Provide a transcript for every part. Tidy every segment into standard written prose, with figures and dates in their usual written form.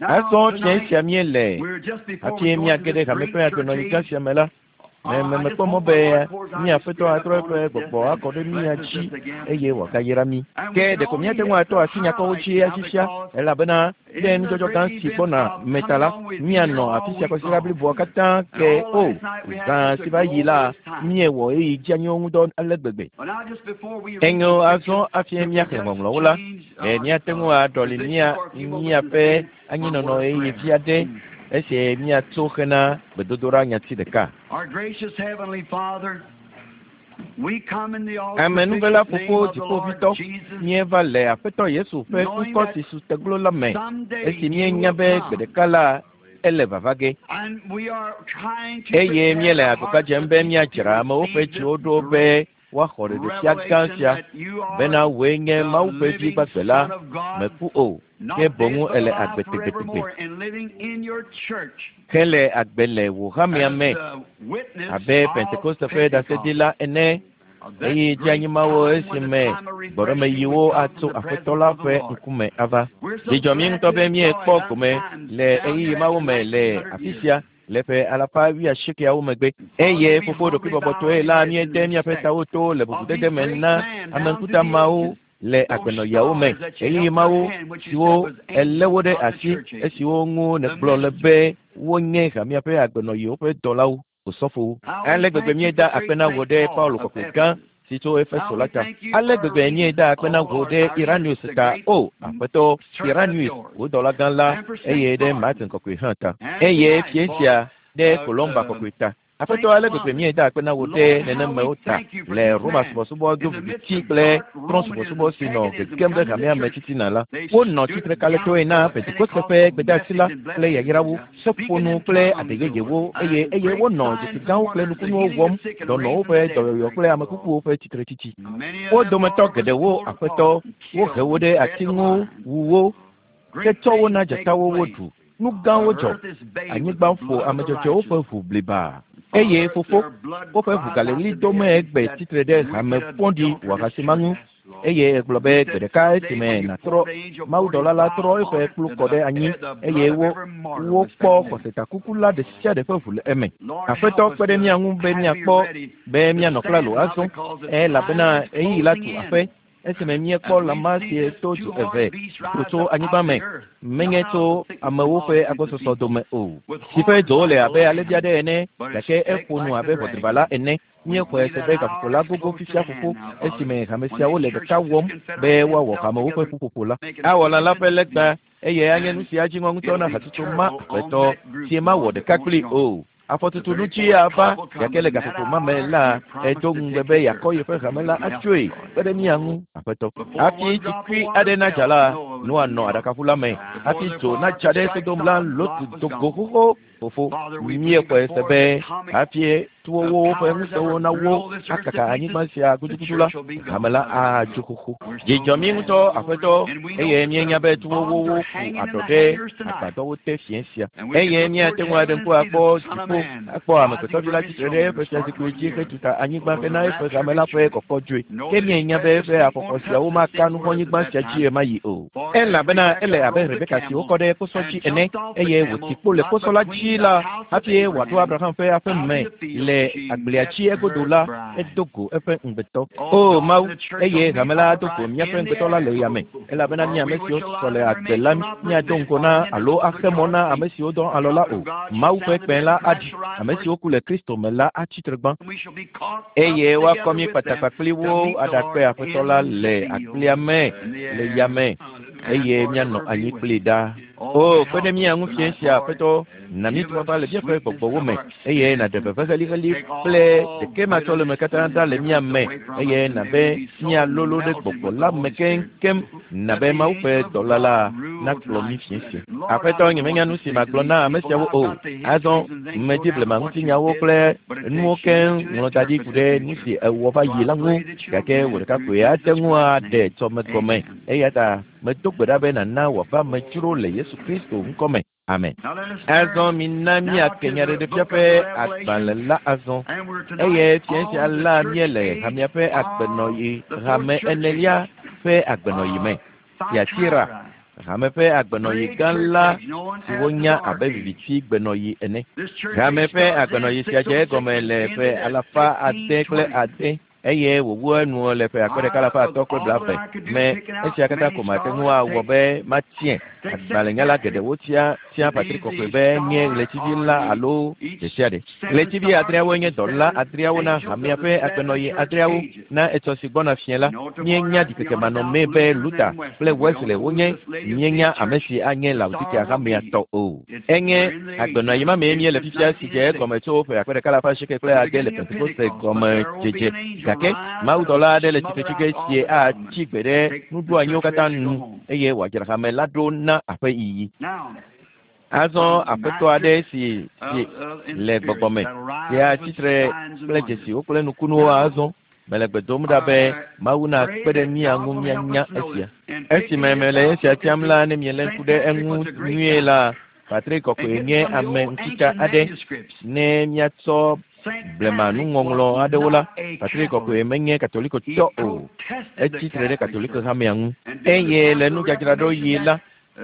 Azɔ fiẽ sia míele hafi míage ɖe hame ƒe agbenɔɣi gã sia me la, me me mekpɔ mɔ be mía Aƒetɔ atrɔ eƒe gbɔgbɔ akɔ ɖe mía dzi eye wòagayra mí. Ke ɖeko míate ŋu atɔ asi nyakɔwo dzi afisia, elabena ɖe nudzɔdzɔ gã si gbɔna me ta la, míanɔ afi sia kwasiɖa bliboa katã ke o. Zã si va yi la, míewɔ ɣeyiɣi dzeanyiwo ŋudɔ ale gbegbe. Enyo azɔ hafi míaxlẽ ŋɔŋlɔwo la, ɖe míate ŋu aɖɔli mía míaƒe anyinɔnɔ ɣeyiɣi vi aɖe esi míatso hena gbedodoɖa nyati ɖeka. Amenuvela Fofo Dziƒoʋĩtɔ, míeva le Aƒetɔ Yesu ƒe ŋkɔ si su teglo la me, esi míenya be gbe ɖeka la, ele vava ge. Eye míele agbagba dzem be míadzra amewo ƒe dziwo ɖo be woaxɔ ɖeɖefia gã sia bena wòe nye Mawu ƒe Vi gbagbe la, mèku o, ke boŋ èle agbe tegbetegbe, hele agbe le wò hamea me abe Pentekoste ƒe ɖaseɖila ene, eye dzeanyi mawo esime gbɔɖemeyiwo atso Aƒetɔ la ƒe ŋkume ava. Dzi dzɔ mí ŋutɔ be míekpɔ gome le ɣeyiɣi mawo me le afi sia le ƒe alafa wuiasiekeawo megbe. Eye fofo ɖokuibɔbɔtɔe la míede míaƒe tawo to le bubudede me na ame ŋkuta mawo le agbenɔɣiawo me, ɣeyiɣi mawo siwo èlé wo ɖe asi, esiwo ŋu nègblɔ le be wonye hamea ƒe agbenɔɣiwo ƒe dɔlawo, osɔfowo. Ale gbegbe míeda akpe na wò ɖe Paulo kɔkɔe gã si tso Efeso la ta. Ale gbegbe míeda akpe na wò ɖe Iranius ta, o Aƒetɔ, Iranius, wò dɔla gã la, eye ɖe Martin kɔkɔe hã ta. Eye fiẽ sia ɖe Columba kɔkɔe ta. Aƒetɔ, ale gbegbe míeda akpe na wò ɖe nenemewo ta le Roma subɔsubɔ do viviti kple trɔ̃subɔsubɔ si nɔ gegem ɖe hamea me titina la. Wonɔ tsitre kalẽtɔe na Pentekoste ƒe gbedeasi la kple yayrawo, seƒoƒonu kple aɖe yeyewo, eye eye wonɔ dzesi gãwo kple nukunuwo wɔm, dɔnɔwo ƒe dɔyɔyɔ kple ame kukuwo ƒe tsitretsitsi. Wo dometɔ geɖewo, Aƒetɔ, wohe wo ɖe ati ŋu, wu wo, ke tsɔ wo na dzatawo woɖu. Nu gãwo dzɔ. Anyigba ƒo ame dzɔdzɔewo ƒe ʋu blibaa. Eye fofo, woƒe ʋu gale ɣli dom egbe tsitre ɖe hame vɔ̃ɖi wɔhasi ma ŋu. Eye egblɔ be gbe ɖeka esime nàtrɔ, mawudɔla la trɔ eƒe kplu kɔ ɖe anyi eye wo, wokpɔ xɔsetakuku la ɖe sia ɖe ƒe ʋu le eme. Aƒetɔ kpe ɖe mía ŋu be míakpɔ be míanɔ klalo azɔ, elabena ɣeyiɣi la tu aƒe. Esime míekpɔ lã ma si to du eve do tso anyigba me, menye tso amewo ƒe agbɔsɔsɔ dome o, si ƒe dzowo le abe alẽvi aɖe ene, gake eƒo nu abe ʋɔdriba la ene. Míexɔe se be gaƒoƒo la gogo fifia fofo, esime hame siawo le ɖeka wɔm be woawɔ hamewo ƒe ƒuƒoƒo la. Awɔ lã la ƒe legba, eye anye nusi adzi ŋɔ ŋutɔ na hatsotso ma Aƒetɔ, si mawɔ ɖeka kplii o. Afɔtutu nu dzi ava, gake le gaƒoƒo ma me la, edo ŋugbe be yeakɔ yeƒe hame la atsoe kpe ɖe mía ŋu, Aƒetɔ. Hafi tsikui aɖe nadza la, Noa nɔ aɖakaƒu la me. Hafi dzo nadza ɖe Sodom la, Lot do go xoxo. Fofo, míexɔe se be hafi towo ƒe ŋusẽwo nawó akaka anyigba sia gudugudu la, hame la adzo xoxo. Dzi dzɔ mí ŋutɔ, Aƒetɔ, eye míenya be tuwowo ƒo aɖɔ ɖe agbadɔwo te fiẽ sia. Eye míate ŋu aɖe ŋku akpɔ dziƒo, akpɔ Amegbetɔvi la tsitre ɖe eƒe fiazikpui dzi hetu ta anyigba hena eƒe hame la ƒe kɔkɔ dzoe. Ke míenya be eƒe afɔkɔ siawo maka nuvɔ̃nyigba sia dzi ɣemaɣi o. Elabena ele abe Rebeka si wokɔ ɖe kposɔ dzi ene, eye wòti kpo le kposɔ la dzi la, hafi wòaɖo Abraham ƒe aƒe me le agblea dzi egodo la, edo go eƒe ŋugbetɔ. O Mawu, eye hame la ado go míaƒe ŋugbetɔ la le yame, elabena mí ame siwo susɔ le agbe la míado ŋgɔ na alo axe mɔ na ame siwo dɔ alɔ la o. Mawu ƒe kpẽ la aɖi, ame siwo ku le Kristo me la atsi tre gbã, eye woakɔ mí kpatakpa kpli wo aɖakpe Aƒetɔ la le agblea me le yame, eye míanɔ anyi kplii ɖaa. O, kpe ɖe mía ŋu fiẽ sia, Aƒetɔ, na mí tufafa le míaƒe gbɔgbɔwo me, eye nàɖe veve heliheli kple ɖekematsɔleme katã ɖa le mía me, eye nàbe míalolo ɖe gbɔgbɔ la me keŋkeŋ, nabe Mawu ƒe dɔla la nakplɔ mí fiẽ sia. Aƒetɔ, nyemenya nu si magblɔ na ame siawo o. Azɔ medi blema ŋutinyawo kple nuwo keŋ ŋlɔ da ɖi ku ɖe nu si èwɔ va yi la ŋu, gake wò ɖeka koe ate ŋu aɖe tsɔme gɔme. Eya ta medo gbe ɖa be nàna wòava me dzro le Yesu Kristo ŋkɔ me. Amen. Azɔ mina míake Nyaɖeɖefia ƒe agbalẽ la azɔ. Eye fiẽ sia la míele hamea ƒe agbenɔɣi, hame enelia ƒe agbenɔɣi me. Tiatira. Hame ƒe agbenɔɣi gã la si wonya abe viviti gbenɔɣi ene. Hame ƒe agbenɔɣi sia dze egɔme le ƒe 606 eye wòwu enu le ƒe 1320 me. Esia katã ko mate ŋu awɔ be matiae. Agbalẽnyala geɖewo tia Patri Kɔkɔe be nye ɣletivi la alo ɖesiaɖe. Ɣletivi adreawoe nye dɔla adreawo na hamea ƒe agbenɔɣi adreawo. Na etsɔ si gbɔna fiẽ la, míenya ɖikekemanɔmee be Luther kple Wesley wonye. Míenya ame si anye Laodikea hamea tɔ o. Enye agbenɔɣi ma mee míele fifia si dze egɔme tso ƒe 1806 le Pentekoste gɔmedzedze. Gake mawudɔla aɖe le tsitre tsi ge sie atsi gbe ɖe nuɖoanyiwo katã nu eye wòadzra hame la ɖo na aƒeyiyi. Azɔ aƒetɔ aɖe si le gbɔgbɔ me si atsi tre kple dzesiwo kple nukunuwo azɔ. Mele gbe dom ɖa be Mawu nakpe ɖe mía ŋu míanya esia. Esime mele esia tiam la, ne mielé ŋku ɖe eŋu nyuie la, Patri Kɔkɔe nye ame ŋutitsa aɖe. Ne míatsɔ blema nuŋɔŋlɔ aɖewo la, Patri Kɔkɔe menye Katolikotɔ o. Etsi tre ɖe Katoliko hamea ŋu. Eye le nudzadzraɖoɣi la,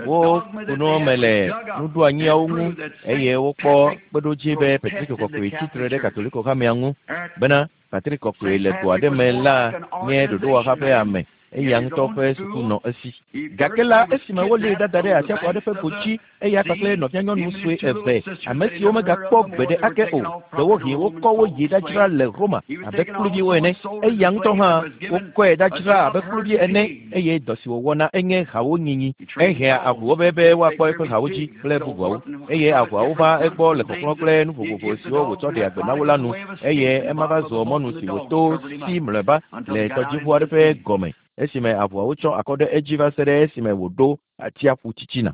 woku nu me le nuɖoanyiawo ŋu eye wokpɔ kpeɖodzi be Patri Kɔkɔe tsi tre ɖe Katoliko hamea ŋu bena Patri Kɔkɔe le go aɖe me la nye ɖoɖowɔha ƒe ame. Eya ŋutɔ ƒe suku nɔ esi. Gake la, esime wolée dada ɖe atsiaƒu aɖe ƒe go dzi, eya kpakple nɔvianyɔnu sue eve, ame siwo megakpɔ gbeɖe ake o, ɖewohĩ wokɔ wo yi ɖadzra le Roma abe kluviwo ene. Eya ŋutɔ hã wokɔe ɖadzra abe kluvi ene, eye dɔ si wòwɔna enye hawo nyinyi. Ehea avuwo be woakpɔ eƒe hawo dzi kple bubuawo, eye avuawo va egbɔ le kɔklɔ kple nu vovovo siwo wòtsɔ ɖea gbe na wo la nu, eye ema va zua mɔnu si wòto si mlɔeba le tɔdziʋu aɖe ƒe gɔme esime avuawo tsɔ akɔ ɖe edzi va se ɖe esime wòɖo atsiaƒu titina.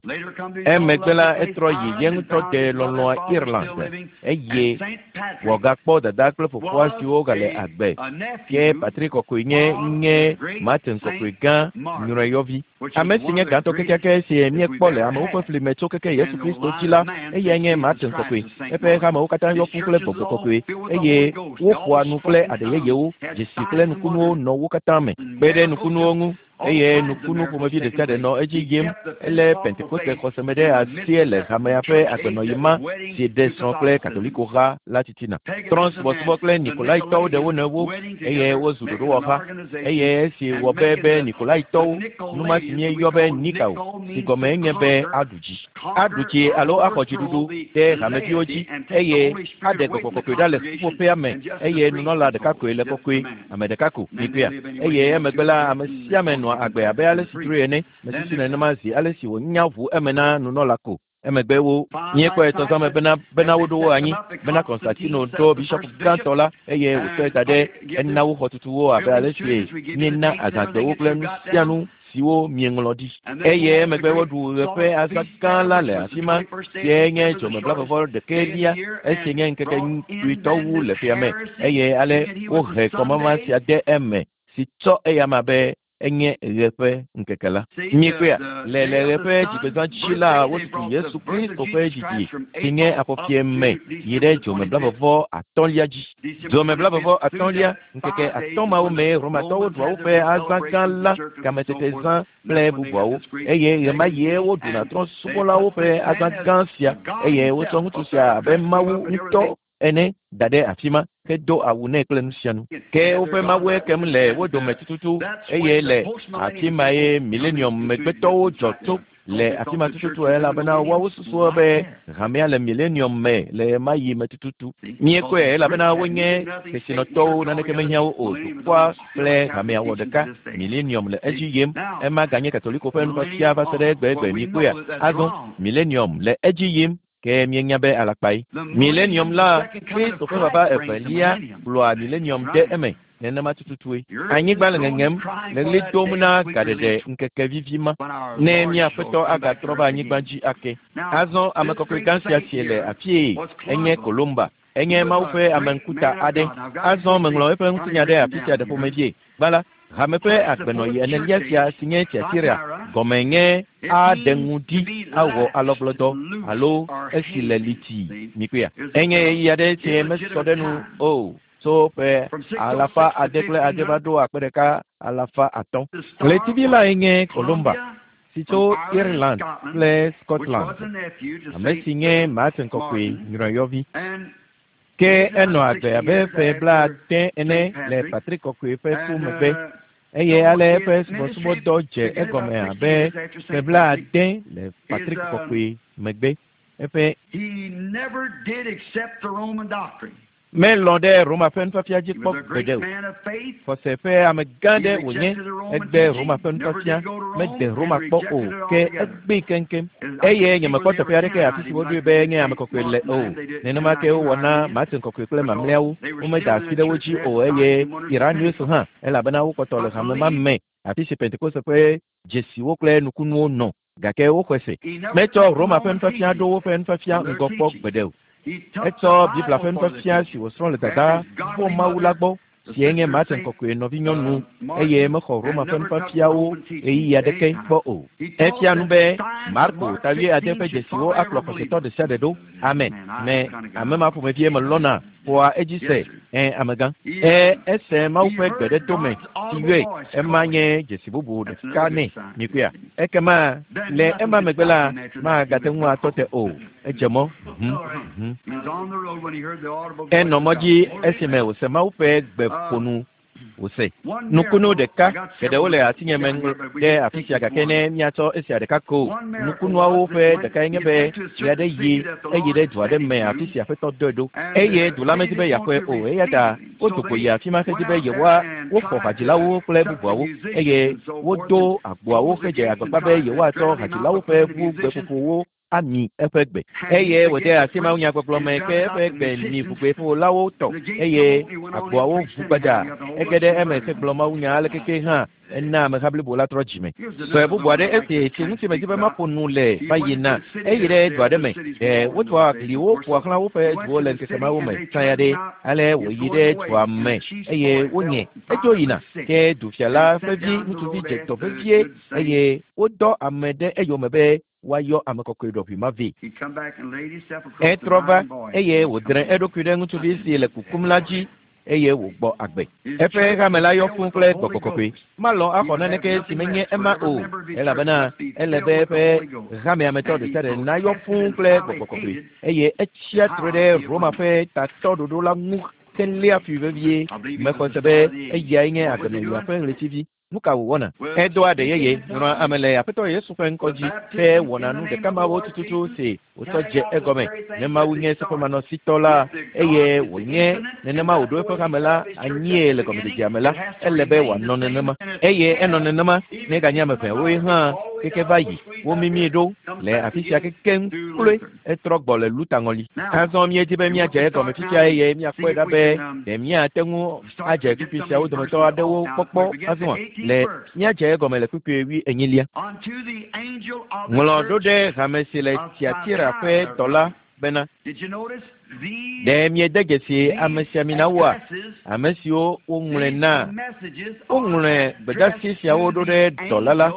Emegbe la, etrɔ yi ye ŋutɔ de lɔlɔ̃a Ireland eye wòagakpɔ dada kple fofoa siwo gale agbe. Ke Patri Kɔkɔe nye Martin Kɔkɔe gã nyrɔeyɔvi. Ame si nye gãtɔ kekeake si míekpɔ le amewo ƒe fli me tso keke Yesu Kristo dzi la, eyae nye Martin Kɔkɔe. Eƒe hamewo katã yɔ fũ kple gbɔgbɔ kɔkɔe eye woƒoa nu kple aɖe yeyewo, dzesi kple nukunuwo nɔ wo katã me. Kpe ɖe nukunuwo ŋu eye nukunu ƒomevi ɖe sia ɖe nɔ edzi yim. Elé Pentekoste xɔseme ɖe asi le hamea ƒe agbenɔɣi ma si ɖe srɔ̃ kple Katolikoha la titina. Trɔ̃subɔsubɔ kple Nikolaitɔwo ɖe wo nɔewo eye wozu ɖoɖowɔha. Eye esi wɔ be Nikolaitɔwo, nu ma si míeyɔ be Nikao, si gɔmee nye be aɖu dzi. Aɖu dzi alo axɔ dziɖuɖu ɖe hameviwo dzi eye aɖe gbɔgbɔ kɔkɔe ɖa le ƒuƒoƒea me eye nunɔla ɖeka koe le kɔkɔe, ame ɖeka ko, mikpɔea. Eye emegbe la, ame sia ame nɔa agbe abe ale si dzroe ene, mesusu nenema zi ale si wònya ʋu eme na nunɔla ko. Emegbe wo míekpɔe tɔzãme bena woɖo wo anyi, bena Konstantino ɖo bishɔp gãtɔ la eye wòtsɔe da ɖe ena wo xɔtutuwo abe ale si míena azãgbewo kple nu sia nu siwo míeŋlɔ ɖi. Eye emegbe woɖu ɣe ƒe azã gã la le afi ma, sie nye dzomeblavɔvɔ ɖekɛlia, esi nye ŋkeke kpuitɔ wu le ƒea me, eye ale wohe kɔmama sia de eme si tsɔ eyama be enye ɣe ƒe ŋkeke la. Míekpɔea, le ɣe ƒe dzigbezã dzi la, wotutu Yesu Kristo ƒe dzidzi si nye afɔfie me yi ɖe dzomeblavɔvɔ atɔ̃lia dzi. Dzomeblavɔvɔ atɔ̃lia, ŋkeke atɔ̃ mawo mee Romatɔwo ɖua woƒe azã gã la, kametetezã kple bubuawo, eye ɣemaɣie woɖuna trɔ̃subɔlawo ƒe azã gã sia, eye wotsɔ ŋutsu sia abe Mawu ŋutɔ ene da ɖe afi ma hedo awu nɛ kple nu sia nu. Ke woƒe mawue kem le wo dome tututu eye le afi ma ye milenium megbetɔwo dzɔ tso le afi ma tututu elabena woawo susua be hamea le milenium me le ɣemaɣi me tututu. Míekpɔe elabena wonye kesinɔtɔwo, naneke mehiã wo o. Dukɔa kple hamea wɔ ɖeka. Milenium le edzi yim. Ema ganye Katoliko ƒe nufiafia va se ɖe egbegbe. Míekpɔea? Azɔ milenium le edzi yim. Ke míenya be alakpae. Milenium la, Kristo ƒe vava evelia kplɔa milenium ɖe eme. Nenema tututue. Anyigba le ŋeŋem, le ɣli dom na gaɖeɖe ŋkeke vivi ma, ne mía Aƒetɔ agatrɔ va anyigba dzi ake. Azɔ ame kɔkɔe gã sia si le afie enye Kolumba. Enye Mawu ƒe ame ŋkuta aɖe. Azɔ meŋlɔ eƒe ŋutinya ɖe afi sia ɖe ƒomevie. Gbã la, hame ƒe agbenɔɣi enelia sia si nye Tiatira gɔme nye aɖe ŋu ɖi awɔ alɔgblɔdɔ alo esi le liti. Mikpɔea? Enye ɣeyiɣi aɖe si mesɔ ɖe nu o. Tso ƒe 606 va ɖo 1500. Ɣletivi lae nye Kolumba, si tso Ireland kple Scotland, ame si nye Martin Kɔkɔe nyrɔyɔvi. Ke enɔ agbe abe ƒe 70 ene le Patrick Kɔkɔe ƒe ku megbe, eye ale eƒe subɔsubɔdɔ dze egɔme abe ƒe 70 le Patrick Kɔkɔe megbe. Eƒe melɔ̃ ɖe Roma ƒe nufiafia dzi kpɔ gbeɖe o. Xɔse ƒe amegã ɖe wònye, egbe Roma ƒe nufiafia, mede Roma kpɔ o, ke egbee keŋkeŋ. Eye nyemekpɔ teƒe aɖeke afi si woɖoe be nye ame kɔkɔe le o. Nenema ke wowɔ na Martin Kɔkɔe kple mamlɛawo, womeda asi ɖe wo dzi o, eye Irenaeus hã, elabena wokpɔtɔ le hame ma me, afi si Pentekoste ƒe dzesiwo kple nukunuwo nɔ, gake woxɔe se. Metsɔ Roma ƒe nufiafia ɖo woƒe nufiafia ŋgɔ kpɔ gbeɖe o. Etsɔ Biblia ƒe nufiafia si wòsrɔ̃ le dada vɔ Mawu la gbɔ, si enye Martin Kɔkɔe nɔvinyɔnu, eye mexɔ Roma ƒe nufiafiawo ɣeyiɣi aɖeke kpɔ o. Efia nu be Marko ta 8 ƒe dzesiwo akplɔ xɔsetɔ ɖe sia ɖe ɖo. Amen. Me ame ma ƒomevie melɔ̃na xɔa edzi se. Amegã. Ese Mawu ƒe gbe ɖe tome si yɔe. Ema nye dzesi bubu ɖeka nɛ. Mikpɔea? Ekema le ema megbe la, magate ŋu atɔ te o. Edze mɔ. Enɔ mɔ dzi esime wòse Mawu ƒe gbe ƒonu wòse. Nukunu ɖeka geɖewo le asinye me ɖe afi sia, gake ne míatsɔ esia ɖeka ko. Nukunuawo ƒe ɖekae nye be ɣe aɖe yi eyi ɖe du aɖe me afi si Aƒetɔ dɔe ɖo, eye du la medi be yeaxɔe o, eya ta wodo go yi afi ma hedi be yewoa woxɔ hadzilawo kple bubuawo, eye wodo agboawo hedze agbagba be yewoatsɔ hadzilawo ƒe ʋu gbeƒoƒowo ami eƒe gbe. Eye wòde asi mawunyagbɔgblɔ me ke eƒe gbe mi ʋugbeƒolawo tɔ, eye agboawo ʋu gbadza. Ege ɖe eme hegblɔ mawunya alekeke hã ena ameha blibo la trɔ dzime. Sɔe bubu aɖe esi si ŋuti medi be maƒo nu le va yina, eyi ɖe du aɖe me. Ɖe wotua gliwo ƒoa xlã woƒe duwo le ŋkeke mawo me tsã ya ɖe. Ale wòyi ɖe dua me eye wonye. Edzo yina, ke dufia la ƒe vi ŋutsuvi dze dɔ vevie eye wodɔ ame ɖe eyome be woayɔ ame kɔkɔe ɖɔʋui ma vɛ. Etrɔ va eye wòdre eɖokui ɖe ŋutsuvi si le kukum la dzi eye wògbɔ agbe. Eƒe hame la yɔ fũu kple gbɔgbɔ kɔkɔe. Malɔ̃ axɔ naneke si menye ema o, elabena ele be eƒe hamea me tɔ ɖe sia ɖe nayɔ fũu kple gbɔgbɔ kɔkɔe, eye etsia tre ɖe Roma ƒe tatɔɖoɖo la ŋu heléa fui vevie. Mexɔ se be eyae nye agbenɔyia ƒe ɣletivi. Nu ka wòwɔna? Edoa ɖe yeye nyrɔa ame le Aƒetɔ Yesu ƒe ŋkɔ dzi he wɔna nu ɖeka mawo tututu si wòtsɔ dze egɔme. Ne Mawu nye seƒemanɔsitɔ la, eye wònye nenema wòɖo eƒe hame la anyie le gɔmedzedzea me la, ele be wòanɔ nenema. Eye enɔ nenema ne eganye ame ʋɛwoe hã keke va yi. Womimii ɖo le afi sia kekeŋ kloe. Etrɔ gbɔ le Luta ŋɔli. Azɔ míedi be míadze egɔme fifia eye míakpɔe ɖa be ɖe míate ŋu adze kpukpui siawo dometɔ aɖewo kpɔkpɔ azɔa. Le míadze egɔme le kpukpui 24. Ŋlɔ ɖo ɖe hame si le Tiatira ƒe dɔla bena, ɖe miede dzesi amesiaminawoa, ame siwo woŋlɔe na? Woŋlɔe gbedasi siawo ɖo ɖe dɔla la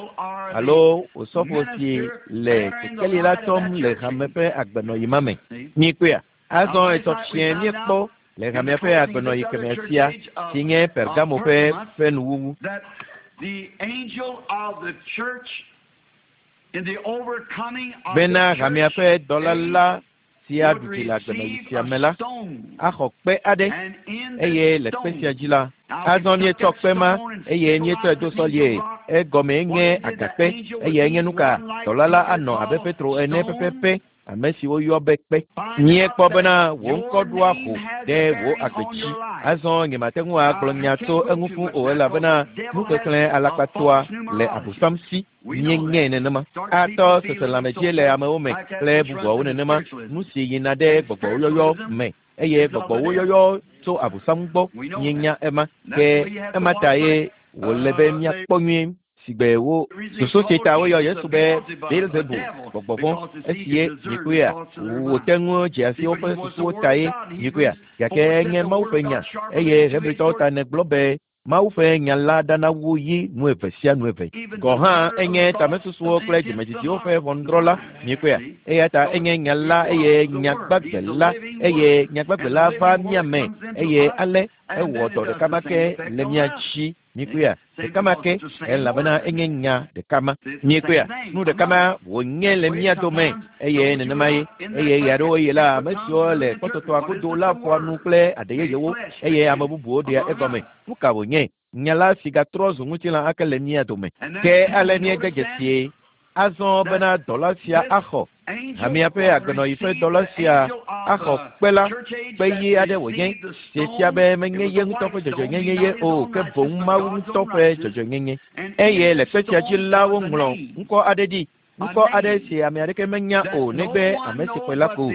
alo osɔfo si le kekeli la tsɔm le hame ƒe agbenɔyi ma me. Mikpɔea? Azɔ etɔ fiẽ míekpɔ le hamea ƒe agbenɔyi kemɛ sia si nye Pergamo ƒe nuwuwu. Bena hamea ƒe dɔla la si aɖu dzi le agbenɔyi sia me la axɔ kpe aɖe, eye le kpe sia dzi la, azɔ míetsɔ kpe ma eye míetsɔe do sɔlie. Egɔmee nye agakpe, eye enye nu ka dɔla la anɔ abe Petro ene pɛpɛpɛ, ame si woyɔ be kpe. Míekpɔ bena wò ŋkɔ ɖoa ho ɖe wò agbe dzi. Azɔ nyemate ŋu agblɔ nya tso eŋu fũu o, elabena nuxexlẽ alakpatɔa le Abosam si. Míeŋe nenema. Atɔ seselãmedzie le amewo me kple bubuawo nenema, nu si yina ɖe gbɔgbɔwo yɔyɔ me, eye gbɔgbɔwo yɔyɔ tso Abosam gbɔ. Míenya ema. Ke ema ta ye wòle be míakpɔ nyuie sigbe wo susu si ta woyɔ Yesu be Beelzebul, gbɔgbɔ vɔ̃, esi ye mikpɔea, wòte ŋu dze asi woƒe susuwo ta ye mikpɔea, gake enye Mawu ƒe nya, eye Hebritɔwo ta negblɔ be Mawu ƒe nya la ɖana wu yi nu eve sia nu eve. Gɔ̃ hã enye tamesusuwo kple dzimedzidziwo ƒe ʋɔnudrɔ̃la, mikpɔea, eya ta enye nya la eye nyagbagbe la, eye nyagbagbe la va mía me, eye ale ewɔ dɔ ɖeka ma ke le mía dzi. Mikpɔea? Ɖeka ma ke, elabena enye nya ɖeka ma. Mikpɔea? Nu ɖeka ma wònye le mía dome, eye nenema ye. Eye ɣeaɖewoɣi la, ame siwo le kpɔtɔtɔa godo la ƒoa nu kple aɖe yeyewo, eye ame bubuwo ɖea egɔme. Nu ka wònye? Nya la si gatrɔ zu ŋutilã ake le mía dome. Ke ale míede dzesie azɔ bena dɔla sia axɔ hamea ƒe agbenɔɣi ƒe dɔla sia axɔ kpe la, kpe ɣi aɖe wònye, si fia be menye ye ŋutɔ ƒe dzɔdzɔenyenye ye o, ke boŋ Mawu ŋutɔ ƒe dzɔdzɔenyenye. Eye le kpe sia dzi la woŋlɔ ŋkɔ aɖe ɖi, ŋkɔ aɖe si ame aɖeke menya o negbe ame si xɔe la ko.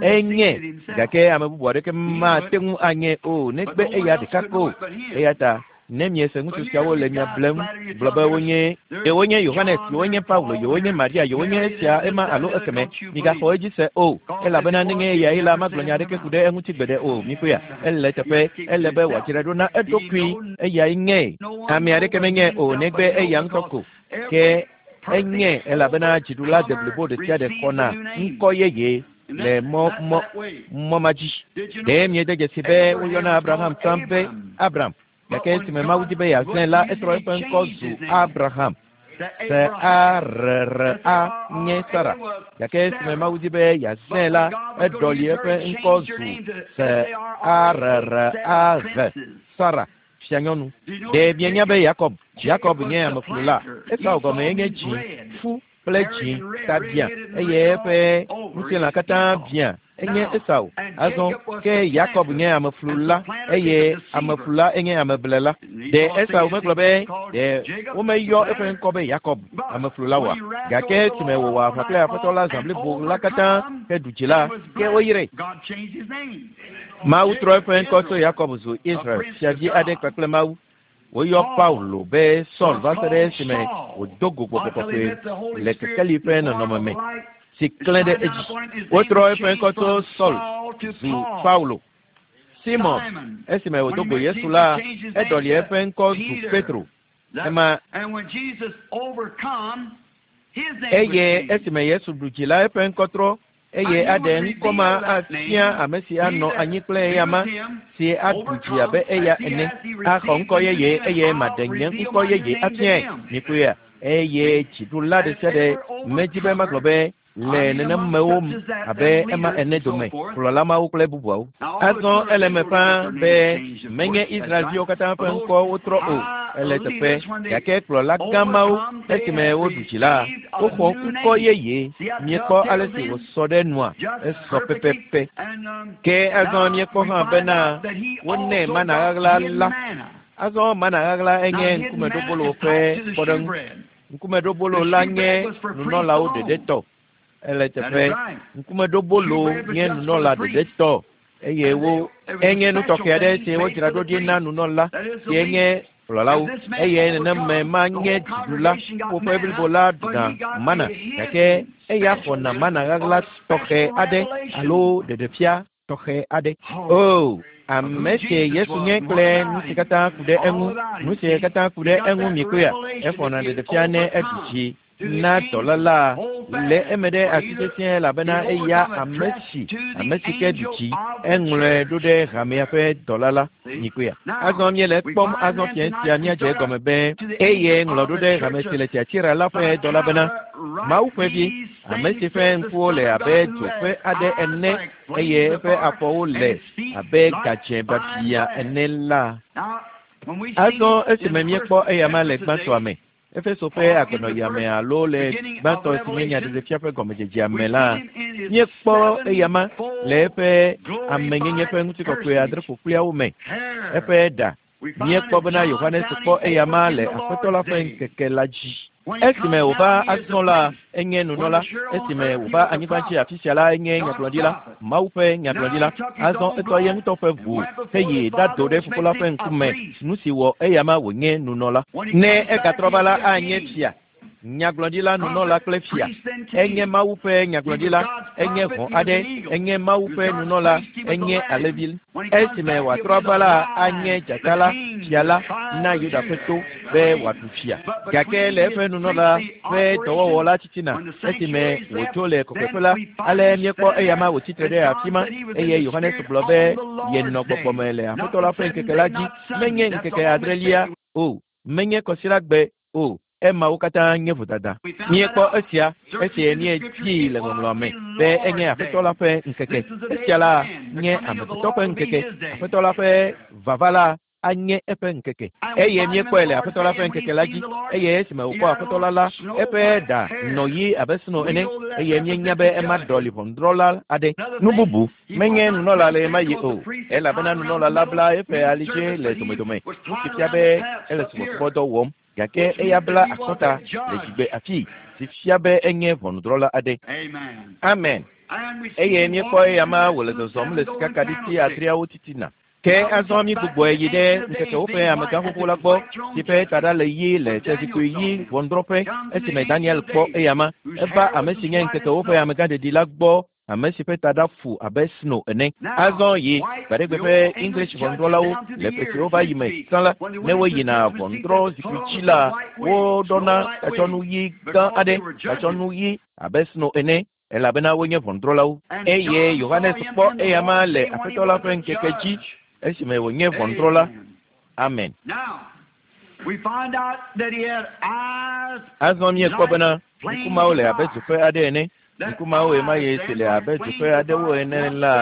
Enye, gake ame bubu aɖeke mate ŋu anye o negbe eya ɖeka ko. Eya ta ne miese ŋutsu siawo le mia blem gblɔ be wonye yewonye Yohanes, yewonye Paulo, yewonye Maria, yewonye esia, ema alo ekeme, migaxɔ edzi se o, elabena nenye eyae la, magblɔ nya aɖeke ku ɖe eŋuti gbeɖe o. Mikpɔea? Ele eteƒe, ele be wòadzrae ɖo na eɖokui. Eyae nye. Ame aɖeke menye o negbe eya ŋutɔ ko. Ke enye elabena dziɖula deblibo ɖe sia ɖe xɔna ŋkɔ yeye le mɔ mɔ mɔ ma dzi. Ɖe miede dzesi be woyɔna Abraham tsã be Abram, gake esime Mawu di be yeazãe la, etrɔ eƒe ŋkɔ zu Abraham. S A R R A nye Sara, gake esime Mawu di be yeazãe la, eɖɔli eƒe ŋkɔ zu S A R R A H, Sara, fianyɔnu. Ɖe mienya be Yakob, Yakob nye ameflula? Esau gɔmee nye dzi, fu kple dzi ta biã, eye eƒe ŋutilã katã biã. Enye Esau. Azɔ ke Yakob nye ameflula, eye ameflula enye ameblela. Ɖe Esau megblɔ be ɖe womeyɔ eƒe ŋkɔ be Yakob, ameflula oa? Gake esime wòwɔ aʋa kple Aƒetɔ la zã blibo la katã heɖu dzi la, ke woyrae. Mawu trɔ eƒe ŋkɔ tso Yakob zu Israel, fiavi aɖe kpakple Mawu. Woyɔ Paulo be Saul va se ɖe esime wòdo go Gbɔgbɔ Kɔkɔe le kekeli ƒe nɔnɔme me si klẽ ɖe edzi. Wotrɔ eƒe ŋkɔ tso Saul zu Paulo. Simon, esime wòdo go Yesu la, eɖɔli eƒe ŋkɔ zu Petro. Ema eye esime Yesu ɖu dzi la, eƒe ŋkɔ trɔ eye aɖe ŋkɔ ma afia ame si anɔ anyi kple eyama si aɖu dzi abe eya ene, axɔ ŋkɔ yeye eye maɖe nye ŋkɔ yeye afiae. Mikpɔea? Eye dziɖula ɖe sia ɖe medi be magblɔ be le nenemewo abe ema ene dome, kplɔla mawo kple bubuawo. Azɔ ele eme ƒãa be menye Israelviwo katã ƒe ŋkɔ wotrɔ o, ele teƒe, gake kplɔla gã mawo esime woɖu dzi la, woxɔ ŋkɔ yeye. Miekpɔ ale si wòsɔ ɖe nua? Esɔ pɛpɛpɛ. Ke azɔ míekpɔ hã bena wonɛ mana ɣaɣla la. Azɔ mana ɣaɣla enye ŋkumeɖobolo ƒe kpɔɖeŋu. Ŋkumeɖobolo la nye nunɔlawo ɖeɖe tɔ. Ele teƒe. Ŋkumeɖobolo nye nunɔla ɖeɖe tɔ eye wo enye nu tɔxɛ aɖe si wodzra ɖo ɖi na nunɔla si enye kplɔlawo eye neneme ma nye dziɖula woƒe blibo la ɖuna mana gake eya xɔna mana ɣaɣla tɔxɛ aɖe alo ɖeɖefia tɔxɛ aɖe. O, ame si Yesu nye kple nu si katã ku ɖe eŋu, nu si katã ku ɖe eŋu mikpɔea, exɔna ɖeɖefia ne eɖu dzi na dɔla la le eme ɖe asi sesĩe elabena eya ame si ame si ke ɖu dzi eŋlɔe ɖo ɖe hamea ƒe dɔla la mikpɔea. Azɔ míele ekpɔm azɔ fiẽ sia míadze egɔme be eye ŋlɔ ɖo ɖe hame si le Tiatira la ƒe dɔla bena Mawu ƒe vi, ame si ƒe ŋkuwo le abe dzo ƒe aɖe ene eye eƒe afɔwo le abe gadzẽ biabiã ene la. Azɔ esime míekpɔ eyama le gbãtɔa me, Efeso ƒe agbenɔɣia me alo le gbãtɔ si nye nyaɖeɖefia ƒe gɔmedzedzea me la, míekpɔ eyama le eƒe amenyenye ƒe ŋutikɔkɔe adre ƒokpliawo me, eƒe ɖa. Míekpɔ bena Yohanes kpɔ eyama le Aƒetɔ la ƒe ŋkeke la dzi. Esime wòva azɔ la, enye nunɔla. Esime wòva anyigba dzi afi sia la, enye nyagblɔɖila, Mawu ƒe nyagblɔɖila. Azɔ etɔ ye ŋutɔ ƒe ʋu heyi ɖado ɖe Fofo la ƒe ŋkume, nu si wɔ eyama wònye nunɔla. Ne egatrɔ va la, anye fia, nyagblɔɖila, nunɔla kple fia. Enye Mawu ƒe nyagblɔɖila, enye hɔ̃ aɖe, enye Mawu ƒe nunɔla, enye alẽvi. Esime wòatrɔ ava la, anye dzata la, fia la, na Yuda ƒe to be wòaɖu fia. Gake le eƒe nunɔla ƒe dɔwɔwɔ la titina, esime wòdzo le kɔkɔeƒe la, ale míekpɔ eyama wòtsi tre ɖe afi ma, eye Yohanes gblɔ be yenɔ gbɔgbɔ me le Aƒetɔ la ƒe ŋkeke la dzi, menye ŋkeke adrelia. O, menye kɔsiɖagbe o. Emawo katã nye vodada. Míekpɔ esia esi míedii le ŋɔŋlɔa me be enye Aƒetɔ la ƒe ŋkeke. Esia la nye amegbetɔ ƒe ŋkeke. Aƒetɔ la ƒe vava la anye eƒe ŋkeke. Eye míekpɔe le Aƒetɔ la ƒe ŋkeke la dzi. Eye esime wòkpɔ Aƒetɔ la la, eƒe ɖa nɔ ɣi abe sno ene, eye míenya be ema ɖɔli ʋɔnudrɔ̃la aɖe. Nu bubu, menye nunɔla le ɣemaɣi o, elabena nunɔla la bla eƒe alidze le domedome, nu si fia be ele subɔsubɔdɔ wɔm. Gake eya bla akɔta le dzigbe afii, si fia be enye ʋɔnudrɔ̃la aɖe. Amen. Eye míekpɔ eyama wòle zɔzɔm le sikakaɖiti adreawo titina. Ke azɔ mígbugbɔe yi ɖe ŋkekewo ƒe amegã xoxo la gbɔ, si ƒe taɖa le ɣi le fiazikpui ɣi ʋɔnudrɔ̃ƒe, esime Daniel kpɔ eyama. Eva ame si nye ŋkekewo ƒe amegãɖeɖi la gbɔ, ame si ƒe taɖa fu abe sno ene. Azɔ yi gbaɖegbe ƒe English ʋɔnudrɔ̃lawo le ƒe siwo va yi me tsã la, ne woyina ʋɔnudrɔ̃zikpui dzi la, woɖɔna tatsɔnu ɣi gã aɖe, tatsɔnu ɣi abe sno ene, elabena wonye ʋɔnudrɔ̃lawo. Eye Yohanes kpɔ eyama le Aƒetɔ la ƒe ŋkeke dzi esime wònye ʋɔnudrɔ̃la. Amen. Azɔ míekpɔ bena ŋku mawo le abe dzoƒe aɖe ene. Ŋku mawo ɣemaɣi si le abe dzoƒe aɖewo ene la,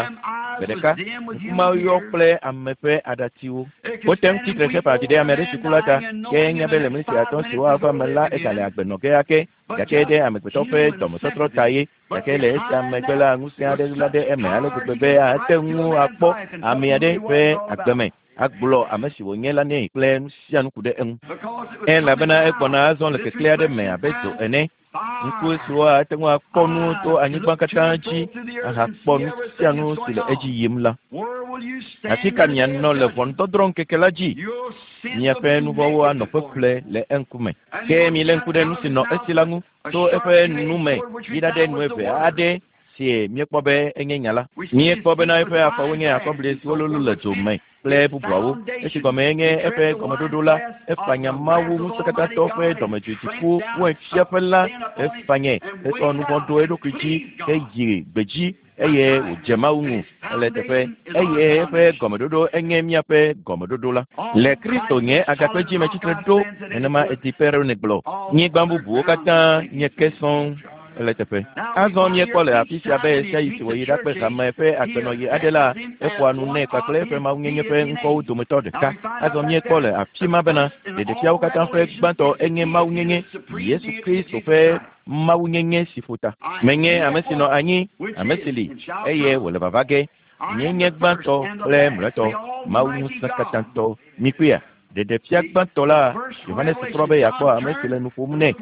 gbe ɖeka, ŋku mawo yɔ kple ame ƒe aɖatsiwo. Wote ŋu tsi tre xe ƒe avi ɖe ame aɖe si ku la ta, ke enya be le mlisi atɔ̃ siwo ava me la, egale agbe nɔ ge ake. Gake ɖe amegbetɔ ƒe dɔmetɔtrɔ ta ye. Gake le esia megbe la, ŋusẽ aɖe ɣla ɖe eme ale gbegbe be ate ŋu akpɔ ame aɖe ƒe agbe me, agblɔ ame si wònye la nɛ kple nu sia nu ku ɖe eŋu. Elabena egbɔna azɔ le keklẽ aɖe me abe dzo ene. Ŋku siwo ate ŋu akpɔ nu to anyigba katã dzi ahakpɔ nu sia nu si le edzi yim la. Afi ka mianɔ le ʋɔnudɔdrɔ̃ ŋkeke la dzi? Miaƒe nu vɔ̃wo anɔ ƒeƒle le eŋkume. Ke milé ŋku ɖe nu si nɔ esi la ŋu to eƒe nu me yi ɖaɖe nu eve aɖe si míekpɔ be enye nya la. Míekpɔ bena eƒe afɔwo nye akɔbli siwo lólo le dzo me kple bubuawo. Esi gɔmee nye eƒe gɔmeɖoɖo la, efanya Mawu Ŋusẽkatãtɔ ƒe dɔmedzoe dziku wainfiaƒe la, efanyɛ hetsɔ nu vɔ̃ ɖo eɖokui dzi heyi gbedzi eye wòdze Mawu ŋu le teƒe, eye eƒe gɔmeɖoɖo enye míaƒe gɔmeɖoɖo la. Le Kristo nye agakpe dzi metsitre ɖo, nenema Edi Perowne gblɔ. Nyigba bubuwo katã nye ke sɔŋ ele teƒe. Azɔ míekpɔ le afi sia be ɣesiaɣi si wòyi ɖakpe hame ƒe agbenɔɣi aɖe la, eƒoa nu nɛ kpakple eƒe mawunyenye ƒe ŋkɔwo dometɔ ɖeka. Azɔ míekpɔ le afi ma bena ɖeɖefiawo katã ƒe gbãtɔ enye mawunyenye, Yesu Kristo ƒe mawunyenye si ƒo ta. Menye ame si nɔ anyi, ame si li, eye wòle vava ge. Nyee nye gbãtɔ kple mlɔetɔ, Mawu Ŋusẽkatãtɔ. Mikpɔea? Ɖeɖefia gbãtɔ la, Yohanes trɔ be yeakpɔ ame si le nu ƒom nɛ.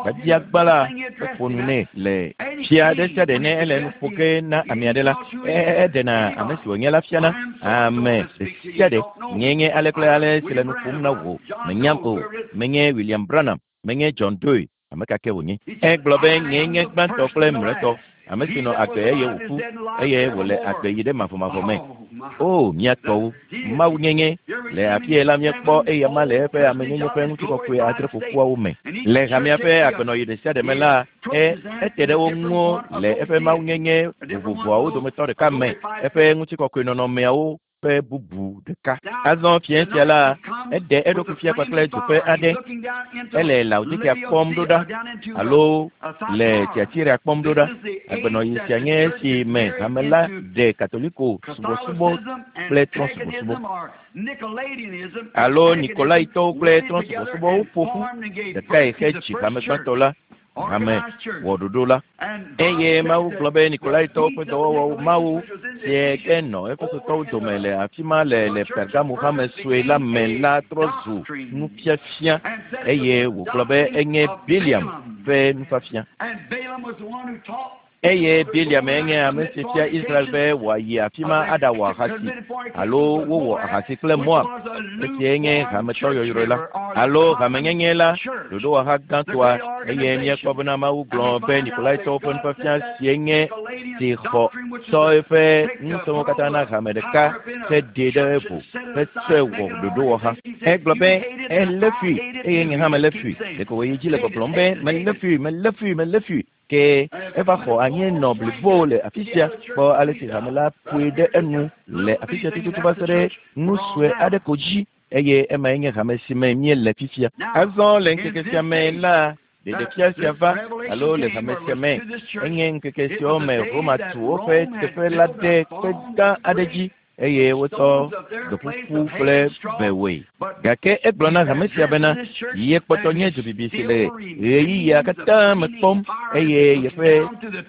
Biabia gbã la, eƒo nu nɛ le fia ɖe sia ɖe ne ele nu ƒo ge na ame aɖe la, eɖena ame si wònye la fiana. Ame ɖe sia ɖe. Nyee nye ale kple ale si le nu ƒom na wò. Mènyam o. Menye William Branham. Menye John Doe. Ame ka ke wònye. Egblɔ be, Nyee nye gbãtɔ kple mlɔetɔ, ame si nɔ agbe eye wòku, eye wòle agbe yi ɖe mavɔmavɔ me. O, mía tɔwo! Mawu nyenye! Le afia la míekpɔ eyama le eƒe amenyenye ƒe ŋutikɔkɔe adreƒoƒuawo me. Le hamea ƒe agbenɔɣi ɖesiaɖe me la, e, ete ɖe wo ŋu le eƒe mawunyenye vovovoawo dometɔ ɖeka me, eƒe ŋutikɔkɔe nɔnɔmeawo ƒe bubu ɖeka. Azɔ fiẽ sia la, eɖe eɖokui fia kpakple dzoƒe aɖe. Ele Laodikea kpɔm ɖo ɖa alo le Tiatira kpɔm ɖo ɖa. Agbenɔɣi sia nye esi me hame la ɖe Katoliko subɔsubɔ kple trɔ̃subɔsubɔ alo Nikolaitɔwo kple trɔ̃subɔsubɔwo ƒo ƒu ɖekae hedzi hame gbãtɔ la. Hame wɔ ɖoɖo la. Eye Mawu gblɔ be Nikolaitɔwo ƒe dɔwɔwɔwo Mawu sie ke nɔ Efesotɔwo dome le afi ma le le Pergamo hame sue la me la trɔ zu nufiafia, eye wògblɔ be enye Bileam ƒe nufiafia. Eye Bileam enye ame si fia Israel be wòayi afi ma aɖawɔ ahasi, alo wowɔ ahasi kple Moab, esia nye hametɔ yɔyrɔe la, alo hamenyenye la, ɖoɖowɔha gãtɔa, eye míekpɔ bena Mawu gblɔ be Nikolaitɔwo ƒe nufiafia sie nye si xɔ tsɔ eƒe ŋusẽwo katã na hame ɖeka heɖee ɖe evo hetsɔe wɔ ɖoɖowɔha. Egblɔ be, Elé fui, eye nye hã melé fui. Ɖeko wòyi edzi le gbɔgblɔm be, Melé fui, melé fui, melé fui. Ke eva xɔ anyinɔ blibo le afi sia. Kpɔ ale si hame la ƒoe ɖe enu le afi sia tututu va se ɖe nu sue aɖe ko dzi. Eye emae nye hame si me míele fifia. Azɔ le ŋkeke sia me la, ɖeɖefia sia va, alo le hame sia me, enye ŋkeke siawo me Roma tu woƒe teƒe la ɖe kpe gã aɖe dzi, eye wotsɔ gbeƒuƒu kple be wɔe. Gake egblɔ na hame sia bena, yekpɔtɔ nye dzobibi si le ɣeyiɣia katã me kpɔm, eye yeƒe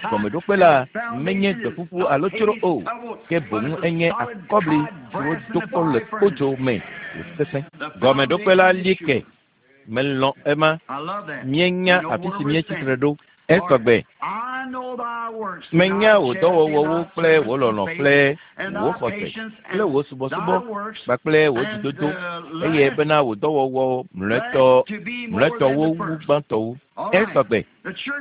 gɔmeɖokpe la menye gbeƒuƒu alo tsro o, ke boŋ enye akɔbli si wodo kpɔ le kpodzo me wòsesẽ. Gɔmeɖokpe la li ke. Melɔ̃ ema. Míenya afi si míetsi tre ɖo. Esɔgbe. Menya wò dɔwɔwɔwo kple wò lɔlɔ̃ kple wò xɔse kple wò subɔsubɔ kpakple wò dzidodo, eye bena wò dɔwɔwɔ mlɔetɔwo wu gbãtɔwo. Esɔgbe.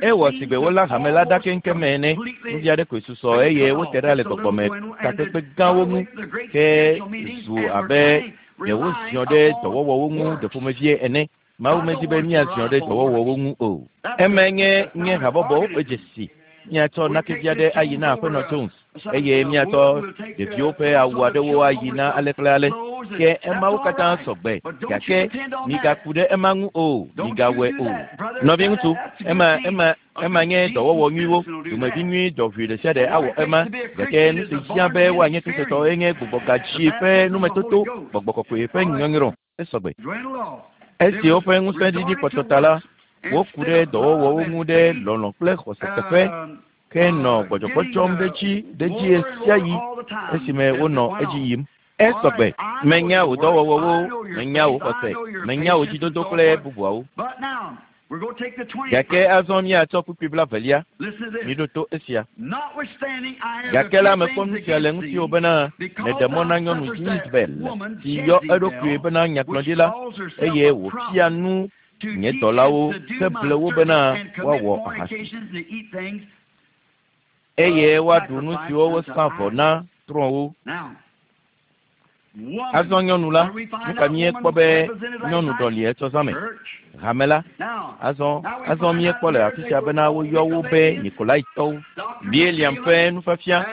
Ewɔ sigbe wolé hame la ɖa keŋkeŋ ene. Nuvi aɖe koe susɔ eye wote ɖa le gbɔgbɔme takpekpe gãwo ŋu ke zu abe ɖe woziɔ ɖe dɔwɔwɔwo ŋu ɖeƒomevie ene. Mawu medi be míaziɔ ɖe dɔwɔwɔwo ŋu o. Emae nye nye habɔbɔwo ƒe dzesi. Míatsɔ nakevi aɖe ayi na Aƒenɔ Jones, eye míatsɔ ɖeviwo ƒe awu aɖewo ayi na ale kple ale. Ke emawo katã sɔgbe, gake migaku ɖe ema ŋu o, migawɔe o. Nɔviŋutsu, ema ema ema nye dɔwɔwɔ nyuiwo. Dumevi nyui dɔʋui ɖe sia ɖe awɔ ema, gake nu si hiã be woanye Kristotɔ enye gbugbɔgadzi ƒe numetoto, gbɔgbɔ kɔkɔe ƒe nyɔnyrɔ. Esɔgbe. Esi woƒe ŋusẽ ɖiɖi kpɔtɔ ta la, woku ɖe dɔwɔwɔwo ŋu ɖe lɔlɔ̃ kple xɔse teƒe, ke nɔ gbɔdzɔgbɔdzɔm ɖe dzi ɖe dzi ɣesiaɣi esime wonɔ edzi yim. Esɔgbe. Menya wò dɔwɔwɔwo, menya wò xɔse, menya wò dzidodo kple bubuawo. Gake azɔ míatsɔ kpukpui blaevelia. Miɖo to esia. Gake la mekpɔ nu sia le ŋutiwò bena nèɖe mɔ na nyɔnu Yezebel si yɔ eɖokui bena nyagblɔɖila, eye wòfia nu nye dɔlawo heble wo bena woawɔ ahasi, eye woaɖu nu siwo wosa vɔ na trɔ̃wo. Azɔ nyɔnu la, nu ka míekpɔ be nyɔnu ɖɔli etsɔ zã me? Hame la. Azɔ, azɔ míekpɔ le afi sia bena woyɔ wo be Nikolaitɔwo, Bileam ƒe nufiafia,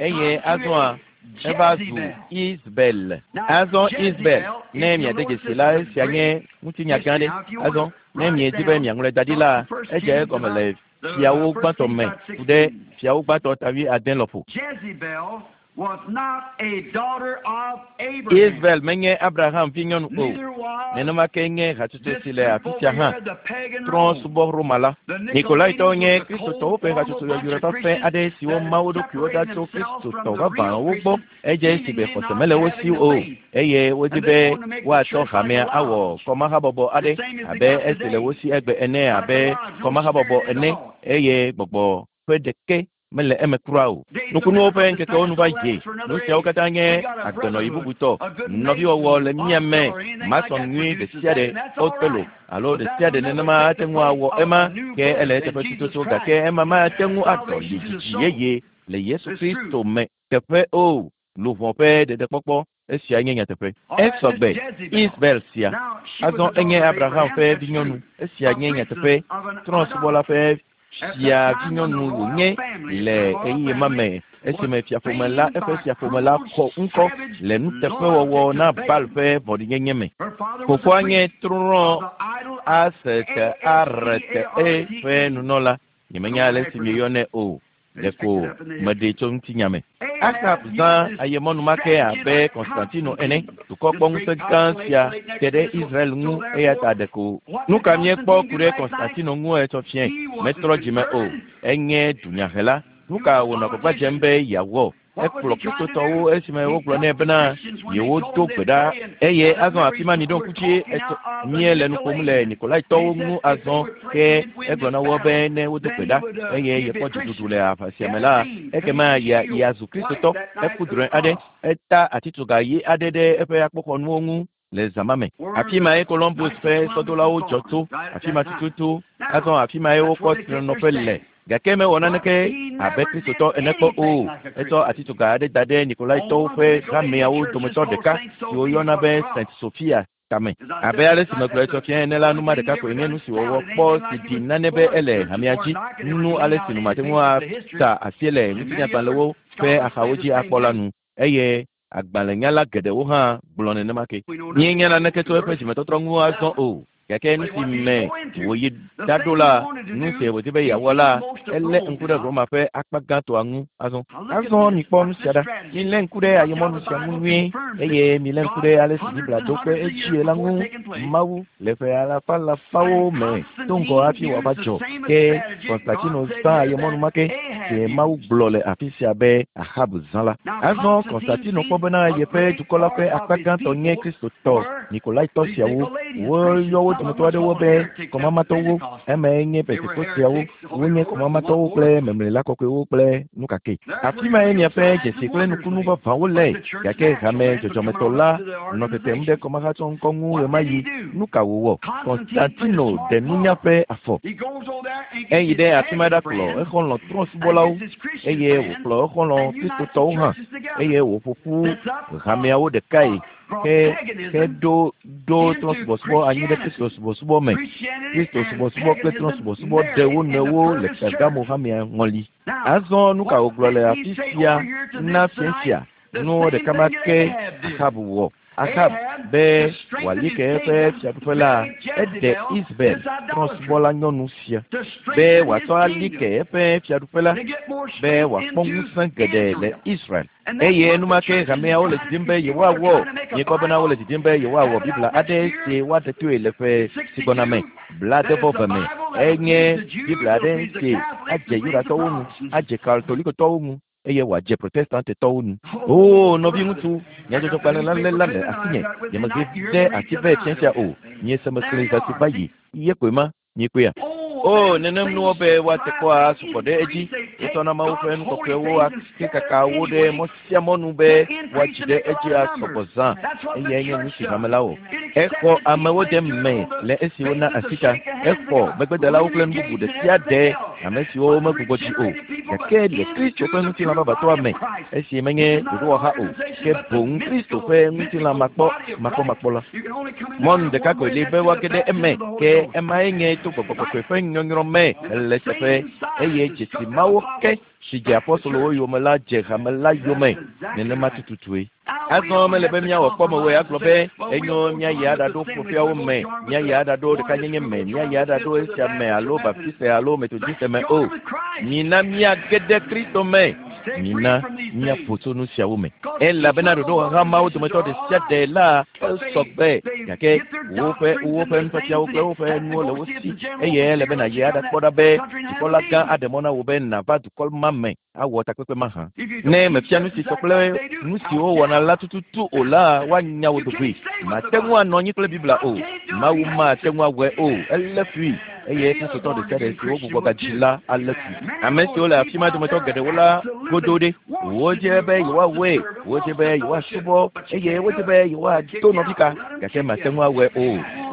eye azɔa eva zu Isabel. Azɔ Isabel, ne miade dzesi la, esia nye ŋutinya gã ɖe. Azɔ, ne miedi be miaŋlɔe da ɖi la, edze egɔme le fiawo gbãtɔ me ku ɖe fiawo gbãtɔ ta wuiade lɔƒo. Jezebel was not a daughter of Abraham. Isabel menye Abraham vinyɔnu o. Neither was Nenema ke nye hatsotso si le this afi group sia over hã. here, the pagan Trɔ̃ Rome. subɔ Roma la. The Nikolaitɔwo Nicolaitans nye was a Kristotɔwo cold ƒe formal hatsotso bunch yɔyrɔ of fafɛ Christians aɖe siwo that ma wo ɖokuiwo ɖa separated tso themselves from Kristotɔ the real vavãwo gbɔ. Christians, Edze si be seemingly xɔse not mele wo having si the o, faith. eye wodi And be they wanted to make the woatsɔ church like hamea a awɔ lodge. kɔmahabɔbɔ The aɖe same as they abe got esi le today. wo si egbe ene Like a abe lodge, no kɔmahabɔbɔ spirit at ene all. eye gbɔgbɔ ƒe ɖeke mele eme kura o. Days of Nukunuwo ƒe miracles is ŋkekewo nu past, va so yi. that's for another Nu siawo age. katã We nye got a agbenɔyi brotherhood, bubutɔ. a good Nɔviwɔwɔ le mason, mía me, or anything like mason that nyui ɖe produces sia that, ɖe, and that's all Otelo right. alo But ɖe that sia will ɖe never nenema take ate the ŋu place awɔ of ema a new ke ele birth in eteƒe Jesus tututu Christ. gake ema mate ŋu adɔ Salvation to the dzidzi soul. yeye le Yesu It's true. Kristo me teƒe o. Luʋɔ ƒe ɖeɖekpɔkpɔ esia nye nyateƒe. All right, this Esɔgbe Jezebel. Isabel sia. Now, she was Azɔ the daughter enye of Abraham Abraham, ƒe that's vinyɔnu. true. Esia A nye priestess nyateƒe. of an Trɔ̃subɔla idol. ƒe At fia that time when the vinyɔnu royal wònye family, le the royal ɣeyiɣi ma family me was esime fiaƒome la famed eƒe by fiaƒome la cruel, xɔ ŋkɔ savage le nuteƒewɔwɔ loyalty na to Baal Baal. ƒe vɔ̃ɖinyenye me. Her father was a Fofoa nye priest trɔ̃ of the idol ASTARTE ƒe A-S-T-A-R-T-E. nunɔla. Nyemenya I don't ale know how si you mieyɔnɛ pronounce it. o. They just picked Ɖeko it up in the meɖee history. tso ŋutinya me. Ahab Ahab zã used his ayemɔnu ma ke strategy abe like Konstantino ene. Constantine. Dukɔ This kpɔ ŋusẽ great gã powerful sia age te next ɖe to this one. Israel ŋu So eya ta therefore, ɖeko. what Nu did ka míekpɔ Constantine ku do ɖe last night? Konstantino ŋu etsɔ fiẽ? He wasn't Metrɔ dzime o. converted. Enye dunyahela. Nu He ka was a wònɔ agbagba dzem politician. be yeawɔ? What was Ekplɔ he trying to Kristotɔwo do? esime He wogblɔ took nɛ the bena Christians when they yewodo told him gbe they'd ɖa pray and eye now azɔ remember afi ma he's, miɖo we're ŋku dzi talking etsɔ out of the míele nu ƒom le Nicolaitans. He Nikolaitɔwo said ŋu if they azɔ would pray ke he'd win egblɔ this na wo battle, be ne wodo then gbe he ɖa would eye he'd be yekpɔ a dziɖuɖu Christian. le aʋa sia He me had a la dream, ekema painted ya shield yeazu white Kristotɔ. that night Eku of the drɔ̃e aɖe, cross. eta atitsoga ɣi aɖe ɖe eƒe akpoxɔnuwo ŋu le zã ma me. Afi Where mae the Columbus Knights ƒe of Columbus was sɔdolawo dzɔ born, tso. right at Afi that ma time. tututu. Azɔ Now, afi mae that's wokpɔ where they take their trenɔƒe le. stand. Gake mewɔ But naneke he abe never did Kristotɔ ene kpɔ o. anything like a Etsɔ Christian. atitsoga aɖe da ɖe On Nikolaitɔwo one of ƒe the Nicolaitans hameawo churches dometɔ called ɖeka St. si Sophia woyɔna on be the St. cross. Sophia tame. As I Abe said ale last si night, megblɔ that's etsɔ the fia ene la, only nu ma thing ɖeka he koe ever nye done nu si wòwɔ sounded kpɔ anything si like it ɖi was nane be full of ele churches hamea or dzi. like, and they were Nu giving ale out si nu any mate ŋu papers of the history. ata asi le And many other ŋutinyagbalẽwo ƒe scholars say axawo the dzi same akpɔ la thing. nu eye Agbalẽnyala geɖewo hã gblɔ nenema ke. Míenya naneke tso eƒe dzimetɔtrɔ ŋu azɔ o. Gake nu si me wòyi ɖaɖo la, nu si wòdi be yeawɔ la, elé ŋku ɖe Roma ƒe akpa gãtɔa ŋu azɔ. Azɔ mikpɔ nu sia ɖa. Milé ŋku ɖe ayemɔnu sia ŋu nyuie eye milé ŋku ɖe ale si Biblia do kpe edzie la ŋu. Mawu le ƒe alafa alafawo me do ŋgɔ hafi wòava dzɔ. Ke Konstantino zã ayemɔnu ma ke si Mawu gblɔ le afi sia be Ahab zã la. Azɔ Konstantino kpɔ bena yeƒe dukɔ la ƒe akpa gãtɔ nye Kristotɔ Nikolaitɔ siawo. Woyɔ wo dometɔ aɖewo be kɔmamatɔwo, emae nye Pentekosteawo. Wonye kɔmamatɔwo kple memlela kɔkɔewo kple nu kake. Afi mae miaƒe dzesi kple nukunu vavãwo le. Gake hame dzɔdzɔmetɔ la nɔ tetem ɖe kɔmahatsɔŋkɔ ŋu ɣemaɣi. Nu ka wòwɔ? Konstantino ɖe nunya ƒe afɔ. Eyi ɖe afi ma ɖakplɔ exɔlɔ̃ trɔ̃subɔlawo eye wòkplɔ exɔlɔ̃ Kristotɔwo hã eye wòƒo ƒu hameawo ɖekae ke heɖo ɖo trɔ̃subɔsubɔ anyi ɖe Kristo subɔsubɔ me. Kristo subɔsubɔ kple trɔ̃subɔsubɔ ɖe wo nɔewo le Pergamo hamea ŋɔli. Azɔ nu ka wògblɔ le afi sia na fia sia? Nu ɖeka ma ke Ahab wɔ. Ahab be wòali ke eƒe fiaɖuƒe la, eɖe Isabel trɔ̃subɔla nyɔnu sia be wòatsɔ ali ke eƒe fiaɖuƒe la be wòakpɔ ŋusẽ geɖe le Israel. Eye enumake hameawo le didim be yewoawɔ. Miekpɔ bena wole didim be yewoawɔ Biblia aɖe si woaɖe toe le ƒe si gbɔna me, 70 me. Enye Biblia aɖe si adze Yudatɔwo ŋu, adze Katolikotɔwo ŋu eye wòadze Protestantetɔwo ŋu. Oo, nɔviŋutsu, nyadzɔdzɔgbalẽ la lé la le asinye. Nyemezi ɖe asi vɛ fiasia o. Miese mexlẽe zã si va yi. Ye koe ma. Miekpɔea? O, nenem nuwo be woate kpɔ asɔgbɔ ɖe edzi. Wotsɔna Mawu ƒe nu kɔkɔewo ake kaka wo ɖe mɔ sia mɔnu be woadzi ɖe edzi asɔgbɔ zã. Eyae nye nu si hame la wɔ. Exɔ amewo de me le esi wona asi ta. Exɔ megbedelawo kple nu bubu ɖe sia ɖe, ame siwo megbugbɔ dzi o. Gake le Kristo ƒe ŋutilã vavãtɔa me, esi menye ɖoɖowɔha o, ke boŋ Kristo ƒe ŋutilã makpɔ makpɔmakpɔ la. Mɔnu ɖeka koe li be woage ɖe eme, ke emae nye to gbɔgbɔ kɔkɔe ƒe nyɔnyrɔ me le teƒe eye dzesi mawo ke si dze apostolowo yome la dze hame la yome nenema tututue. Azɔ mele be míawɔ kpɔmewoe agblɔ be enyo míayi aɖaɖo ƒoƒeawo me, míayi aɖaɖo ɖekanyenye me, míayi aɖaɖo esia me alo Baptiste alo Methodiste me o. Mina míage ɖe Kristo me. Mina míaƒo tso nu siawo me. Elabena ɖoɖowɔha mawo dometɔ ɖe sia ɖe la esɔgbe gake woƒe woƒe nufiafiawo kple woƒe nuwo le wo si eye ele be nàyi aɖakpɔ ɖa be dzikpɔla gã aɖe mɔ na wò be nàva dukɔ ma me awɔ takpekpe ma hã. Ne mefia nu si sɔ kple nu si wowɔna la tututu o la, woanya wò dogoe. Màte ŋu anɔ anyi kple Biblia o. Mawu mate ŋu awɔe o. Elé fui eye Kristotɔ ɖe sia ɖe si wogbugbɔ gadzi la alé fui. Ame siwo le afi ma dometɔ geɖewo la godo ɖe. Wodze be yewoawɔe, wodze be yewoasubɔ eye wodze be yewoado nɔvika gake mate ŋu awɔe o.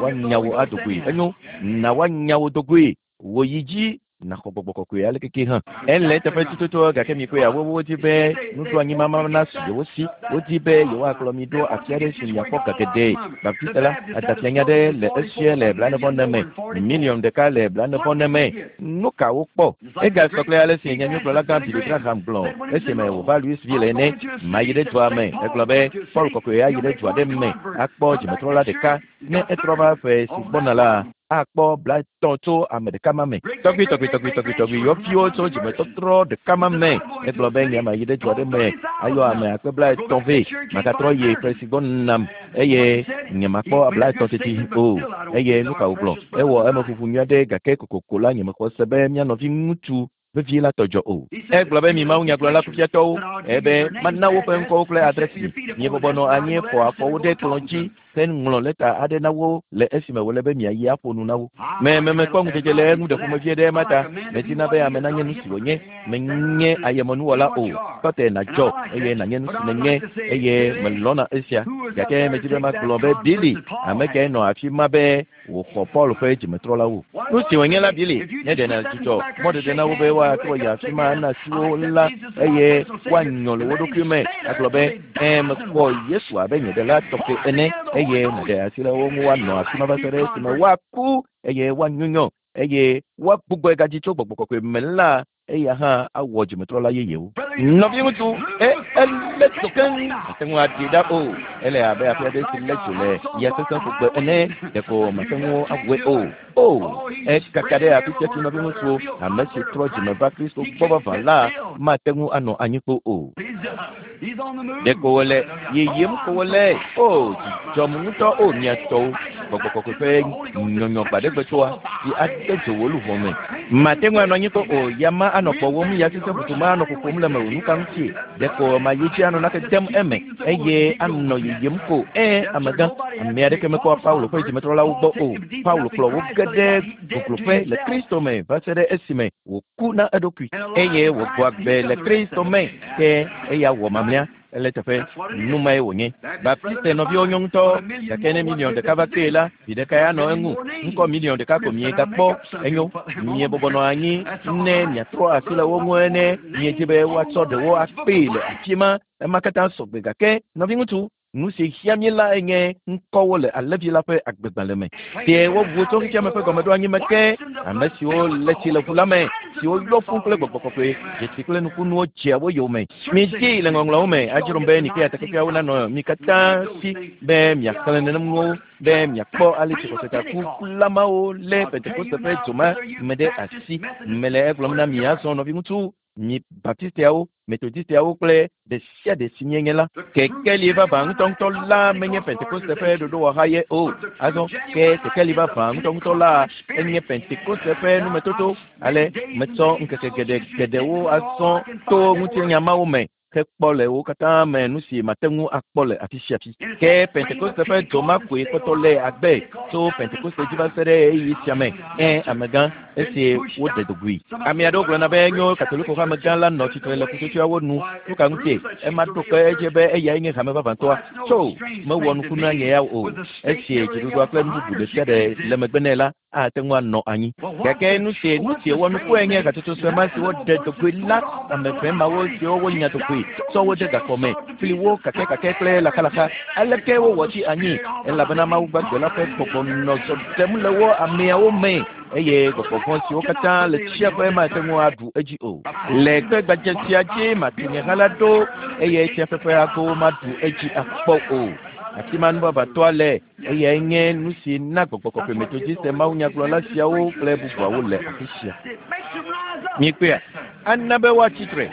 Woanya wò adogoe. Enyo, na woanya wò dogoe. Wò yi dzi naxɔ gbɔgbɔ kɔkɔe ale keke hã. Ele teƒe tututu gake mikpɔe ya wowo wodi be nuɖoanyi mama nasu yewo si. Wodi be yewoakplɔ mi ɖo afi aɖe si miakpɔ ga geɖe. Baptiste la adafianya ɖe le esie le 49 me, miliɔn ɖeka le 49 me. Nu ka wokpɔ? Egasɔ kple ale si nyanyuigblɔla gã Billy Graham gblɔ esime wòva Louisville ene. Mayi ɖe dua me. Egblɔ be Paul kɔkɔe ayi ɖe dua ɖe me akpɔ dzimetrɔla ɖeka. Ne etrɔ va ƒe si gbɔna la, akpɔ 50 tso ame ɖeka ma me. Tɔgbi tɔgbi tɔgbi tɔgbi tɔgbi yɔviwo tso dzimetɔtrɔ ɖeka ma me. Egblɔ be nye mayi ɖe dua ɖe me ayɔ ame akpe 50 vɛ. Magatrɔ yi ƒe si gbɔnam eye nyemakpɔ 50 teti o. Eye nu ka wògblɔ? Ewɔ emeƒuƒu nyui aɖe gake kokoko la nyemexɔ se be mía nɔvi ŋutsu vevie la tɔ dzɔ o. Egblɔ be mi mawunyagblɔla kufiatɔwo ebe mana woƒe ŋkɔwo kple adresi mi. Miebɔbɔ nɔ anyi fɔ afɔwo ɖe kplɔ̃ dzi heŋlɔ lɛta aɖe na wo le esime wòle be miayi aƒo nu na wo. Me me mekpɔ ŋudzedze le eŋu ɖe ƒomevie ɖe ema ta. Medina be ame nanye nu si wònye. Menye ayemenuwɔla o. Tɔte nàdzɔ eye nànye nu si nènye eye melɔ̃na esia. Gake medi be magblɔ be Billy, ame kae nɔ afi ma be wòxɔ Paul ƒe dzimetrɔlawo. Nu si wònye la Billy, ne ɖe nàdzudzɔ mɔɖeɖe na wo be woatrɔ yi afi ma ana asi wo la eye woanyɔ le wo ɖokui me agblɔ be ẽ mexɔ Yesu abe nye ɖela tɔxɛ ene eye nàɖe asi le wo ŋu woanɔ afi ma va se ɖe esime woaku eye woanyunyɔ eye woagbugbɔe gadzi tso gbɔgbɔ kɔkɔe me la. Eya hã awɔ dzimetrɔla yeyewo. Nɔviŋutsu, e, elé dzo keŋ, mate ŋu aɖee ɖa o. Ele abe afi aɖe si lé dzo le ya sesẽ ƒogbe ene, ɖeko mate ŋu awɔe o. O, ekaka ɖe afi sia fi nɔviŋutsuwo, ame si trɔ dzime va Kristo gbɔ vavã la mate ŋu anɔ anyi kpoo o. Ɖeko wòle yiyim ko wòle. O, dzi dzɔm ŋutɔ, o mia tɔwo. Gbɔgbɔ kɔkɔe ƒe nyɔnyɔ gbaɖegbe tsoa si ade dzo wò luʋɔ me. Mate ŋu anɔ anyi kpɔ o, ya ma anɔ kpɔwòm, ya sesẽ ƒoƒo ma anɔ ƒoƒom le mewò. Nuka ŋutie? Ɖeko mayi dzi anɔ nake dem eme eye anɔ yiyim ko. Ẽ, amegã, ame aɖeke mekpɔa Paulo ƒe dzimetrɔlawo gbɔ o. Paulo kplɔ wo ge ɖe gogloƒe le Kristo me va se ɖe esime wòku na eɖokui eye wògbɔ agbe le Kristo me. Ke eya wɔ mamlɛa ele teƒe. Nu mae wònye. Baptiste nɔviwo nyɔ ŋutɔ, gake ne miliɔn ɖeka va kpee la, vi ɖekae anɔ eŋu. Ŋkɔ miliɔn ɖeka ko miegakpɔ. Enyo, miebɔbɔ nɔ anyi ne miatrɔ asi le wo ŋu ene. Miedi be woatsɔ ɖewo akpee le afi ma. Ema katã sɔgbe gake, nɔviŋutsu, nu si hiã mí lae nye ŋkɔwo le Alẽvi la ƒe agbegbalẽ me. Ɖe wobu tso xexeame ƒe gɔmeɖoanyi me ke, ame siwo le tsi le ʋu la me, siwo yɔ fũ kple gbɔgbɔ kɔkɔe, dzesi kple nukunuwo dzea wo yome. Midii le Ŋɔŋlɔawo me adzrom be Nikea takpekpeawo nanɔ mi katã si be miaxlẽ nenem nuwo be miakpɔ ale si xɔsetaku mawo lé Pentekoste ƒe dzo ma me ɖe asi. Mele egblɔm na mi azɔ, nɔviŋutsu, mi Baptisteawo, Metodisteawo kple ɖe sia ɖe si mienye la. Kekeli vavã ŋutɔŋutɔ la menye Pentekoste ƒe ɖoɖowɔha ye o. Azɔ ke kekeli vavã ŋutɔŋutɔ la enye Pentekoste ƒe numetoto. Ale metsɔ ŋkeke geɖe geɖewo azɔ to ŋutinya mawo me hekpɔ le wo katã me nu si mate ŋu akpɔ le afi sia afi. Ke Pentekoste ƒe dzo ma koe kpɔtɔ le agbe tso Pentekoste dzi va se ɖe ɣeyiɣi sia me. Ẽ, amegã, esi woɖe dogui. Ame aɖewo gblɔna be enyo Katoliko ƒe amegã la nɔ tsitre le ƒutsotsoeawo nu. Nu ka ŋutie? Ema ɖo kpe edzi be eyae nye hame vavãtɔa. Tso! Mewɔ nuku na nye ya o. Esi dziɖuɖua kple nu bubu ɖe sia ɖe le megbe nɛ la, ate ŋu anɔ anyi. Gake nu si nu si wɔ nukue nye hatsotso sue ma si woɖe dogui la, ame ʋɛ mawo siwo wonya dogui tsɔ wo de gaxɔ me, fli wo kakɛkakɛ kple laxalaxa. Aleke wowɔ tsi anyi? Elabena Mawu gbagbe la ƒe gbɔgbɔ nɔ zɔ ɖem le wo ameawo me, eye gbɔgbɔ vɔ̃ siwo katã le tsiaƒe mate ŋu aɖu edzi o. Le kpe gbadze sia dzi matu nye ha la ɖo, eye tsiaƒe ƒe agowo maɖu edzi akpɔ o. Afi ma nuvavãtɔa le. Eyae nye nu si na gbɔgbɔ kɔkɔe Metodiste mawunyagblɔla siawo kple bubuawo le afi sia. Mikpɔea? Ana be woatsi tre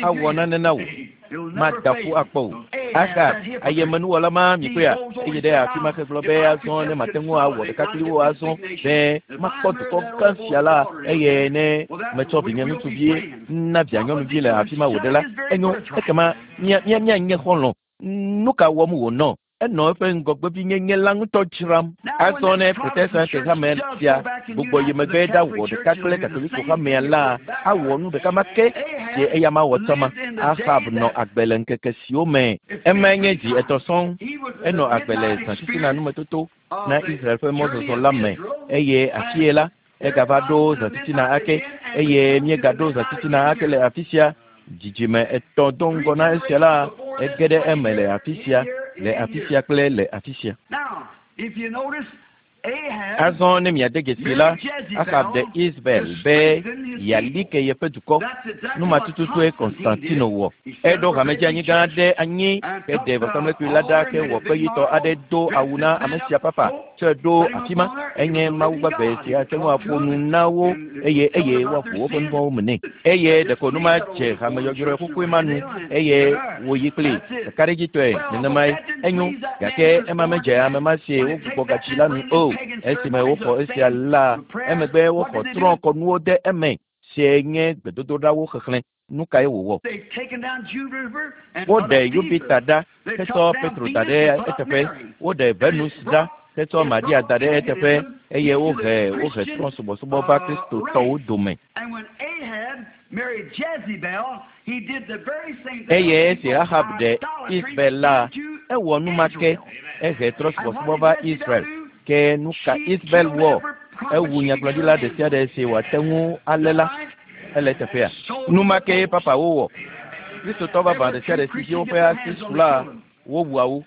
awɔ nane na wò. Mada ƒu akpɔ o. Ahab, ayemenuwɔla ma, mikpɔea? Eyi ɖe afi ma hegblɔ be azɔ ne mate ŋu awɔ ɖeka kpli wo azɔ be makpɔ dukɔ gã sia la, eye ne metsɔ vinye ŋutsuvi na via nyɔnuvi le afi ma wòɖe la, enyo, ekema mía, mía, míanye xɔlɔ̃. Nu ka wɔm wònɔ? Enɔ eƒe ŋgɔgbevinyenye la ŋutɔ dzram. Azɔ ne Protestante hame sia gbugbɔ yi megbe ɖawɔ ɖeka kple Katoliko hamea la, awɔ nu ɖeka ma ke si eyama wɔ tsã ma. Ahab nɔ agbe le ŋkeke siwo me emae nye zi etɔ̃ sɔŋ. Enɔ agbe le zãtitina numetoto na Israel ƒe mɔzɔzɔ la me eye afie la, egava ɖo zãtitina ake eye míegaɖo zãtitina ake le afi sia. Dzidzime etɔ̃ do ŋgɔ na esia la, ege ɖe eme le afi sia, le afi sia kple le afi sia. Azɔ ne miade dzesi la, Ahab ɖe Isabel be yeali ke yeƒe dukɔ. Nu ma tututue Konstantino wɔ. Eɖo hamedzeanyi gã aɖe anyi heɖe vɔsamlekpui la ɖa hewɔ kpeyitɔ aɖe do awu na ame sia papa tsɔe ɖo afi ma. Enye Mawu gbagbe si ate ŋu aƒo nu na wo eye eye woaʋu woƒe nu vɔ̃wo me nɛ. Eye ɖeko nu ma dze hame yɔyrɔe xoxoe ma nu eye wòyi kplii kakaɖedzitɔe nenemae. Enyo, gake ema medze ame ma si wogbugbɔ gadzi la nu o. Esime woxɔ esia la, emegbe woxɔ trɔ̃kɔnuwo de eme sie nye gbedodoɖawo xexlẽ. Nu kae wòwɔ? Woɖe Yupita ɖa hetsɔ Petro da ɖe eteƒe, woɖe Venus ɖa hetsɔ Maria da ɖe eteƒe, eye wohe wohe trɔ̃subɔsubɔ va Kristotɔwo dome. Eye esi Ahab ɖe Isabel la, ewɔ nu ma ke, ehe trɔ̃subɔsubɔ va Israel. Ke nu ka Isabel wɔ? Ewu nyagblɔɖila ɖe sia ɖe si wòate ŋu alé la. Ele teƒea. Nu ma kee papawo wɔ. Kristotɔ vavã ɖe sia ɖe si dzi woƒe asi su la, wowua wo.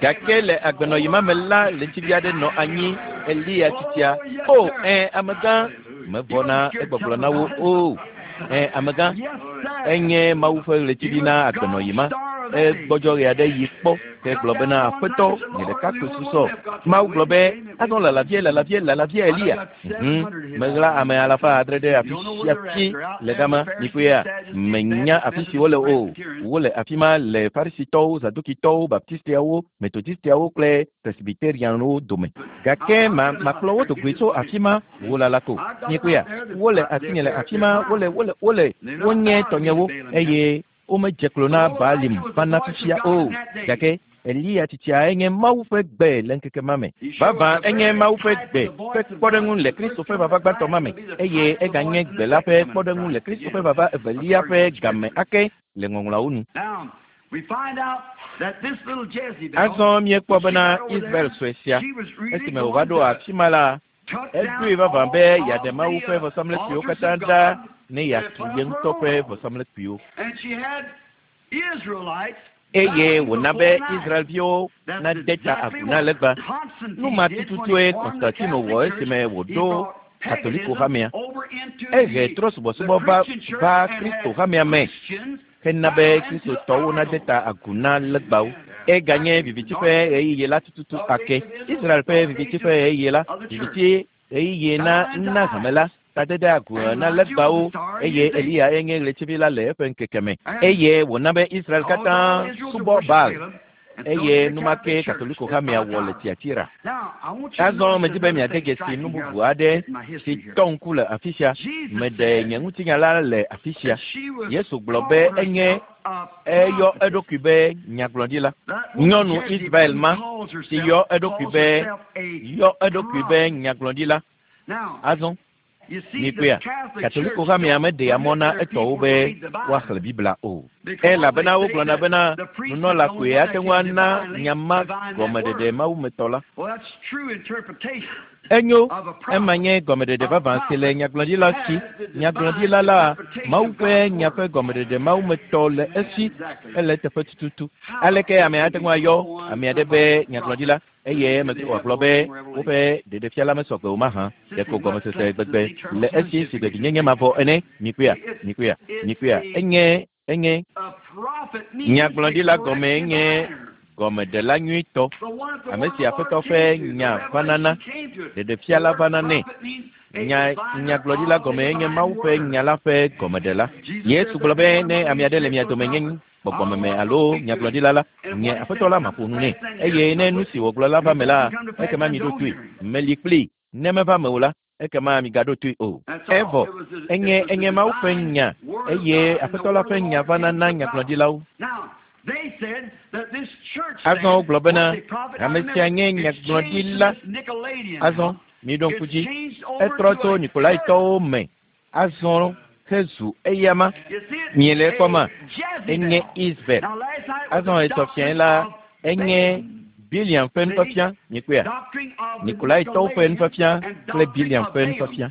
Gake le agbenɔɣi ma me la, ɣletivi aɖe nɔ anyi, Eliya tsitsia. O, ẽ, amegã! Mevɔ̃na egbɔgblɔ na wo o. Ẽ, amegã, enye Mawu ƒe ɣletivi na agbenɔɣi ma. Egbɔdzɔ ɣe aɖe yi kpɔ ke gblɔ bena, Aƒetɔ, nye ɖeka koe susɔ. Mawu gblɔ be, Azɔ lala vie, lala vie, lala vie, Eliya. Meɣla ame 600 ɖe afi sia fi le gama. Mikpɔea? Menya afi si wole o. Wole afi ma le Farisitɔwo, Zadukitɔwo, Baptistiawo, Metodistiawo kple Presbyterianwo dome. Gake ma, makplɔ wo do goe tso afi ma, wo lala ko. Mikpɔea? Wole asinye le afi ma, wole, wole, wole, wonye tɔnyewo, eye womedze klo na Baalim vana fifia o. Gake Eliya tsitsia enye Mawu ƒe gbe le ŋkeke ma me. Vavã enye Mawu ƒe gbe ƒe kpɔɖeŋu le Kristo ƒe vava gbãtɔ ma me, eye eganye gbe la ƒe kpɔɖeŋu le Kristo ƒe vava evelia ƒe game ake le Ŋɔŋlɔawo nu. Azɔ míekpɔ bena Israel sue sia, esime wòva ɖo afi ma la, eɖoe vavã be yeaɖe Mawu ƒe vɔsamlekpuiwo katã ɖa ne yeatu ye ŋutɔ ƒe vɔsamlekpuiwo. Eye wòna be Israelviwo nade ta agu na legba. Nu ma tututue Konstantino wɔ esime wòɖo Katoliko hamea. Ehe trɔ̃subɔsubɔ va va Kristo hamea me hena be Kristotɔwo nade ta agu na legbawo. Eganye viviti ƒe ɣeyiɣi la tututu ake. Israel ƒe viviti ƒe ɣeyiɣi la, viviti ɣeyiɣi na na hame la, tadede agu na legbawo, eye Eliya enye ɣletivi la le eƒe ŋkeke me. Eye wòna be Israel katã subɔ Baal, eye numake Katoliko hamea wɔ le Tiatira. Azɔ medi be miade dzesi nu bubu aɖe si tɔ ŋku le afi sia. Meɖe nye ŋutinya la le afi sia. Yesu gblɔ be enye eyɔ eɖokui be nyagblɔɖila. Nyɔnu Israel ma si yɔ eɖokui be yɔ eɖokui be nyagblɔɖila. Azɔ mikpɔea, Katoliko hamea meɖea mɔ na etɔwo be woaxlẽ Biblia o. Elabena wogblɔna bena nunɔla koe ate ŋu ana nya ma gɔmeɖeɖe mawumetɔ la. Enyo, ema nye gɔmeɖeɖe vavã si le nyagblɔɖila si. Nyagblɔɖila la, Mawu ƒe nya ƒe gɔmeɖeɖe mawumetɔ le esi, ele eteƒe tututu. Aleke ame ate ŋu ayɔ ame aɖe be nyagblɔɖila eye emegbe wòagblɔ be woƒe ɖeɖefia la mesɔgbe o mahã? Ɖeko gɔmesese gbegbe le esi si gbeɖinyenye mavɔ ene. Mikpɔea? Mikpɔea? Mikpɔea? Enye, enye nyagblɔɖila gɔmee nye gɔmeɖela nyuitɔ, ame si Aƒetɔ ƒe nya vana na, ɖeɖefia la vana nɛ. Nya nyagblɔɖila gɔmee nye Mawu ƒe nya la ƒe gɔmeɖela. Yesu gblɔ be ne ame aɖe le mia dome nye gbɔgbɔmeme alo nyagblɔɖila la, nye Aƒetɔ la maƒo nu nɛ. Eye ne nu si wògblɔ la va me la, ekema miɖo toe. Meli kplii. Ne meva me o la, ekema migaɖo toe o. Evɔ, enye enye Mawu ƒe nya, eye Aƒetɔ la ƒe nya vana na nyagblɔɖilawo. Azɔ wogblɔ bena ame sia nye nyagblɔɖila. Azɔ miɖo ŋku dzi, etrɔ tso Nikolaitɔwo me. Azɔ hezu eyama. Miele ekpɔma? Enye Isabel. Azɔ etɔ fiae la, enye Biliam ƒe nufiafia. Mikpɔea? Nikolaitɔwo ƒe nufiafia kple Biliam ƒe nufiafia.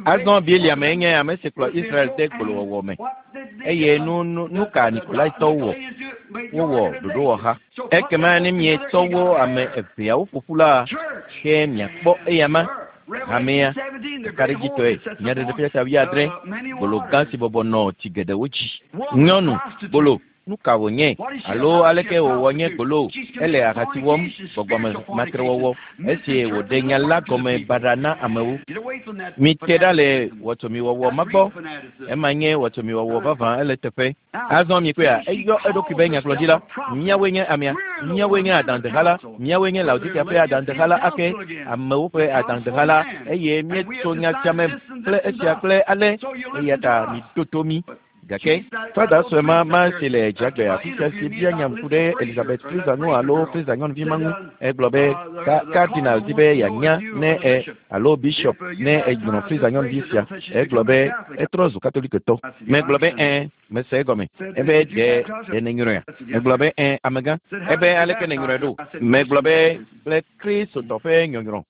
Azɔ Biliam enye ame si kplɔ Israel de gbolowɔwɔ me. Eye nu nu nu ka Nikolaitɔwo wɔ? Wowɔ ɖoɖowɔha. Ekema ne mietsɔ wo ame eveawo ƒo ƒu la, ke miakpɔ eyama hamea kakaɖedzitɔe. Nyaɖeɖefia ta 70, gbolo gã si bɔbɔ nɔ tsi geɖewo dzi. Nyɔnu gbolo, nu ka wònye? Alo aleke wòwɔ nye gbolo? Ele ahasi wɔm, gbɔgbɔme matrewɔwɔ, esi wòɖe nya la gɔme baɖa na amewo. Mite ɖa le wɔtsomiwɔwɔ ma gbɔ. Ema nye wɔtsomiwɔwɔ vavã, ele teƒe. Azɔ mikpɔea, eyɔ eɖokui be nyagblɔɖila. Míawoe nye amea, míawoe nye adaŋudeha la, míawoe nye Laodikea ƒe adaŋudeha la ake, amewo ƒe adaŋudeha la, eye míetso nya sia me kple esia kple ale, eya ta miɖo to mí. Gake fada sue ma ma si le dzagbe afi sia si bia nya ku ɖe Elizabeth Fraser ŋu alo Fraser nyɔnuvi ma ŋu, egblɔ be ka cardinal di be yeanya ne e alo bishop ne enyrɔ Fraser nyɔnuvi sia. Egblɔ be etrɔ zu katolikotɔ. Megblɔ be ẽ, mese egɔme. Ebe ɖe ɖe nenyrɔea? Megblɔ be ẽ, amegã. Ebe aleke nenyrɔe ɖo? Megblɔ be kple Kristotɔ ƒe nyɔnyrɔ.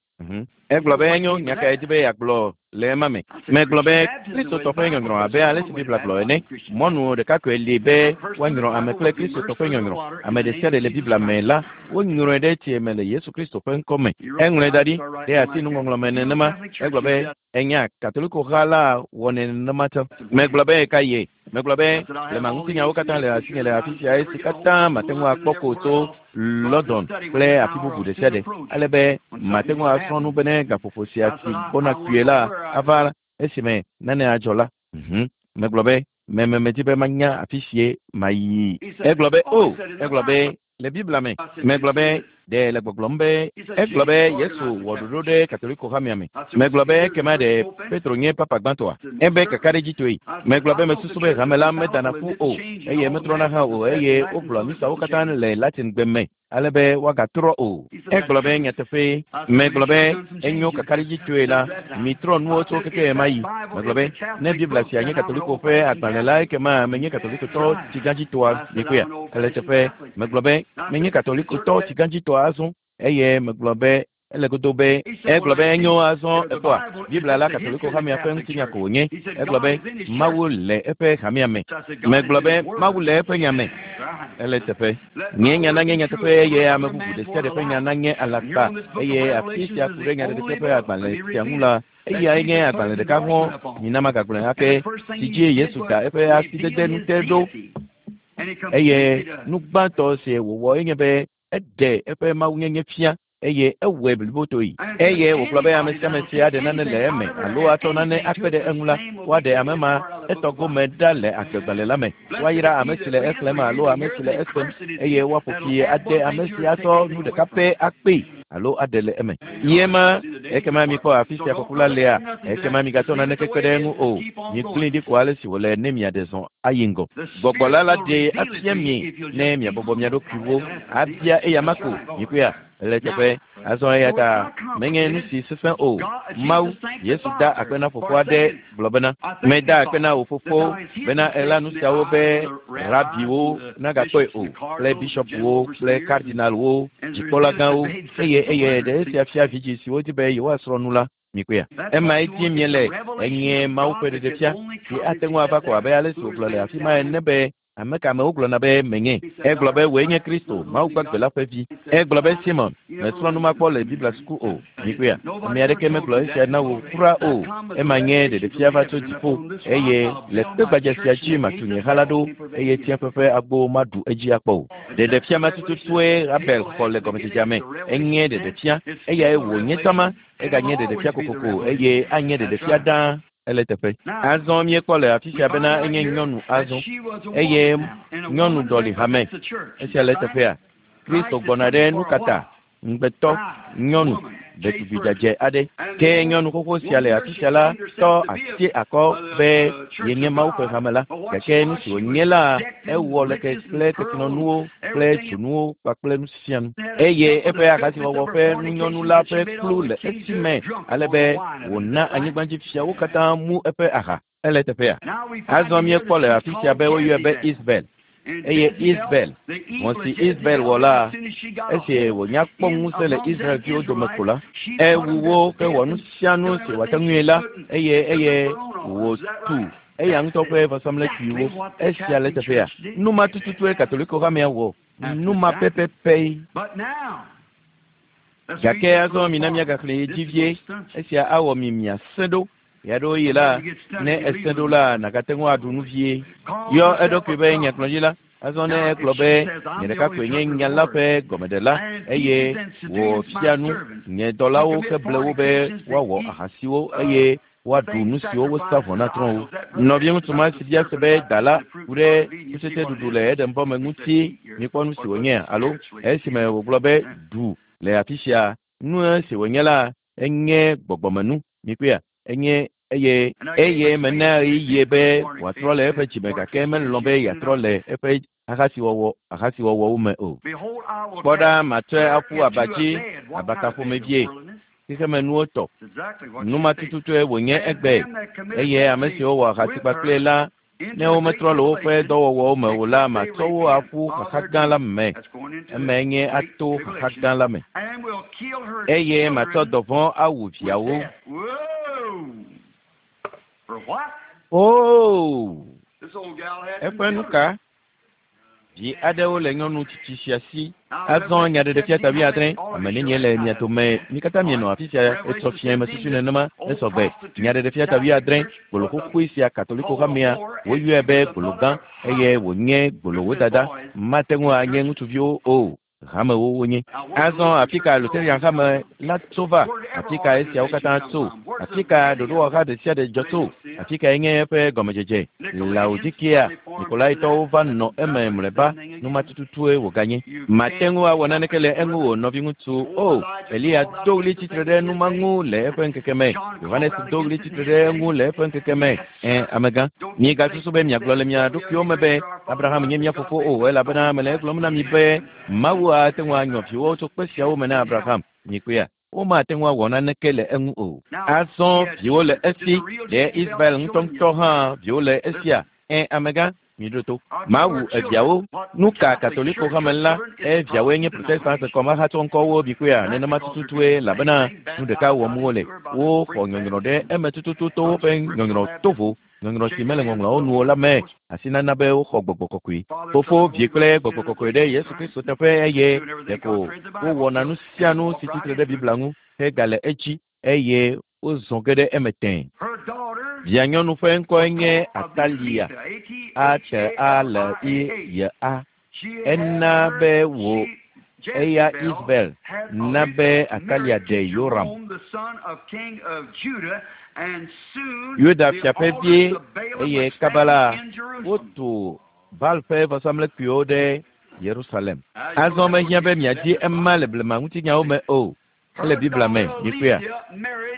Egblɔ be enyo, nya kae di be yeagblɔ le ema me? Megblɔ be Kristotɔ ƒe nyɔnyrɔ abe ale si Biblia gblɔ ene. Mɔnu ɖeka koe li be woanyrɔ ame kple Kristotɔ ƒe nyɔnyrɔ. Ame ɖe sia ɖe le Biblia me la, wonyrɔe ɖe tsie me le Yesu Kristo ƒe ŋkɔ me. Eŋlɔe da ɖi ɖe asi nuŋɔŋlɔ me nenema. Egblɔ be enya Katoliko ha la wɔnɛ nenema tsɔ. Megblɔ be ka ye? Megblɔ be blema ŋutinyawo katã le asinye le afi sia esi katã mate ŋu akpɔ ko tso London kple afi bubu ɖe sia ɖe, ale be mate ŋu asrɔ̃ nu bene gaƒoƒo sia si gbɔna kpuie la ava esime nane adzɔ la. Megblɔ be medi be manya afi sie mayi. Egblɔ be o, egblɔ be le Biblia me. Megblɔ be ɖe le gbɔgblɔm be egblɔ be Yesu wɔ ɖoɖo ɖe Katoliko hamea me. Megblɔ be ekema ɖe Petro nye papa gbãtɔa? Ebe kakaɖedzitɔe. Megblɔ be mesusu be hame la medana ƒu o eye metrɔna hã o eye wogblɔ misawo katã le Latin gbe me ale be woagatrɔ o. Egblɔ be nyateƒee. Megblɔ be enyo kakaɖedzitɔe la, mitrɔ nuwo tso keke ɣe ma ɣi. Megblɔ be ne Biblia sia nye Katoliko ƒe agbalẽ la, ekema menye Katolikotɔ tsigãdzitɔa mikpɔea? Ele teƒe. Megblɔ be menye Katolikotɔ tsigãdzitɔa azɔ eye megblɔ be ele godo be egblɔ be enyo azɔ ekpɔa Biblia la Katoliko hamea ƒe ŋutinya ko wònye. Egblɔ be Mawu le eƒe hamea me. Megblɔ be Mawu le eƒe nya me. Ele teƒe. Nye nya nanye nyateƒe eye ame bubu ɖe sia ɖe ƒe nya nanye alakpa eye afi sia ku ɖe nyaɖeɖefia ƒe agbalẽ sia ŋu la, eyae nye agbalẽ ɖeka hɔ̃ mina magagblɔe ake si dzi Yesu da eƒe asidede nute ɖo. Eye nu gbãtɔ si wòwɔ enye be eɖe eƒe mawunyenye fia eye ewɔe blibotoe. Eye wògblɔ be ame sia ame si aɖe nane le eme alo atsɔ nane akpe ɖe eŋu la, woaɖe ame ma etɔ gome ɖa le agbegbalẽ la me. Woayra ame si le exlẽm alo ame si le esem eye woaƒo fi ade ame si atsɔ nu ɖeka pɛ akpee alo aɖe le eme. Ye ma ekema mikpɔ afi sia kɔku la lea, ekema migatsɔ naneke kpe ɖe eŋu o. Migblẽe ɖi ko ale si wòle ne miaɖe zɔ ayi ŋgɔ. Gbɔgbɔ la la ɖee afia mi ne miabɔbɔ mia ɖokuiwo abia eya ma ko. Mikpɔea? Ele teƒe. Azɔ eya ta menye nu si sesẽ o. Mawu, Yesu da akpe na fofoa ɖe gblɔ bena, meda akpe na wò fofo bena ela nu siawo be rabiwo nagakpɔe o, kple bishɔpwo kple kardinalwo, dzikpɔlagãwo, eye eye ɖe esia fia vidzĩ siwo di be yewoasrɔ̃ nu la. Mikpɔea? Emae dim míele. Enye Mawu ƒe ɖeɖefia si ate ŋu ava ko abe ale si wògblɔ le afi ma ene be ame ka amewo gblɔna be menye. Egblɔ be wòe nye Kristo, Mawu gbagbe la ƒe vi. Egblɔ be Simon, mesrɔ̃ nu ma kpɔ le Biblia suku o. Mikpɔea? Ame aɖeke megblɔ esia na wò kura o. Ema nye ɖeɖefia va tso dziƒo eye le kpe gbadza sia dzi matu nye ha la ɖo eye tsiẽƒe ƒe agbo maɖu edzi akpɔ o. Ɖeɖefia ma tututue Abel xɔ le gɔmedzedzea me. Enye ɖeɖefia eyae wònye tama eganye ɖeɖefia kokoko eye anye ɖeɖefia ɖaa. Ele teƒe. Azɔ míekpɔ le afi sia bena enye nyɔnu azɔ eye nyɔnu ɖɔli hame. Esia le teƒea. Kristo gbɔna ɖe nu kata ŋugbetɔ nyɔnu ɖetugbi dzadzɛ aɖe. Ke nyɔnu xoxo sia le afi sia la tɔ asi akɔ be yenye Mawu ƒe hame la. Gake nu si wònye la, ewɔ leke kple kesinɔnuwo kple dzonuwo kpakple nu sia nu. Eye eƒe ahasiwɔwɔ ƒe nunyɔnu la ƒe kplu le esi me ale be wòna anyigbadzifiawo katã mu eƒe aha. Ele teƒea. Azɔ míekpɔ le afi sia be woyɔe be Isabel. Eye Isabel, vɔ̃ si Isabel wɔ la, esi wònya kpɔ ŋusẽ le Israelviwo dome ko la, ewu wo hewɔ nu sia nu si wòate ŋui la eye eye wòtu eya ŋutɔ ƒe vɔsamlekpuiwo. Esia le teƒea. Nu ma tututue Katoliko hamea wɔ. Nu ma pɛpɛpɛ. Gake azɔ mina míagaxlẽ dzi vie. Esia awɔ mi miasẽ ɖo. Ɣeaɖewoɣi la, ne esẽ ɖo la, nàgate ŋu aɖu nu vie. Yɔ eɖokui be nyagblɔɖila. Azɔ ne egblɔ be nye ɖeka koe nye nya la ƒe gɔmeɖela eye wòfia nu nye dɔlawo heble wo be woawɔ ahasiwo eye woaɖu nu siwo wosa vɔ na trɔ̃wo. Nɔviŋutsu ma si bia se be da la ku ɖe kutsetseɖuɖu le Edenbɔ me ŋuti mikpɔ nu si wònye alo esime wògblɔ be ɖu le afi sia nu si wònye la enye gbɔgbɔmenu. Mikpɔea? Enye eye eye mena ɣeyiɣie be wòatrɔ le eƒe dzime gake melɔ̃ be yeatrɔ le eƒe ahasiwɔwɔwo me o. Kpɔ ɖa matsɔe aƒu aba dzi abaka ƒomevie xexemenuwo tɔ. Nu ma tututue wònye egbe eye ame siwo wɔ ahasi kpakple la Ne wometrɔ le woƒe dɔwɔwɔwo me o la, matsɔ wo aƒu xaxa gã la me. Emae nye ato xaxa gã la me. Eye matsɔ dɔvɔ̃ awu viawo. Oo! Eƒe nu ka? Vi aɖewo le nyɔnu tsitsi sia si. Azɔ Nyaɖeɖefia ta 70, ame nenie le mia dome? Mi katã mienɔ afi sia etsɔ fiẽ mesusui nenema esɔgbe. Nyaɖeɖefia ta 70, gbolo xoxoe sia Katoliko hamea, woyɔe be gbolo gã eye wònye gbolowo dada. Mate ŋu anye ŋutsuviwo o. Hamewo wonye. Azɔ afi ka Lutheran hame la tso va? Afi ka esiawo katã tso? Afi ka ɖoɖowɔha ɖe sia ɖe dzɔ tso? Afi kae nye eƒe gɔmedzedze? Laodikea, Nikolaitɔwo va nɔ eme mlɔeba, nu ma tututue wòganye. Mate ŋu awɔ naneke le eŋu o, nɔviŋutsu. O, Eliya do ɣli tsitre ɖe nu ma ŋu le eƒe ŋkeke me. Yohanes do ɣli tsitre ɖe eŋu le eƒe ŋkeke me. Ẽ, amegã. Miegasusu be miagblɔ le mia ɖokuiwo me be, Abraham nye mía fofo o, elabena mele egblɔm na mi be Mawu ate ŋu anyɔ viwo tso kpe siawo me na Abraham. Mikpɔea? Womate ŋu awɔ naneke le eŋu o. Azɔ viwo le esi, ɖe Israel ŋutɔŋutɔ hã viwo le esia? Ẽ, amegã, miɖo to. Mawu eviawo. Nu ka Katoliko hame la, eviawoe nye Protestant kɔmahatsɔ ŋkɔwo mikpɔea? Nenema tututue, elabena nu ɖeka wɔm wole. Woxɔ nyɔnyrɔ ɖe eme tututu to woƒe nyɔnyrɔ tovo, nyɔnyrɔ si mele ŋɔŋlɔawo nu o la me, asi nana be woxɔ gbɔgbɔ kɔkɔe. Fofo, Vi kple Gbɔgbɔ Kɔkɔe ɖe Yesu Kristo teƒe eye ɖeko wowɔna nu sia nu si tsitre ɖe Biblia ŋu hegale edzi eye wozɔ ge ɖe eme tẽe. Vianyɔnu ƒe ŋkɔe nye Atalia, A-T-A-L-I-Y-A. Ena be wò eya Isabel na be Atalia ɖe Yoram. Yuda fia ƒe vie eye kaba la, wotu Baal ƒe vɔsamlekpuiwo ɖe Yerusalem. Azɔ mehiã be miadi ema le blema ŋutinyawo me o. Ele Biblia me, mikpɔea?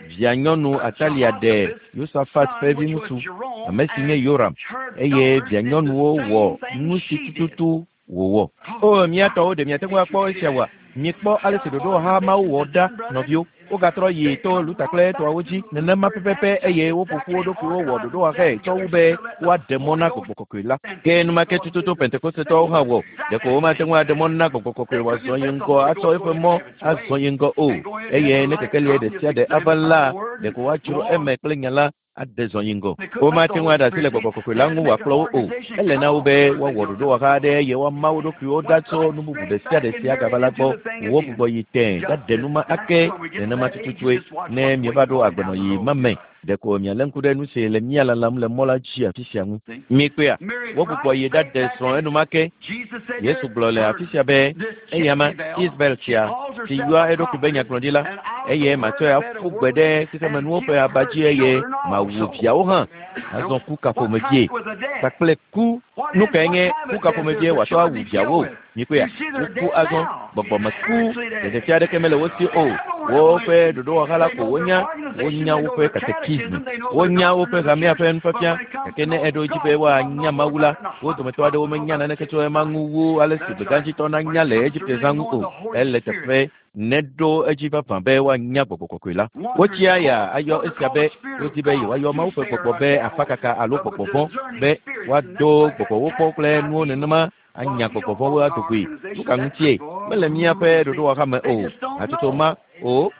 Vianyɔnu Atalia ɖe Yosafat ƒe viŋutsu, ame si nye Yoram, eye vianyɔnuwo wɔ nu si tututu wòwɔ. O, mía tɔwo, ɖe miate ŋu akpɔ esia oa? Mikpɔ ale si ɖoɖowɔha mawo wɔ ɖa, nɔviwo. Wogatrɔ yi to Luther kple etɔawo dzi nenema pɛpɛpɛ eye woƒo ƒu wo ɖokuiwo wɔ ɖoɖowɔhae tsɔ wu be woaɖe mɔ na Gbɔgbɔ Kɔkɔe la. Ke enumake tututu Pentekostetɔawo hã wɔ. Ɖeko womate ŋu aɖe mɔ na Gbɔgbɔ Kɔkɔe wòazɔ yi ŋgɔ atsɔ eƒe mɔ azɔ yi ŋgɔ o. Eye ne kekelia ɖe sia ɖe ava la, ɖeko woadzro eme kple nya la aɖe zɔ yi ŋgɔ. Womate ŋu aɖe asi le Gbɔgbɔ Kɔkɔe la ŋu wòakplɔ wo o. Ele na wo be woawɔ ɖoɖowɔha aɖe eye woama wo ɖokuiwo ɖa tso nu bubu ɖe sia ɖe si agava la gbɔ. Wogbugbɔ yi tẽe ɖaɖe nu ma ake nenema tututue ne mieva ɖo agbenɔɣi ma me. Ɖeko mialé ŋku ɖe nu si le mía lalam le mɔ la dzi afi sia ŋu. Mikpɔea? Wogbugbɔ yi ɖaɖe srɔ̃ enumake. Yesu gblɔ le afi sia be, Eyama, Isabel sia, si yɔa eɖokui be nyagblɔɖila, eye matsɔe aƒu gbe ɖe xexemenuwo ƒe aba dzi eye mawu viawo hã. Azɔ ku ka ƒomevie? Kpakple ku. Nu kae nye ku ka ƒomevie wòatsɔ awu viawo? Mikpɔea? Woku azɔ. Gbɔgbɔmeku. Ɖeɖefia aɖeke mele wo si o. Woƒe ɖoɖowɔha la ko wonya. Wonya woƒe katekisme. Wonya woƒe hamea ƒe nufiafia. Gake ne eɖo edzi be woanya Mawu la, wo dometɔ aɖewo menya naneke tso ema ŋu wu ale si gbegãdzitɔ nanya le Egipte zã ŋu o. Ele teƒe neɖo edzi vavã be woanya Gbɔgbɔ Kɔkɔe la. Wotsia ya ayɔ esia be wodi be yewoayɔ Mawu ƒe gbɔgbɔ be afakaka alo gbɔgbɔ vɔ̃, be woado gbɔgbɔwo kpɔ kple nuwo nenema anya gbɔgbɔ vɔ̃wo ado goe. Nu ka ŋutie? Mele míaƒe ɖoɖowɔha me o. Hatsotso ma o.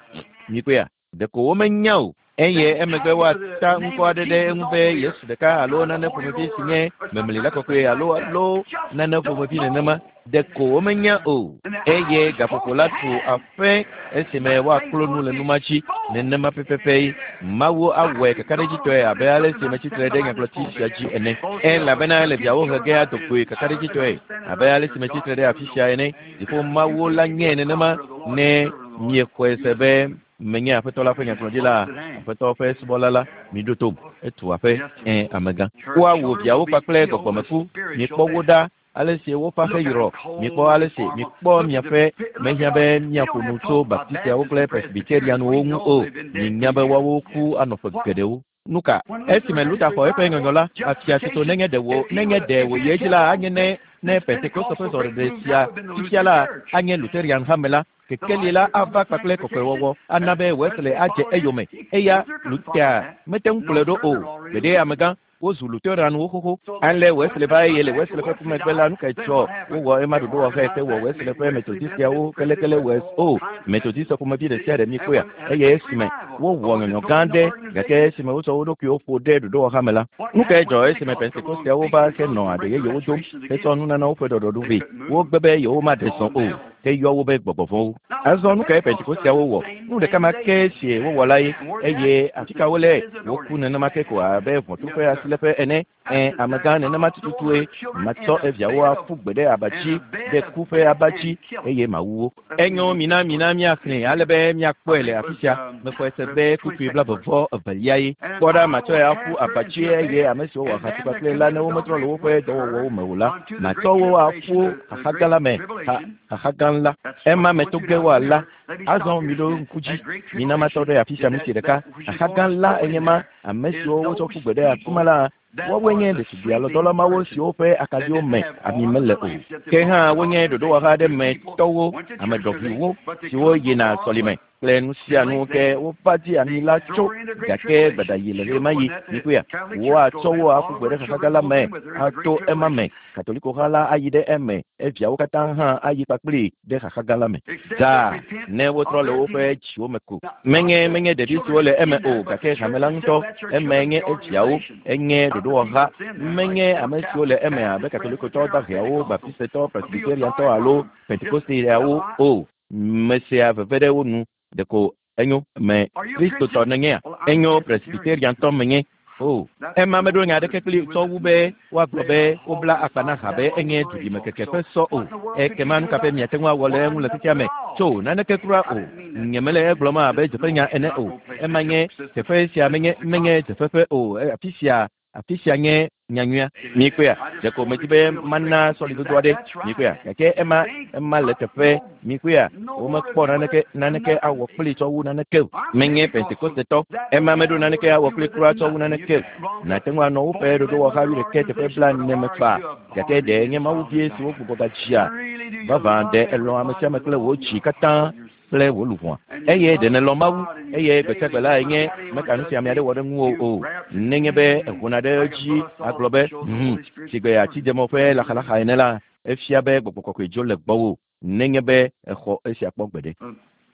Mikpɔea? Ɖeko womenya o. Eye emegbe woata ŋkɔ aɖe ɖe eŋu be Yesu ɖeka alo nane ƒomevi si nye memlila kɔkɔe alo alo nane ƒomevi nenema. Ɖeko womenya o. Eye gaƒoƒo la tu aƒe esime woaklo nu le nu ma dzi nenema pɛpɛpɛ. Mawu awɔe kakaɖedzitɔe abe ale si metsi tre ɖe nyagblɔti sia dzi ene. Elabena ele viawo he ge ado goe kakaɖedzitɔe abe ale si metsi tre ɖe afi sia ene. Dziƒo Mawu la nyee nenema ne miexɔe se be menye Aƒetɔ la ƒe nyagblɔɖila, Aƒetɔ ƒe subɔla la, miɖo tom. Etu aƒe, ẽ, amegã. Woawu viawo kpakple gbɔgbɔmeku. Mikpɔ wo ɖa ale si woƒe aƒe yrɔ. Mikpɔ ale si mikpɔ miaƒe. Mehiã be míaƒo nu tso Baptistiawo kple Presbyterianwo ŋu o. Minya be woawo ku anɔ ƒe geɖewo. Nu ka? Esime Luther xɔ eƒe nyɔnyɔ la, afia tutu nenye ɖe wò nenye ɖe wòyi edzi la, anye ne ne Pentekoste ƒe zɔɖeɖe sia fifia la anye Lutherian hame la, kekeli la ava kpakple kɔkɔewɔwɔ ana be Wesley adze eyome. Eya Luther mete ŋu kplɔe ɖo o. Gbeɖe amegã. Wozu Lutheranwo xoxo. Ale Wesley va eye le Wesley ƒe ku megbe la, nu kae dzɔ? Wowɔ ema ɖoɖowɔxɛ hewɔ Wesley ƒe Methodistiawo kelekele Wes o Methodist ƒomevi ɖe sia ɖe mikpɔea? Eye esime wowɔ nyɔnyɔ gã aɖe, gake esime wotsɔ wo ɖokuiwo ƒo ɖe ɖoɖowɔxa me la, nu kae dzɔ esime Pentekosteawo va henɔ aɖe yeyewo dom hetsɔ nunanawo ƒe ɖɔɖɔɖo vɛ? Wogbe be yewomaɖe zɔ o, heyɔ wo be gbɔgbɔ vɔ̃wo. Azɔ nu kae Pentekosteawo wɔ? Nu ɖeka ma ke si wowɔ la ye, eye afi ka wole? Woku nenema ke ko abe ʋɔtru ƒe asiléƒe ene. Ẽ, amegã nenema tututue. Matsɔ eviawo aƒu gbe ɖe aba dzi, ɖe ku ƒe aba dzi, eye mawu wo. Enyo, mina, mina míaxlẽe ale be míakpɔe le afi sia. Mexɔe se be kpukpui blaeve-vɔ-evelia ye. Kpɔ ɖa, matsɔe aƒu aba dzi, eye ame siwo wɔ ahasi kpakple la, ne wometrɔ le woƒe dɔwɔwɔwo me o la, matsɔ wo aƒu xaxa gã la me, xa, xaxa gã la. Ema me to ge woala. Azɔ miɖo ŋku dzi, mina matɔ ɖe afi sia minti ɖeka. Xaxa gã la enye ma. Ame siwo wotsɔ ƒu gbe ɖe afi ma la, woawoe nye ɖetugbui alɔdɔla mawo siwo ƒe akaɖiwo me ami mele o. Ke hã wonye ɖoɖowɔha aɖe me tɔwo, ame ɖɔʋuiwo siwo yina sɔlime kple nu sia nu ke wova di ami la tso, gake gbedayi le ɣemaɣi. Mikpɔea? Woatsɔ wo aƒu gbe ɖe xaxa gã la me ato ema me. Katolikoha la ayi ɖe eme, eviawo katã hã ayi kpakplii ɖe xaxa gã la me. Dzaa, ne wotrɔ le woƒe dziwo me ko. Menye, menye ɖevi siwo le eme o, gake hame la ŋutɔ, emae nye eviawo, enye ɖoɖowɔha. Menye ame siwo le eme abe Katolikotɔ daheawo, Baptistetɔ, Presbyteriantɔ alo Pentekosteawo o. Mesea veve ɖe wo nu. Ɖeko enyo, me Kristotɔ nènyea? Enyo, Presbyteriantɔ menye. O, ema meɖo nya aɖeke kpli tsɔ wu be woagblɔ be wobla akpa na ha be enye duɖimekeke ƒe sɔ o. Ekema nu ka ƒe miate ŋu awɔ le eŋu le xexea me? Tso, naneke kura o. Nyemele egblɔm abe dzeƒenya ene o. Ema nye, teƒe sia menye, menye dzeƒeƒe o. Afi sia Afi sia nye nyanyuia. Mikpɔea? Ɖeko medi be mana sɔlidodo aɖe. Mikpɔea? Gake ema, ema le teƒe. Mikpɔea? Womekpɔ naneke, naneke awɔ kplii tsɔ wu naneke o. Menye Pentekostetɔ. Ema meɖo naneke awɔ kplii kura tsɔ wu naneke o. Nàte ŋu anɔ woƒe ɖoɖowɔha wuiɖekɛ teƒe blaene me faa. Gake ɖe nye Mawu vie si wogbugbɔ gadzia? Vavã, ɖe èlɔ̃ amesiame kple wò dzi katã? kple wò luʋɔa. Eye ɖe nèlɔ̃ Mawu, eye gbesiagbe lae nye meka nu si ame aɖe wɔ ɖe ŋuwò o. Nenye be èhona ɖe edzi agblɔ be, Hum, sigbe atidzemɔ ƒe laxalaxa ene la, efia be gbɔgbɔ kɔkɔe dzo le gbɔwò nenye be èxɔ esia kpɔ gbeɖe.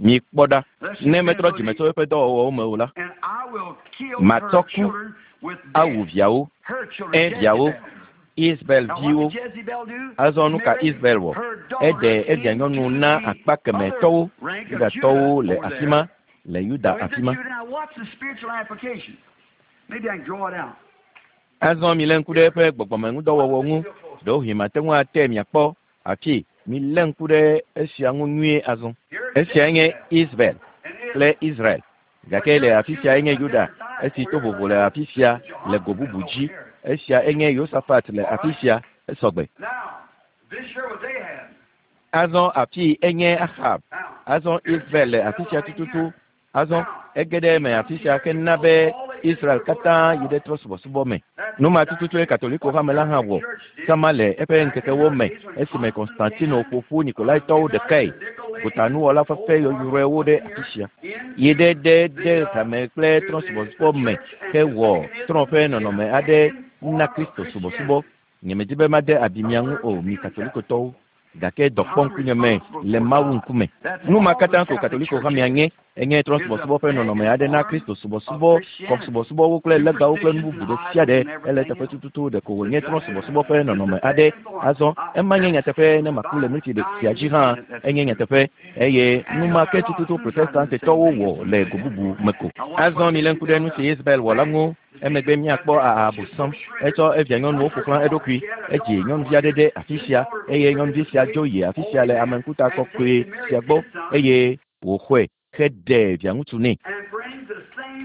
Mikpɔ ɖa, ne metrɔ dzime tso eƒe dɔwɔwɔwo me o la, matsɔ ku awu viawo, ẽ, viawo, Isabel viwo. Azɔ nu ka Isabel wɔ? Eɖe evia nyɔnu na akpa kemɛ tɔwo, Yudatɔwo le afi ma, le Yuda afi ma. Azɔ milé ŋku ɖe eƒe gbɔgbɔmeŋudɔwɔwɔ ŋu. Ɖewohĩ mate ŋu ate miakpɔ afi. Milé ŋku ɖe esia ŋu nyuie azɔ. Esiae nye Isabel kple Israel. Gake le afi sia enye Yuda, esi to vovo le afi sia le go bubu dzi. Esia enye Yosafat le afi sia, esɔgbe. Azɔ afii enye Axab. Azɔ Israel le afi sia tututu. Azɔ ege ɖe eme afi sia hena be Israel katã yi ɖe trɔ̃subɔsubɔ me. Nu ma tututue Katoliko hame la hã wɔ sama le eƒe ŋkekewo me esime Konstantino ƒo ƒu Nikolaitɔwo ɖekae, gotanuwɔla fefe yɔyrɔewo ɖe afisia, yi ɖe ɖe de hame kple trɔ̃subɔsubɔ me hewɔ trɔ̃ ƒe nɔnɔme aɖe na Kristo subɔsubɔ. Nyemedi be made abi mia ŋu o, mi Katolikotɔwo. Gake dɔ kpɔ ŋkunye me le Mawu ŋkume. Nu ma katã ko Katoliko hamea nye, enye trɔ̃subɔsubɔ ƒe nɔnɔme aɖe na Kristo subɔsubɔ, kɔsubɔsubɔwo kple legbawo kple nu bubu ɖe sia ɖe. Ele eteƒe tututu ɖeko wònye trɔ̃subɔsubɔ ƒe nɔnɔme aɖe. Azɔ, ema nye nyateƒe ne maku le minti sia dzi hã, enye nyateƒe. Eye nu ma ke tututu Protestantetɔwo wɔ le go bubu me ko. Azɔ milé ŋku ɖe nu si Isabel wɔ la ŋu. Emegbe míakpɔ Ahabosam. Etsɔ evia nyɔnuwo ƒo xlã eɖokui. Edzi nyɔnuvi aɖe ɖe afi sia, eye nyɔnuvi sia dzo yi afi sia le ame ŋkuta kɔkɔe sia gbɔ, eye wòxɔe heɖe viaŋutsu nɛ.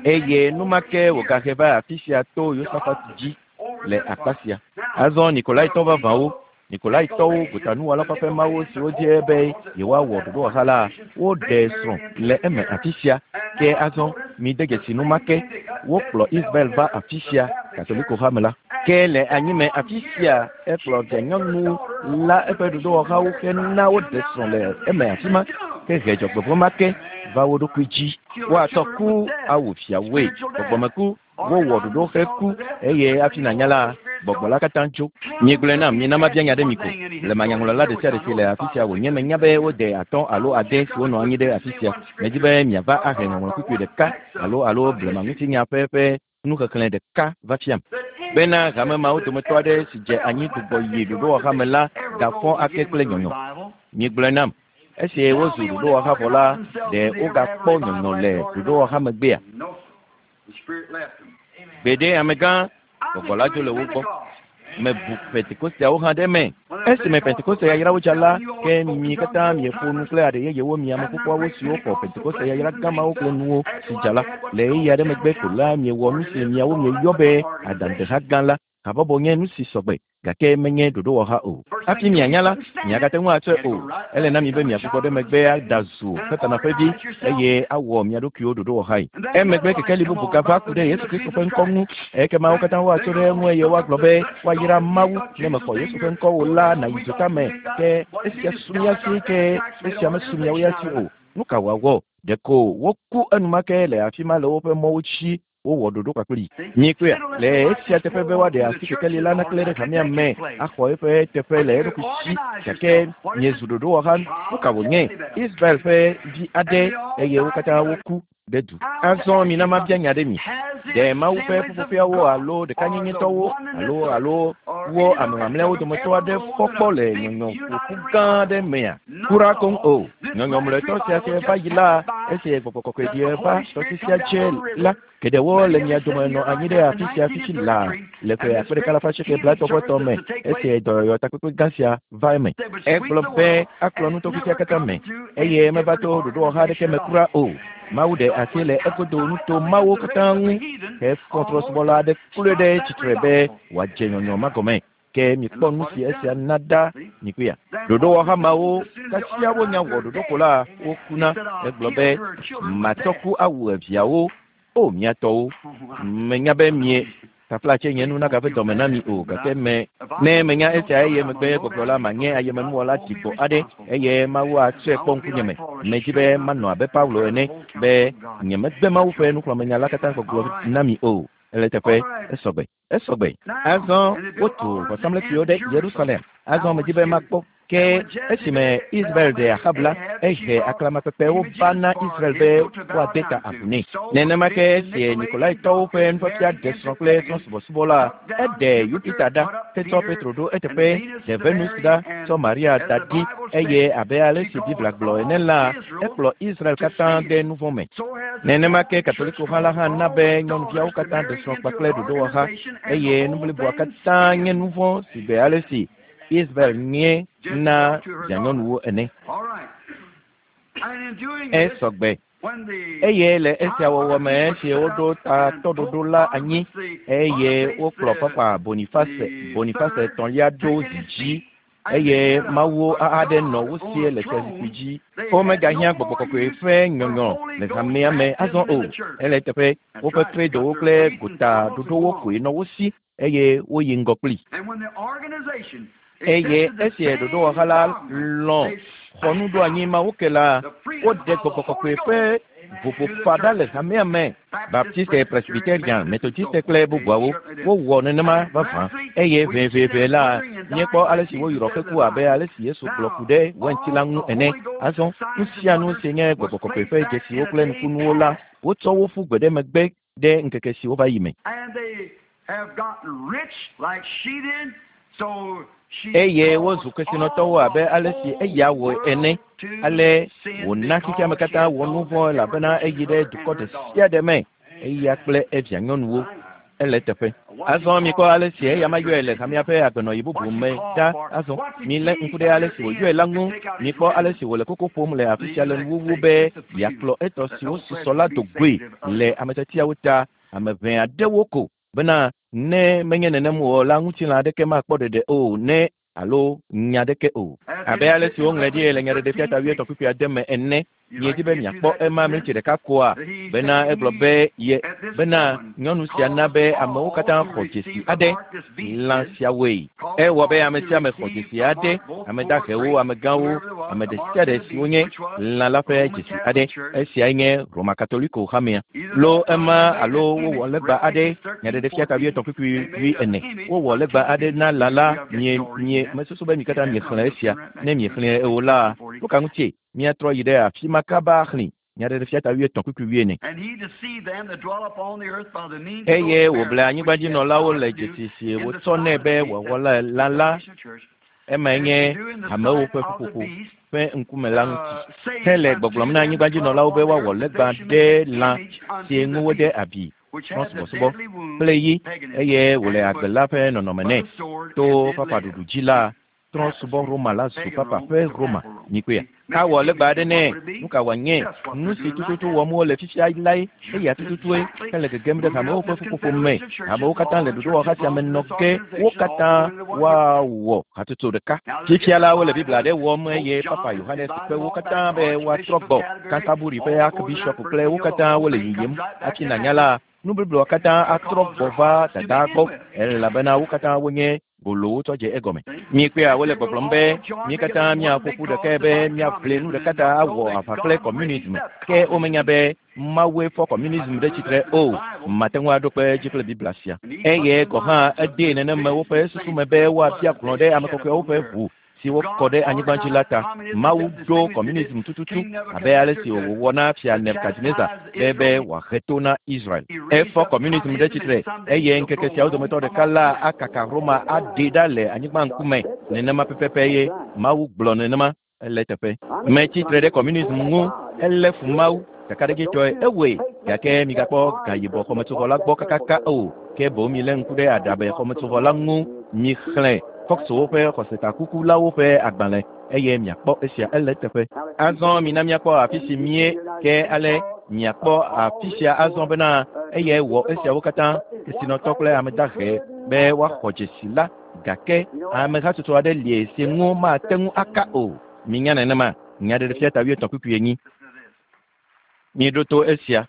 Eye enumake wògahe va afi sia to Yosafat dzi le akpa sia. Azɔ Nikolaitɔ vavãwo Nikolaitɔwo, gotanuwɔla ƒe mawo siwo di be yewoawɔ ɖoɖowɔha la, woɖe srɔ̃ le eme afi sia. Ke azɔ mide dzesi nu ma ke. Wokplɔ Isabel va afi sia, Katoliko hame la. Ke le anyime afi sia, ekplɔ vianyɔnu la eƒe ɖoɖowɔhawo hena woɖe srɔ̃ le eme afi ma, ke he dzɔgbevɔ̃ ma ke va wo ɖokui dzi. Woatsɔ ku awu fiawoe, gbɔgbɔmeku. Wowɔ ɖoɖo heku eye hafi nànya la, gbɔgbɔ la katã tso. Miegblɔe nam, mina mabia nya ɖe mi ko. Blemanyaŋlɔla ɖe sia ɖe si le afi sia wònye menya be wode 5 alo 6 siwo nɔ anyi ɖe afi sia. Medi be miava ahe ŋɔŋlɔ kpukpui ɖeka alo alo blemaŋutinya ƒe nuxexlẽ ɖeka va fiam. Bena hame mawo dometɔ aɖe si dze anyi gbugbɔ yi ɖoɖowɔha me la gafɔ ake kple nyɔnyɔ. Miegblɔe nam. Esi wozu ɖoɖowɔha vɔ la, ɖe wogakpɔ nyɔnyɔ le ɖoɖowɔha megbea? Gbeɖe amegã, gbɔgbɔ la dzo le wo gbɔ. Mebu Pentekosteawo hã ɖe eme. Esime Pentekoste yayrawo dza la, ke mi katã mieƒo nu kple aɖe yeyewo mi ame kukuawo siwo xɔ Pentekoste yayra gãmawo kple nuwo si dza la. Le ɣeyiɣi aɖe megbe ko la, miewɔ nu si miawo mieyɔ be adaŋudeha gã la. Habɔbɔ nye nu si sɔgbe, gake menye ɖoɖowɔha o. Hafi mianya la, miagate ŋu atsɔe o. Ele na mi be miagbugbɔ ɖe megbe ada zu Satana ƒe vi eye awɔ mia ɖokuiwo ɖoɖowɔhae. Emegbe kekeli bubu gava ku ɖe Yesu Kristo ƒe ŋkɔ ŋu. Ekema wo katã woatso ɖe eŋu eye woagblɔ be woayra Mawu ne mexɔ Yesu ƒe ŋkɔ o la nàyi dzota me. Ke esia su mía si, ke esia mesu miawo ya si o. Nu ka wòawɔ? Ɖeko woku enumake le afi ma le woƒe mɔwo dzi. Wowɔ ɖoɖo kpakpli. Miekpɔea? Le esia teƒe be woaɖe asi kekeli la naklẽ ɖe hamea me axɔ eƒe teƒe le eɖokui si, gake miezu ɖoɖowɔha. Nu ka wònye? Israel ƒe vi aɖe eye wo katã woku ɖe du. Azɔ mina mabia nya ɖe mi. Ɖe Mawu ƒe ƒuƒoƒeawo alo ɖekanyenyetɔwo alo alo wo ame mamlɛawo dometɔ aɖe fɔ kpɔ le nyɔnyɔƒoƒu gã aɖe mea? Kura koŋ o. Nyɔnyɔ mlɔetɔ sia si va yi la, esi gbɔgbɔ kɔkɔe ɖi va tɔsisia dze la, geɖewo le mia dome nɔ anyi ɖe afi sia fifi laa le ƒe 1980 me esi dɔyɔyɔ takpekpe gã sia va eme. Egblɔ be akplɔ nutɔƒe katã me eye meva to ɖoɖowɔha aɖeke me kura o. Mawu ɖe asi le egodo nuto mawo katã ŋu hefɔ trɔ̃subɔla aɖe kloe ɖe tsitre be wòadze nyɔnyɔ ma gɔme. Ke mikpɔ nu si esia na ɖa mikpɔea. Ɖoɖowɔha mawo kasia wonya wɔ ɖoɖo ko la wokuna. Egblɔ be matsɔ ku awu eviawo. O mia tɔwo, menya be mie taflatse nye nu nagave dɔme na mi o, gake me ne menya esia eye megbe gbɔgblɔ la manye ayemenuwɔla dzigbɔ aɖe eye Mawu atsɔe kpɔ ŋkunye me. Medzi be manɔ abe Paulo ene be nyemegbe Mawu ƒe nuxlɔ̃amenya la katã gbɔgblɔ na mi o. Ele teƒe esɔgbe. Esɔgbe. Azɔ wotu vɔsamlekpuiwo ɖe Yerusalem. Azɔ medzi be makpɔ. Ke esime Israel ɖe Ahab la, ehe aklamakpekpewo va na Israel be woade ta agu nɛ. Nenema ke esi Nikolaitɔwo ƒe nufiafia ɖe srɔ̃ kple trɔ̃subɔsubɔ la, eɖe Yupita ɖa, hetsɔ Petro ɖo eteƒe, ɖe Venus ɖa, tsɔ Maria da ɖi, eye abe ale si Biblia gblɔ ene la, ekplɔ Israel katã de nu vɔ̃ me. Nenema ke Katolikoha la hã na be nyɔnuviawo katã ɖe srɔ̃ kpakple ɖoɖowɔha, eye nu bliboa katã nye nu vɔ̃ si gbe ale si Israel nye na vianyɔnuwo ene. Esɔgbe. Eye le esia wɔwɔ me esi woɖo tatɔɖoɖo la anyi eye wokplɔ Papa Boniface etɔ̃lia ɖo zi dzi eye Mawu aɖe nɔ wo sie le fiazikpui dzi. Womegahiã gbɔgbɔ kɔkɔe ƒe nyɔnyɔ le hamea me azɔ o. Ele teƒe woƒe kredowo kple gotaɖoɖowo koe nɔ wo si eye woyi ŋgɔ kpli. Eye esi ɖoɖowɔha la lɔ̃ xɔ nuɖoanyi mawo ke la, woɖe gbɔgbɔ kɔkɔe ƒe vovofa ɖa le hamea me. Baptiste, Presbyterian, Methodiste kple bubuawo wowɔ nenema vavã. Eye ʋɛʋɛʋɛ la, míekpɔ ale si woyrɔ keku abe ale si Yesu gblɔ ku ɖe wainti la ŋu ene. Azɔ nu sia nu si nye gbɔgbɔ kɔkɔe ƒe dzesiwo kple nukunuwo la, wotsɔ wo ƒu gbe ɖe megbe ɖe ŋkeke siwo va yi me. Eye wozu kesinɔtɔwo abe ale si eya wɔ ene. Ale wòna xexeame katã wɔ nu vɔ̃ elabena eyi ɖe dukɔ ɖe sia ɖe me, eya kple evia nyɔnuwo. Ele teƒe. Azɔ mikpɔ ale si eya ma yɔe le hamea ƒe agbenɔɣi bubu me ɖa. Azɔ milé ŋku ɖe ale si wòyɔe la ŋu. Mikpɔ ale si wòle koko ƒom le afi sia le nuwuwu be yeakplɔ etɔ siwo susɔ la do goe le ametetiawo ta, ame ʋɛ aɖewo ko bena ne menye nenem o la ŋutilã aɖeke makpɔ ɖeɖe o ne alo nya aɖeke o. Abe ale si woŋlɔe ɖi le Nyaɖeɖefia ta 8:6 me ene. Miedi be miakpɔ ema mlitsi ɖeka koa? Bena egblɔ be ye bena nyɔnu sia na be amewo katã xɔ dzesi aɖe lã siawoe. Ewɔ be ame sia ame xɔ dzesi aɖe, ame dahewo, amegãwo, Ame ɖe sia ɖe si wonye lã la ƒe dzesi aɖe, esiae nye Roma Katoliko hamea. Lo ema alo wowɔ legba aɖe, Nyaɖeɖefia ta wuietɔ̃ kpukpui wuiene. Wowɔ legba aɖe na lã la, mie, mie, mesusu be mi katã miexlẽ esia. Ne miexlẽe o la, nu ka ŋutie míatrɔ yi ɖe afi ma kaba axlẽe? Nyaɖeɖefia ta wuietɔ̃ kpukpui wuiene. Eye wòble anyigbadzinɔlawo le dzesi si wòtsɔ nɛ be wòawɔ le lã la, emae nye hamewo ƒe ƒuƒoƒo ƒe ŋkume la ŋuti. Hele gbɔgblɔm na anyigbadzinɔlawo be woawɔ legba ɖe lã si ŋu wode abi trɔ̃subɔsubɔ kple yi eye wòle agbe la ƒe nɔnɔme nɛ. To papaɖuɖu dzi la, trɔ̃subɔ Roma la zu papa ƒe Roma. Mikpɔea? Awɔ legba aɖe nɛ. Nu ka wòanye? Nu si tututu wɔm wole fifia lae. Eya tututue hele gegem ɖe hamewo ƒe ƒuƒoƒo me. Hamewo katã le ɖoɖowɔha sia me nɔ ge. Wo katã woawɔ hatsotso ɖeka. Fifia la, wole Biblia aɖe wɔm eye Papa Yohanes kpe wo katã be woatrɔ gbɔ. Canterbury ƒe Archbishop kple wo katã wole yiyim. Hafi nànya la, nu bliboa katã atrɔ gbɔ va dadaa gbɔ elabena wo katã wonye golowo tsɔ dze egɔme. Míekpea wole gbɔgblɔm be mí katã míaƒo ƒu ɖekae be míaʋli nu ɖeka ta awɔ aʋa kple kɔmunism. Ke womenya be Mawue fɔ kɔmunism ɖe tsitre o. Mate ŋu aɖo kpe edzi kple Biblia sia. Eye gɔ̃ hã edee nenema woƒe susu me be woabia hlɔ̃ ɖe ame kɔkɔeawo ƒe ʋu si wokɔ ɖe anyigba dzi la ta. Mawu ɖo kɔmunism tututu abe ale si wòwɔ na Fia Nebukadnezar be be wòahe to na Israel. Efɔ kɔmunism ɖe tsitre eye ŋkeke siawo dometɔ ɖeka la akaka Roma aɖee ɖa le anyigba ŋkume. Nenema pɛpɛpɛ ye Mawu gblɔ nenema. Ele eteƒe. Metsi tre ɖe kɔmunism ŋu. Elé fu Mawu. Kakaɖedzitɔe ewɔe. Gake migakpɔ gayibɔ xɔmetsovɔ la gbɔ kakaka o, ke boŋ milé ŋku ɖe aɖabɛ xɔmetsovɔ la ŋu. Mixlẽ Foxwo ƒe xɔsetakukulawo ƒe agbalẽ eye miakpɔ esia. Ele eteƒe. Azɔ mina míakpɔ afi si míe ke ale miakpɔ afi sia azɔ bena eyae wɔ esiawo katã, kesinɔtɔ kple ame dahe, be woaxɔ dzesi la. Gake ame hatsotso aɖe li si ŋu mate ŋu aka o. Minya nenema? Nyaɖeɖefia ta wuietɔ̃ kpukpui enyi. Miɖo to esia.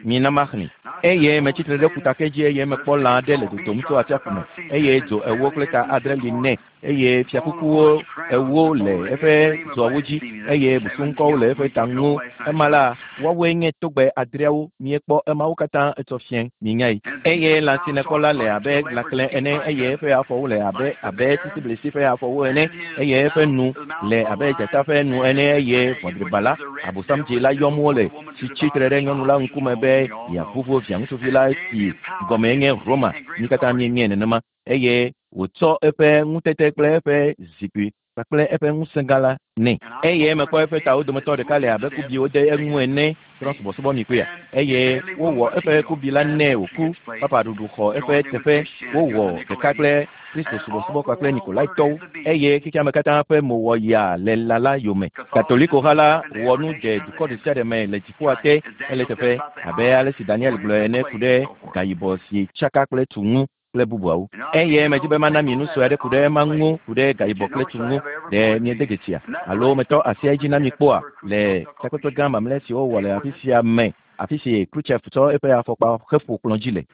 Mina maxlẽe. Eye metsi tre ɖe ƒutake dzi eye mekpɔ lã aɖe le dodom tso atsiaƒu me, eye dzo ewo kple ta adre li nɛ, eye fiakukuwo ewo le eƒe dzoawo dzi, eye busuŋkɔwo le eƒe ta ŋu. Ema la, woawoe nye togbɛ adreawo. Miekpɔ emawo katã etsɔ fiẽ. Minyae. Eye lã si nèkpɔ la le abe lãklẽ ene, eye eƒe afɔwo le abe abe sisiblisi ƒe afɔwo ene, eye eƒe nu le abe dzata ƒe nu ene, eye ʋɔdriba la, Abosam dzi la yɔm wole, si tsi tre ɖe nyɔnu la ŋkume be yeavuvu viaŋutsuvi la si gɔmee nye Roma. Mí katã míenyae nenema. Eye wòtsɔ eƒe ŋutete kple eƒe zikpui kpakple eƒe ŋusẽ gã la nɛ. Eye mekpɔ eƒe tawo dometɔ ɖeka le abe kubi wode eŋu ene, trɔ̃subɔsubɔ mi kpɔea? Eye wowɔ eƒe kubi la nɛ wòku, papa ɖuɖu xɔ eƒe teƒe, wowɔ ɖeka kple Kristo subɔsubɔ kpakple Nikolaitɔwo, eye xexeame katã ƒe mo wɔ yaa le lã la yome. Katoliko-ha la wɔ nu dze dukɔ ɖesiaɖe me le dziƒoa te, ele eteƒe, abe ale si Daniel gblɔe ene ku ɖe gayibɔ si tsaka kple tu ŋu kple bubuawo. Eye medi be mana mi nu sue aɖe ku ɖe ema ŋu, ku ɖe gayibɔ kple tu ŋu. Ɖe miede dzesia alo metɔ asia edzi na mi kpɔa? Le takpekpe gã mamlɛ si wowɔ le afi sia me, afi si Khrushchev tsɔ eƒe afɔkpa heƒo kplɔ̃ dzi le.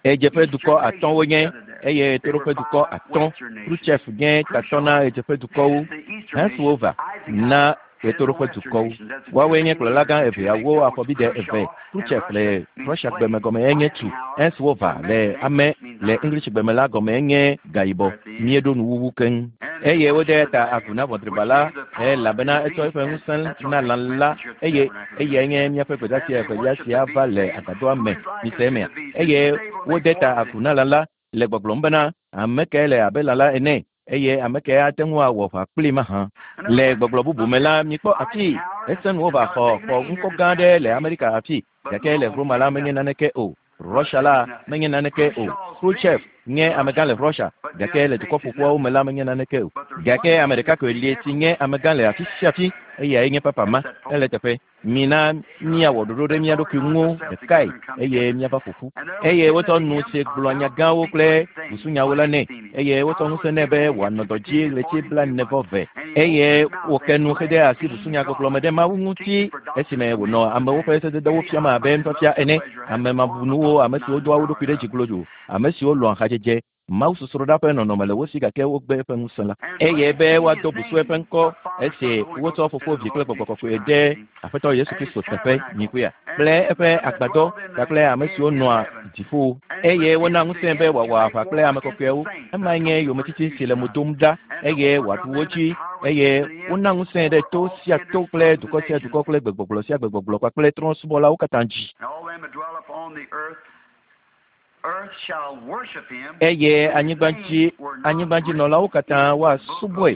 Ɣedzeƒedukɔ atɔ̃ wonye, eye ɣetoɖoƒedukɔ atɔ̃. Khrushchev nye tatɔ na ɣedzeƒedukɔwo. Henswova na ɣetoɖoƒedukɔwo. Woawoe nye kplɔlagã eveawo afɔbide eve. Khrushchev le Russiagbe me gɔmee nye tu. Henswova le ame le Englishgbe me la gɔmee nye gayibɔ. Míeɖo nuwuwu keŋ. Eye wode ta agu na ʋɔdriba la, elabena etsɔ eƒe ŋusẽ na lã la, eye eyae nye míaƒe gbedeasi evelia si ava le agbadɔa me. Mise emea? Eye wode ta agu na lã la le gbɔgblɔm bena, Ame kae le abe lã la ene, eye ame kae ate ŋu awɔ aʋa kplii mahã? Le gbɔgblɔ bubu me la, mikpɔ afii, esẽ nuwo va xɔ xɔ ŋkɔ gã aɖe le Amerika afii, gake le Roma la menye naneke o. Russia la menye naneke o. Khrushchev nye amegã le Russia, gake le Dukɔ Ƒoƒuawo me la menye naneke o. Gake ame ɖeka koe li si nye amegã le afi sia afi, eyae nye Papa ma. Ele eteƒe. Mina míawɔ ɖoɖo ɖe mía ɖokui ŋu ɖekae eye míava ƒo ƒu. Eye wotsɔ nu si gblɔa nya gãwo kple busunyawo la nɛ, eye wotsɔ ŋusẽ nɛ be wòanɔ dɔ dzi ɣleti blaene vɔ eve. Eye wòke nu hede asi busunyagbɔgblɔ me ɖe Mawu ŋuti esime wònɔ amewo ƒe sededewo fiam abe nufiafia ene. Ame mabunuwo, ame siwo doa wo ɖokui ɖe dzi glodzo, ame siwo lɔ̃a hadzedze. Mawusosroɖa ƒe nɔnɔme le wo si gake wogbe eƒe ŋusẽ la. Eye be woado busu eƒe ŋkɔ esi wotsɔ Fofo, Vi kple Gbɔgbɔ Kɔkɔe de Aƒetɔ Yesu Kristo teƒe, nyikpea, kple eƒe agbadɔ kpakple ame siwo nɔa dziƒo. Eye wona ŋusẽe be wòawɔ aʋa kple ame kɔkɔeawo. Emae nye yometiti si le mo dom ɖa, eye wòaɖu wo dzi. Eye wona ŋusẽe ɖe to sia to kple dukɔ sia dukɔ kple gbegbɔgblɔ sia gbegbɔgblɔ kpakple trɔ̃subɔlawo katã dzi. Eye anyigbadzi anyigbadzinɔlawo katã woasubɔe,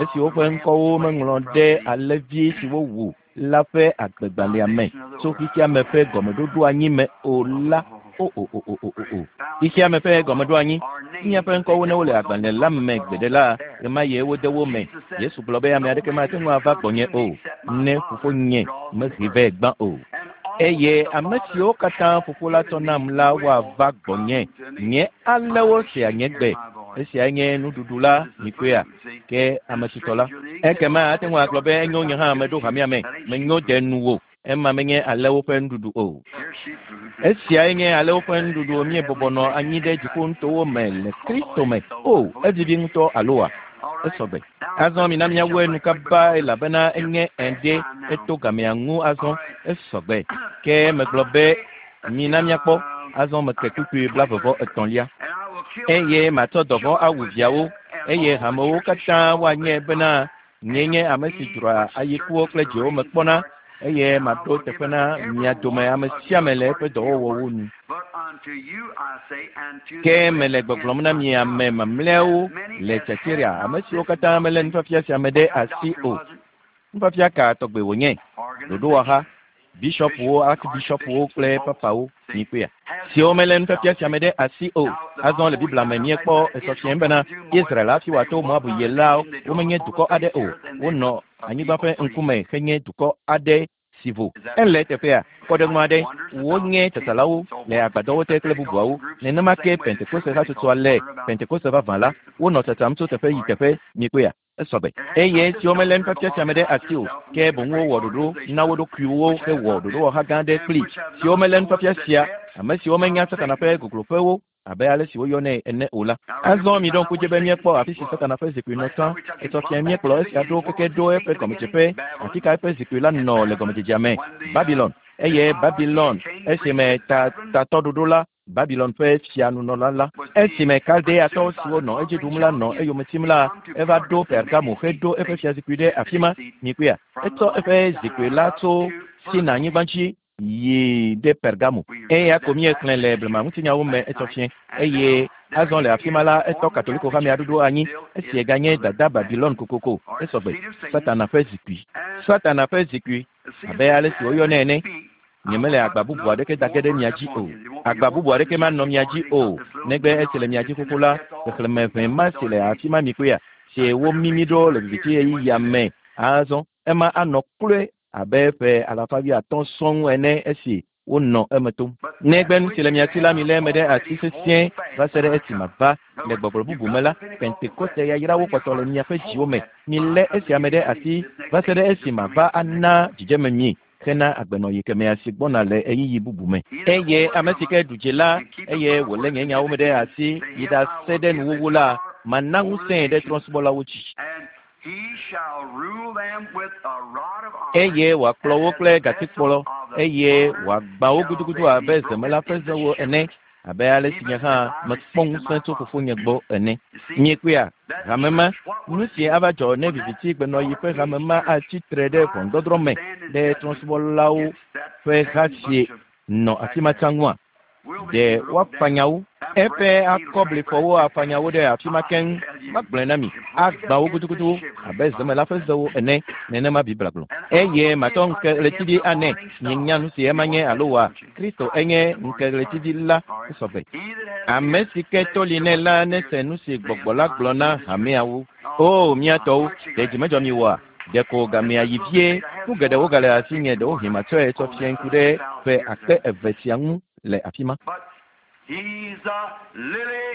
esi woƒe ŋkɔwo meŋlɔ ɖe alẽvi si wowu la ƒe agbegbalẽa me tso xexeame ƒe gɔmeɖoɖoanyi me o la. O, o, o, o, o, o, o. Xexeame ƒe gɔmeɖoanyi, míaƒe ŋkɔwo ne wole agbalẽ la me gbeɖe la, ɣemaɣie wode wo me. Yesu gblɔ be ame aɖeke mate ŋu ava gbɔnye o, ne Fofonye mehee vɛ gbã o. Eye ame siwo katã Fofo la tsɔ nam la woava gbɔnye. Nye alẽwo sea nye gbe. Esiae nye nuɖuɖu la, mikpɔea? Ke ame tutɔ la. Ekema ate ŋu agblɔ be, Enyo, nye hã meɖo hamea me. Menyo de nuwò. Ema menye alẽwo ƒe nuɖuɖu o. Esiae nye alẽwo ƒe nuɖuɖu. Míebɔbɔ nɔ anyi ɖe dziƒonutowo me le Kristo me. O, evivi ŋutɔ, aloa? Esɔ gbe. Azɔ mina míawu enu kaba elabena enye ŋdi eto gamea ŋu azɔ. Esɔ gbe. Ke megblɔ be, Mina míakpɔ. Azɔ meke kpukpui blaeve vɔ etɔ̃lia. Eye matsɔ dɔvɔ̃ awu viawo, eye hamewo katã woanyae bena nyee nye ame si dzroa ayikuwo kple dzewo me kpɔna, eye maɖo teƒe na mia dome ame sia ame le eƒe dɔwɔwɔwo nu. Ke mele gbɔgblɔm na mi ame mamlɛawo le Tiatira, ame siwo katã melé nufiafia sia me ɖe asi o. Nufiafia ka tɔgbe wònye? Ɖoɖowɔha, bisiɔpwo, arkibisiɔpwo kple papawo, mikpɔea, siwo melé nufiafia sia me ɖe asi o. Azɔ le Biblia me míekpɔ esɔfiae bena Israel hafi wòato Moab yi la, womenye dukɔ aɖe o. Wonɔ anyigba ƒe ŋkume henye dukɔ aɖe si vo. Ele teƒea, kpɔɖeŋu aɖe, wonye tsatsalawo le agbadɔwo te kple bubuawo. Nenema ke Pentekoste hatsotsoa le, Pentekoste vavã la, wonɔ tsatsam tso teƒe yi teƒe, mikpɔea, esɔ gbe. Eye esi womelé nufiafia sia me ɖe asi o, ke boŋ wowɔ ɖoɖo na wo ɖokuiwo hewɔ ɖoɖowɔha gã aɖe kplii, siwo melé nufiafia sia, ame siwo menya Satana ƒe gogloƒewo abe ale si woyɔnɛ ene o la. Azɔ miɖo ŋku dzi be míekpɔ afi si Satana ƒe zikpui nɔ tsã. Etsɔ fiẽ míekplɔ esia ɖo keke ɖo eƒe gɔmedzeƒe. Afi ka eƒe zikpui la nɔ le gɔmedzedzea me? Babilon. Eye Babilon, esime ta, tatɔɖoɖo la, Babilon ƒe fianunɔla la, esime Kaldeatɔ siwo nɔ edzi ɖum la nɔ eyome tim la, eva ɖo Pergamo heɖo eƒe fiazikpui ɖe afi ma. Mikpɔea? Etsɔ eƒe zikpui la tso Sina-nyigba dzi yi ɖe Pergamo. Eya ko míexlẽ le blemaŋutinyawo me etsɔ fiẽ. Eye azɔ le afima la, etɔ Katoliko hamea ɖoɖo anyi, esi eganye dada Babilon kokoko. Esɔ gbe. Satana ƒe zikpui. Satana ƒe zikpui, abe ale si woyɔnɛ ene. Nyemele agba bubu aɖeke da ge ɖe mia dzi o. Agba bubu aɖeke manɔ mia dzi o, negbe esi le mia dzi xoxo la, xexlẽme ʋɛ ma si le afima mikpɔea, si womimi ɖo le viviti ɣeyiɣia me azɔ, ema anɔ kloe abe ƒe alafa wuiatɔ̃ sɔŋ ene esi wonɔ eme tom. Negbe nu si le mia si la, milé eme ɖe asi sesĩe va se ɖe esi mava. Le gbɔgblɔ bubu me la, Pentekoste yayrawo kpɔtɔ le miaƒe dziwo me. Milé esia me ɖe asi va se ɖe esi mava ana dzidzeme mi hena agbenɔɣi kemɛa si gbɔna le ɣeyiɣi bubu me. Eye ame si ke ɖu dzi la, eye wòlé nye nyawo me ɖe asi yi ɖase ɖe nuwuwu la, mana ŋusẽe ɖe trɔ̃subɔlawo dzi. Eye wòakplɔ wo kple gatikplɔ, eye wòagbã wo gudugudu abe zemela ƒe zewo ene, abe ale si nye hã mekpɔ ŋusẽ tso Fofonye gbɔ ene. Miekpɔea, hame ma, nu si ava dzɔ ne viviti gbenɔɣi ƒe hame ma atsi tre ɖe ʋɔnudɔdrɔ̃ me ɖe trɔ̃subɔlawo ƒe ha si nɔ afi ma tsã ŋua? Ɖe woafanya wo? Eƒe akɔblifɔwo afanya wo ɖe afi ma keŋ. Magblɔe na mi, agbã wo gudugudu abe zemela ƒe zewo ene, nenema Biblia gblɔ. Eye matsɔ ŋkeɣletivi anɛ. Mienya nu si ema nye alo oa? Kristo enye ŋkeɣletivi la. Esɔ gbe. Ame si ke to li nɛ la nese nu si Gbɔgbɔ la gblɔ na hameawo. Oo, mía tɔwo, ɖe dzi medzɔ mi oa? Ɖeko gamea yi vie. Nu geɖewo gale asinye, ɖewohĩ matsɔe tsɔ fia ŋku ɖe ƒe akpe eve sia ŋu le afi ma. He's the lily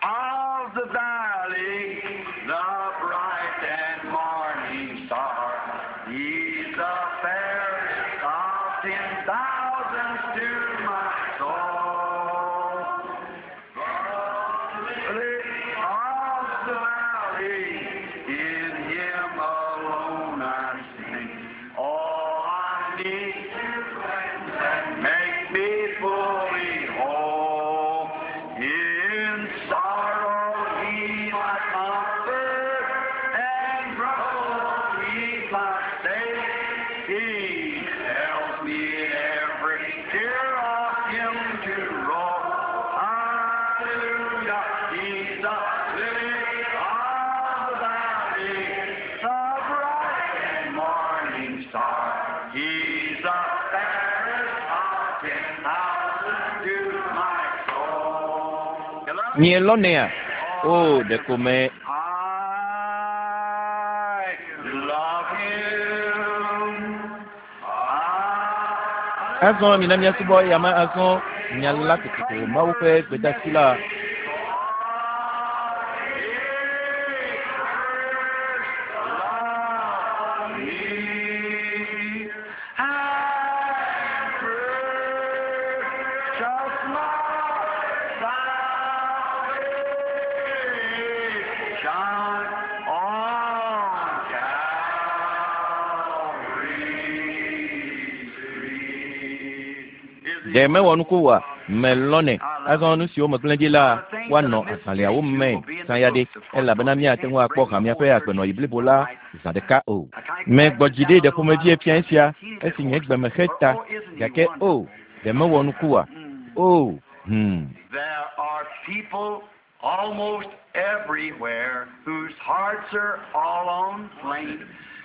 of the valley, the bright and morning star. He's the fairest of 10,000s to my soul. The lily. sorrow, He's my comfort, and trouble, He's my stay. He tells me in every tear of Him to roll. Hallelujah, He's the lily of the valley, the bright and morning star. He's the fairest of 10,000 to my soul. You love him? Mielɔnɛa? O, ɖeko me I love him. I Azɔ mina míasubɔ eyama azɔ nya la kokoko Mawu ƒe gbedeasi la. Ɖe mewɔ nuku oa? Melɔnɛ. Azɔ nu siwo megblẽ ɖi la, woanɔ agbalẽawo me zã ya ɖe, elabena míate ŋu akpɔ hamea ƒe agbenɔɣi blibo la zã ɖeka o. Megbɔ dzi ɖi ɖe ƒomevie fia esia esi nye gbe me xe ta, gake o, ɖe mewɔ nuku oa? O, There are people almost everywhere whose hearts are all on flame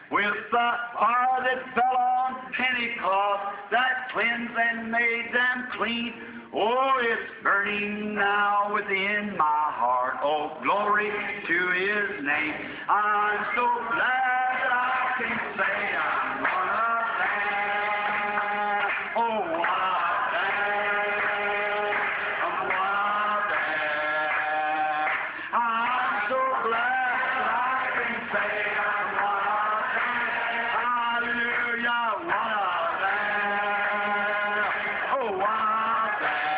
with the fire that fell on Pentecost that cleansed and made them clean. Oh, it's burning now within my heart. Oh, glory to His name. I'm so glad that I can say I'm one of them. Oh, one of them. I'm one of them. I'm so glad that I can say I'm one of them. Hallelujah, one of them. Oh, one of them.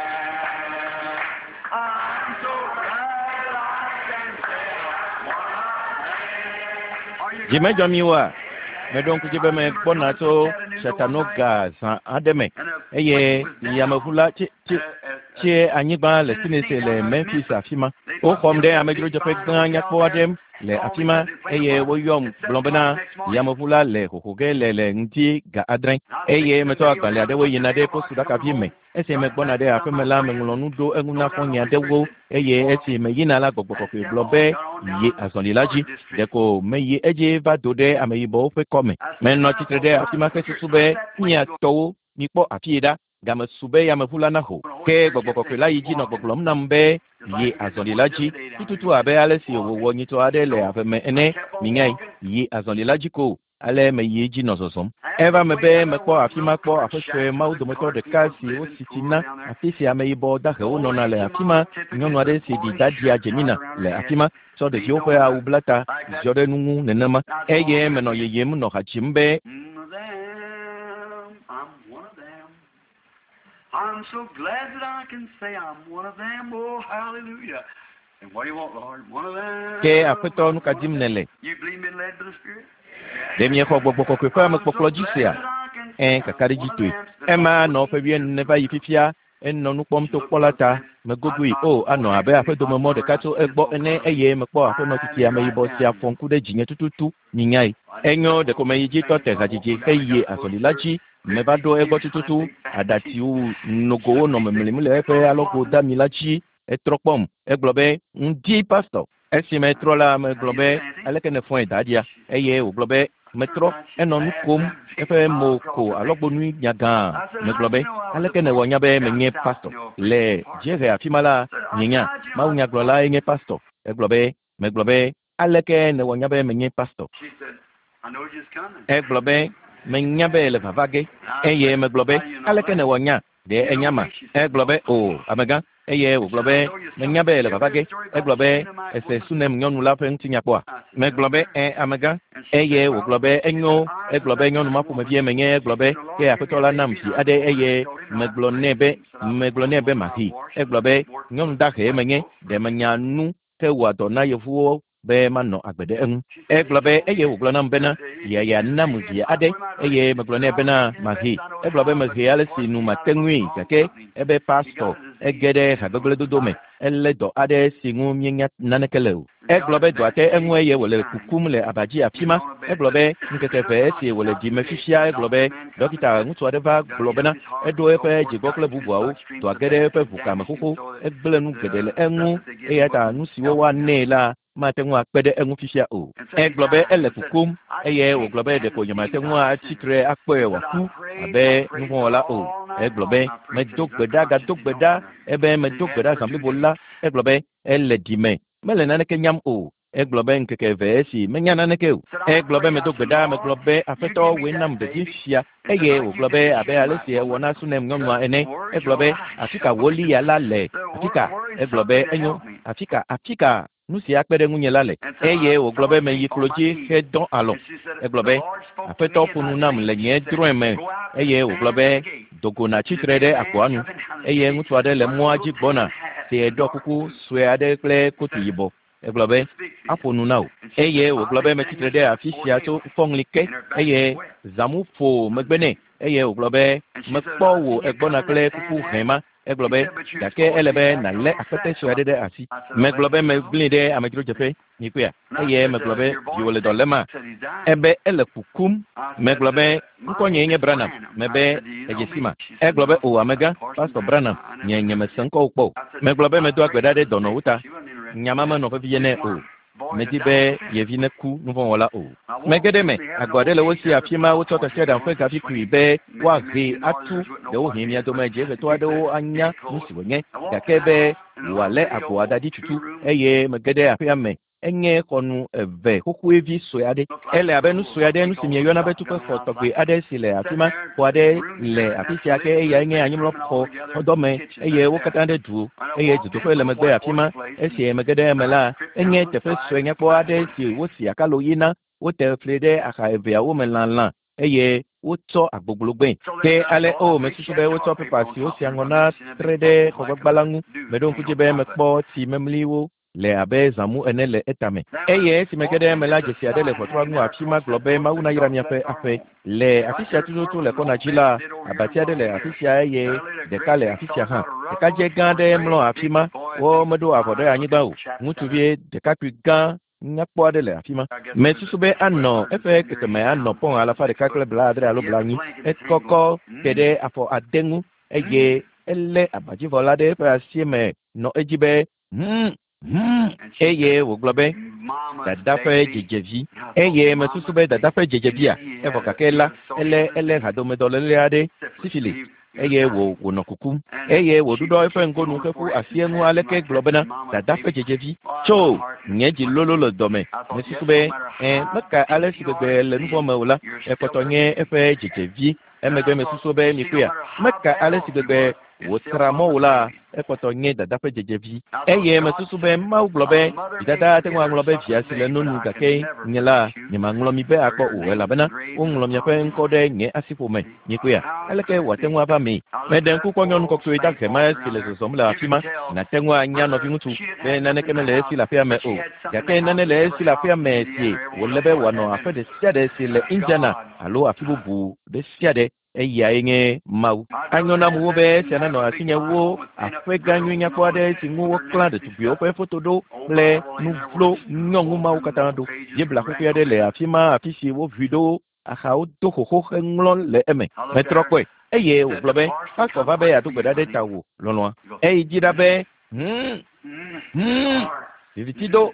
I'm so glad that I can say I'm one of them. Are you Dzi medzɔ glad? mi oa? Meɖo ŋku dzi be megbɔna tso Chattanooga zã aɖe me eye yameʋu la tsi tsi tsie anyigba le Tennessee le Memphis afi ma. Woxɔm ɖe amedzrodzeƒe gã nyakpɔ aɖe le afi ma eye woyɔm gblɔ bena yameʋu la le xoxo ge le le ŋdi ga 7 eye metsɔ agbalẽ aɖewo yina ɖe posuɖakavi me. Esi megbɔna ɖe aƒeme la, meŋlɔ nu ɖo eŋu na xɔ̃nye aɖewo eye esi meyina la, gbɔgbɔ kɔkɔe gblɔ be yi azɔli la dzi. Ɖeko meyi edzi va do ɖe ameyibɔwo ƒe kɔme. Menɔ tsitre ɖe afi ma hesusu be mia tɔwo mikpɔ afi yi ɖa. Game su be yameʋu la naho. Ke gbɔgbɔ kɔkɔe la yi dzi nɔ gbɔgblɔm nam be yi azɔli la dzi tututu abe ale si wòwɔ nyitɔ aɖe le ave me ene. Minyae, yi azɔli la dzi ko. Ale meyi edzi nɔ zɔzɔm. Eva me be mekpɔ afi ma kpɔ aƒe sue Mawu dometɔ ɖeka si wosi tsi na, afi si ameyibɔ dahewo nɔna le afi ma. Nyɔnu aɖe si ɖi daɖia dzemina le afi ma, tsɔ ɖeviwo ƒe awu bla ta, ziɔ ɖe nu ŋu nenema. Eye menɔ yeyem nɔ ha dzim be, One of them, I'm one of them. I'm so glad that I can say I'm one of them. Oh, hallelujah. And what do you want, Lord? One of them. Ke Aƒetɔ, nu I'm ka one of dim them. nèle? You believe me led by the Spirit? Ɖe miexɔ gbɔgbɔ kɔkɔe ƒe I'm so amekpɔkplɔ dzi glad sea? that I can say Ẽ, I'm one of kakaɖedzitɔe. them. Spent Ema about nɔ ƒe 14 years wuiene va yi fifia, enɔ nu kpɔm She to looked kpɔ la up ta. and I Megogoe thought o, before anɔ abe next week aƒedomemɔ October ɖeka I tso see this egbɔ old ene color. eye mekpɔ aƒenɔ tsitsi I'm right ameyibɔ sia down fɔ ŋku ɖe dzinye tututu. Minyae. Enyo ɖeko meyi dzi tɔ te hadzidzi heyi azɔli la dzi. Meva ɖo egbɔ tututu. Aɖatsiwo nogowo nɔ memlim le eƒe alɔgo dami la dzi. Etrɔ kpɔm. Egblɔ be, ŋdi pastɔ. Esi metrɔ la, megblɔ be, aleke nèfɔe daɖia? Eye wògblɔ be, metrɔ. Enɔ nu kom. Eƒe mo ko alɔgbɔnui nyagã. I said, Megblɔ how do be, you know I was a aleke nèwɔ pastor? nya be Down menye south, pastɔ? preaching Le part. dziehe afi ma la, Said, I nye said, nya. how do you know I was a pastor? Mawunyagblɔlae nye pastɔ. Egblɔ be, megblɔ be, aleke nèwɔ nya be menye pastɔ? She said, I know you're coming. Egblɔ be, menya be le vava ge. And I Eye said, megblɔ be, how do you know aleke that? nèwɔ nya? Ɖe You know enya ma? me? She said, Egblɔ no. be, o, amegã. Eye She wògblɔ said, I be, know you're menya coming. be le You ever vava hear the ge. story about Egblɔ the be, Shunammite ese woman? Sunem nyɔnu la ƒe ŋutinya kpɔa? I said, yes, Megblɔ be, sir. ẽ, amegã. And she Eye said, well, wògblɔ be, she said, enyo. I was Egblɔ a be, nyɔnu ma Shunammite woman. ƒomevie menye. She Egblɔ be, said, the ke Lord gave me aƒetɔ a la nam baby, vi and I aɖe told her, eye told him I megblɔ nɛ raised be, him. Said I was megblɔ one nɛ be woman I mahi. washed Egblɔ be, more nyɔnu dahe white menye. folks Ɖe menya nu ke wɔa dɔ na yevuwo be manɔ agbe ɖe eŋu. She said, he Egblɔ be, told eye me wògblɔ nam bena, that he yeaya gave me a nam baby, vi and I aɖe told him I'd raise eye him. megblɔ Said nɛ I was bena taking the mahi. best I know Egblɔ be how, but mehe ale of si course nu came mate out of a ŋui strong gake company. ebe He pastɔ got a Ege ɖe hagbegblẽdodo me. Elé dɔ aɖe si ŋu míenya naneke le o. Egblɔ be dɔa te eŋu eye wòle kukum le aba dzi afi ma. Egblɔ be ŋkeke eve esi wòle dzime fifia. Egblɔ be ɖɔkita ŋutsu aɖe va gblɔ bena eɖo eƒe dzigbɔ kple bubuawo. Dɔa ge ɖe eƒe ʋukame xoxo. Egblẽ nu geɖe le eŋu eya ta nu siwo woanɛ la mate ŋu akpe ɖe eŋu fifia o. Egblɔ be ele kukum eye wògblɔ be ɖeko nyemate ŋu atsi tre akpɔe wòaku abe nuvɔ̃wɔla o. Egblɔ be medo gbe ɖa gado gbe ɖa ebe medo gbe ɖa zã blibo la. Egblɔ be ele ɖime mele naneke nyam o. Egblɔ be ŋkeke eve esi menya naneke o. Egblɔ be medo gbe ɖa megblɔ be Aƒetɔ wòe nam ɖevi fia eye wògblɔ be abe ale si ewɔ na Sunem nyɔnua ene. Egblɔ be afi ka wò liya la le? Afi ka? Egblɔ be enyo. Afi ka? Afi ka nu si akpe ɖe ŋunye la le? Eye wògblɔ be meyi klo dzi hedɔ alɔ. Egblɔ be Aƒetɔ ƒo nu nam le nye drɔ̃e me eye wògblɔ be dogo natsi tre ɖe agboa nu eye ŋutsu aɖe le mɔa dzi gbɔna si ɖɔ kuku sue aɖe kple kotu yibɔ. Egblɔ be aƒo nu na wò. Eye wògblɔ be metsi tre ɖe afi sia tso fɔŋli ke eye zãmu ƒo megbe nɛ eye wògblɔ be mekpɔ wò egbɔna kple kuku hẽ ma. Egblɔ be gake ele be nàlé akpete sue aɖe ɖe asi. Megblɔ be megblẽe ɖe amedzrodzeƒe mikpɔea eye megblɔ be viwò le dɔ léma? Ebe ele kukum. Megblɔ be ŋkɔnyee nye Branham. Mebe edze si ma. Egblɔ be o amegã, Pastor Branham, nye nyemese ŋkɔwò kpɔ o. Megblɔ be medoa gbe ɖa ɖe dɔnɔwo ta. Nya ma menɔ vevie nɛ o. Medi be yevi neku nuvɔ̃wɔla o. Mege ɖe eme. Agbo aɖe le wo si afi ma wotsɔ tasiaɖam ƒe gavi kui be woahee atu. Ɖewohĩ mia dome dziehetɔ aɖewo anya nu si wònye gake be wòalé agboa da ɖi tutu eye mege ɖe aƒea me. Enye xɔnu eve xoxoevi sue aɖe. Ele abe nu sue aɖe, nu si mieyɔna be tuƒexɔ tɔgbe aɖe si le afi ma. Xɔ aɖe le afi sia ke eyae nye anyimlɔxɔ xɔdɔme eye wo katã ɖe du eye dzodoƒe le megbe afi ma. Esi mege ɖe eme la, enye teƒe sue nyakpɔ aɖe si wosi akalo ɣi na. Wote fli ɖe axa eveawo me lãlã eye wotsɔ agbogblo gbee. Ke ale o mesusu be wotsɔ pepa si wosi aŋɔ na tre ɖe xɔgbagba la ŋu. Meɖo ŋku dzi be mekpɔ tsi memliwo le abe zãmu ene le etame. Eye esi mege ɖe eme la, dzesi aɖe le ʋɔtrua ŋu afi ma gblɔ be Mawu nayra miaƒe aƒe. Le afi sia tututu le kɔna dzi la, abati aɖe le afi sia eye ɖeka le afi sia hã. Ɖekadze gã aɖe mlɔ afi ma. Womeɖo avɔ ɖe anyigba o. Ŋutsuvi ɖekakpui gã nyakpɔ aɖe le afi ma. Mesusu be anɔ eƒe kekeme anɔ pɔn 170 alo 80. Ekɔkɔ te ɖe afɔ ade ŋu eye elé abadzivɔ la ɖe eƒe asi me nɔ edzi be eye wògblɔ be dada ƒe dzedzevi. Eye mesusu be dada ƒe dzedzevia evɔ gake la ele ele hadomedɔléle aɖe sifilis eye wònɔ kukum eye wòɖuɖɔ eƒe ŋgonu heƒu asi eŋu aleke gblɔ bena dada ƒe dzedzevi tso nye dzi lolo le dɔme. Mesusu be meka ale si gbegbe le nuvɔ̃ me o la ekpɔtɔ nye eƒe dzedzevi. Emegbe mesusu be mikpɔea meka ale si gbegbe wòtra mɔ wò la ekpɔtɔ nye dada ƒe dzedzevi. Eye mesusu be Mawu gblɔ be vidada ate ŋu aŋlɔ be via si le no nu gake nye la nyemaŋlɔ mi be akpɔ o elabena woŋlɔ miaƒe ŋkɔ ɖe nye asiƒome. Mikpɔea aleke wòate ŋu ava mee? Meɖe ŋku kpɔ nyɔnu kɔkɔe dahe ma si le zɔzɔm le afi ma. Nàte ŋu anya nɔviŋutsu be naneke mele esi le aƒea me o gake nane le esi le aƒea me si wòle be wòanɔ aƒe ɖe sia ɖe si le Indiana alo afi bubu ɖe sia ɖe. Eyae nye Mawu. Anyo nam wo be esia nanɔ asinye wo aƒe gã nyui nyakpɔ aɖe si ŋu woklã ɖetugbiwo ƒe foto ɖo kple nu vlo nyɔŋu mawo katã ɖo. Biblia xoxoe aɖe le afi ma afi si woʋui ɖo axawo do xoxo heŋlɔ le eme. Metrɔ kpɔe eye wògblɔ be pastor va be yeado gbe ɖa ɖe tawò lɔlɔ̃a. Eyi dzi ɖa be viviti do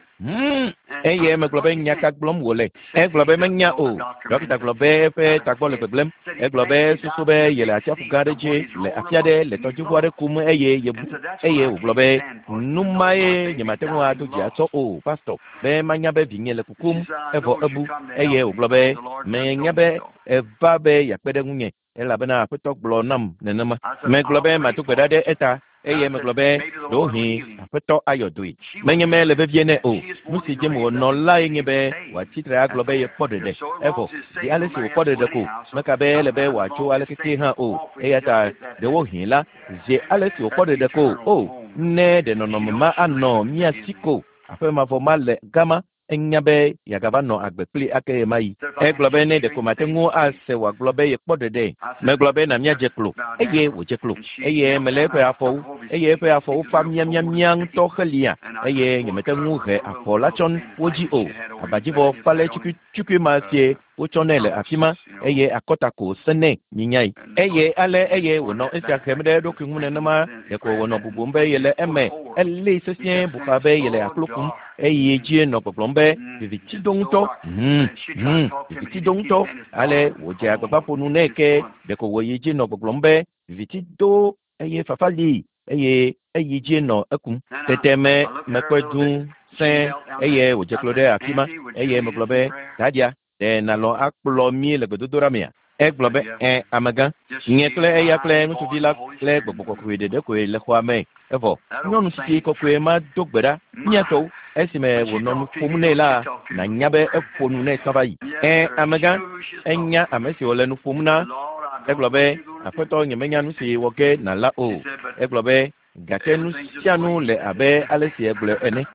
eye megblɔ be nya ka gblɔm wòle. Egblɔ be menya o. Ɖɔkita gblɔ be eƒe tagbɔ le gbegblẽm. Egblɔ be susu be yele atsiaƒu gã aɖe dzi le afi aɖe le tɔdziʋu aɖe kum eye yebu. Eye wògblɔ be nu mae nyemate ŋu ado dzi atsɔ o pastor be manya be vinye le kukum evɔ ebu. Eye wògblɔ be menya be eva be yeakpe ɖe ŋunye elabena Aƒetɔ gblɔ nam nenema. Megblɔ be mado gbe ɖa ɖe eta eye megblɔ be ɖewohĩ Aƒetɔ ayɔ doe. Menye mele vevie nɛ o. Nu si dzem wònɔ lae nye be wòatsi tre agblɔ be yekpɔ ɖeɖe. Evɔ zi ale si wòkpɔ ɖeɖe ko meka be ele be wòatso aleke ke hã o. Eya ta ɖewohĩ la zi ale si wòkpɔ ɖeɖe ko o ne ɖe nɔnɔme ma anɔ mía si ko aƒe mavɔ ma le gama. Enya be yeagava nɔ agbe kplii ake ɣemaɣi. Egblɔ be ne ɖeko mate ŋu ase wòagblɔ be yekpɔ ɖeɖe. Megblɔ be na míadze klo. Eye wòdze klo. Eye melé eƒe afɔwo, eye eƒe afɔwo fa miamiamia ŋutɔ helia, eye nyemete ŋu he afɔ la tsɔ wo dzi o. Abadzivɔ falɛ tsukuitsukui ma sie wotsɔ nɛ le afima, eye akɔta ko wòse nɛ, minyae. Eye ale eye wònɔ esia hem ɖe eɖokui ŋu nenema, ɖeko wònɔ bubum be yele eme. Elée sesĩe bu xa be yele aklo kum, eye dzie nɔ gbɔgblɔm be, Viviti do ŋutɔ. Hum, hum, viviti do ŋutɔ. Ale wòdze agbagba ƒo nu nɛ ke ɖeko wòyi dzi nɔ gbɔgblɔm be, Viviti do eye fafa li, eye eyi dzie nɔ ekum. Tete me, mekpɔe dũ sẽe eye wòdze klo ɖe afima, eye megblɔ be, Dadia, ɖe nàlɔ̃ akplɔ mí le gbedodoɖa mea? Egblɔ be, Ẽ, amegã. Nye kple eya kple ŋutsuvi la kple Gbɔgbɔ Kɔkɔe ɖeɖe koe le xɔa me. Evɔ, nyɔnu tsitsi kɔkɔe ma do gbe ɖa, mía tɔwo. Esime wònɔ nu ƒom nɛ la, nànya be eƒo nu nɛ tsã va yi. Ẽ, amegã, enya ame si wòle nu ƒom na. Egblɔ be, Aƒetɔ, nyemenya nu si wɔ ge nàla o. Egblɔ be, Gake nu sia nu le abe ale si ègblɔe ene.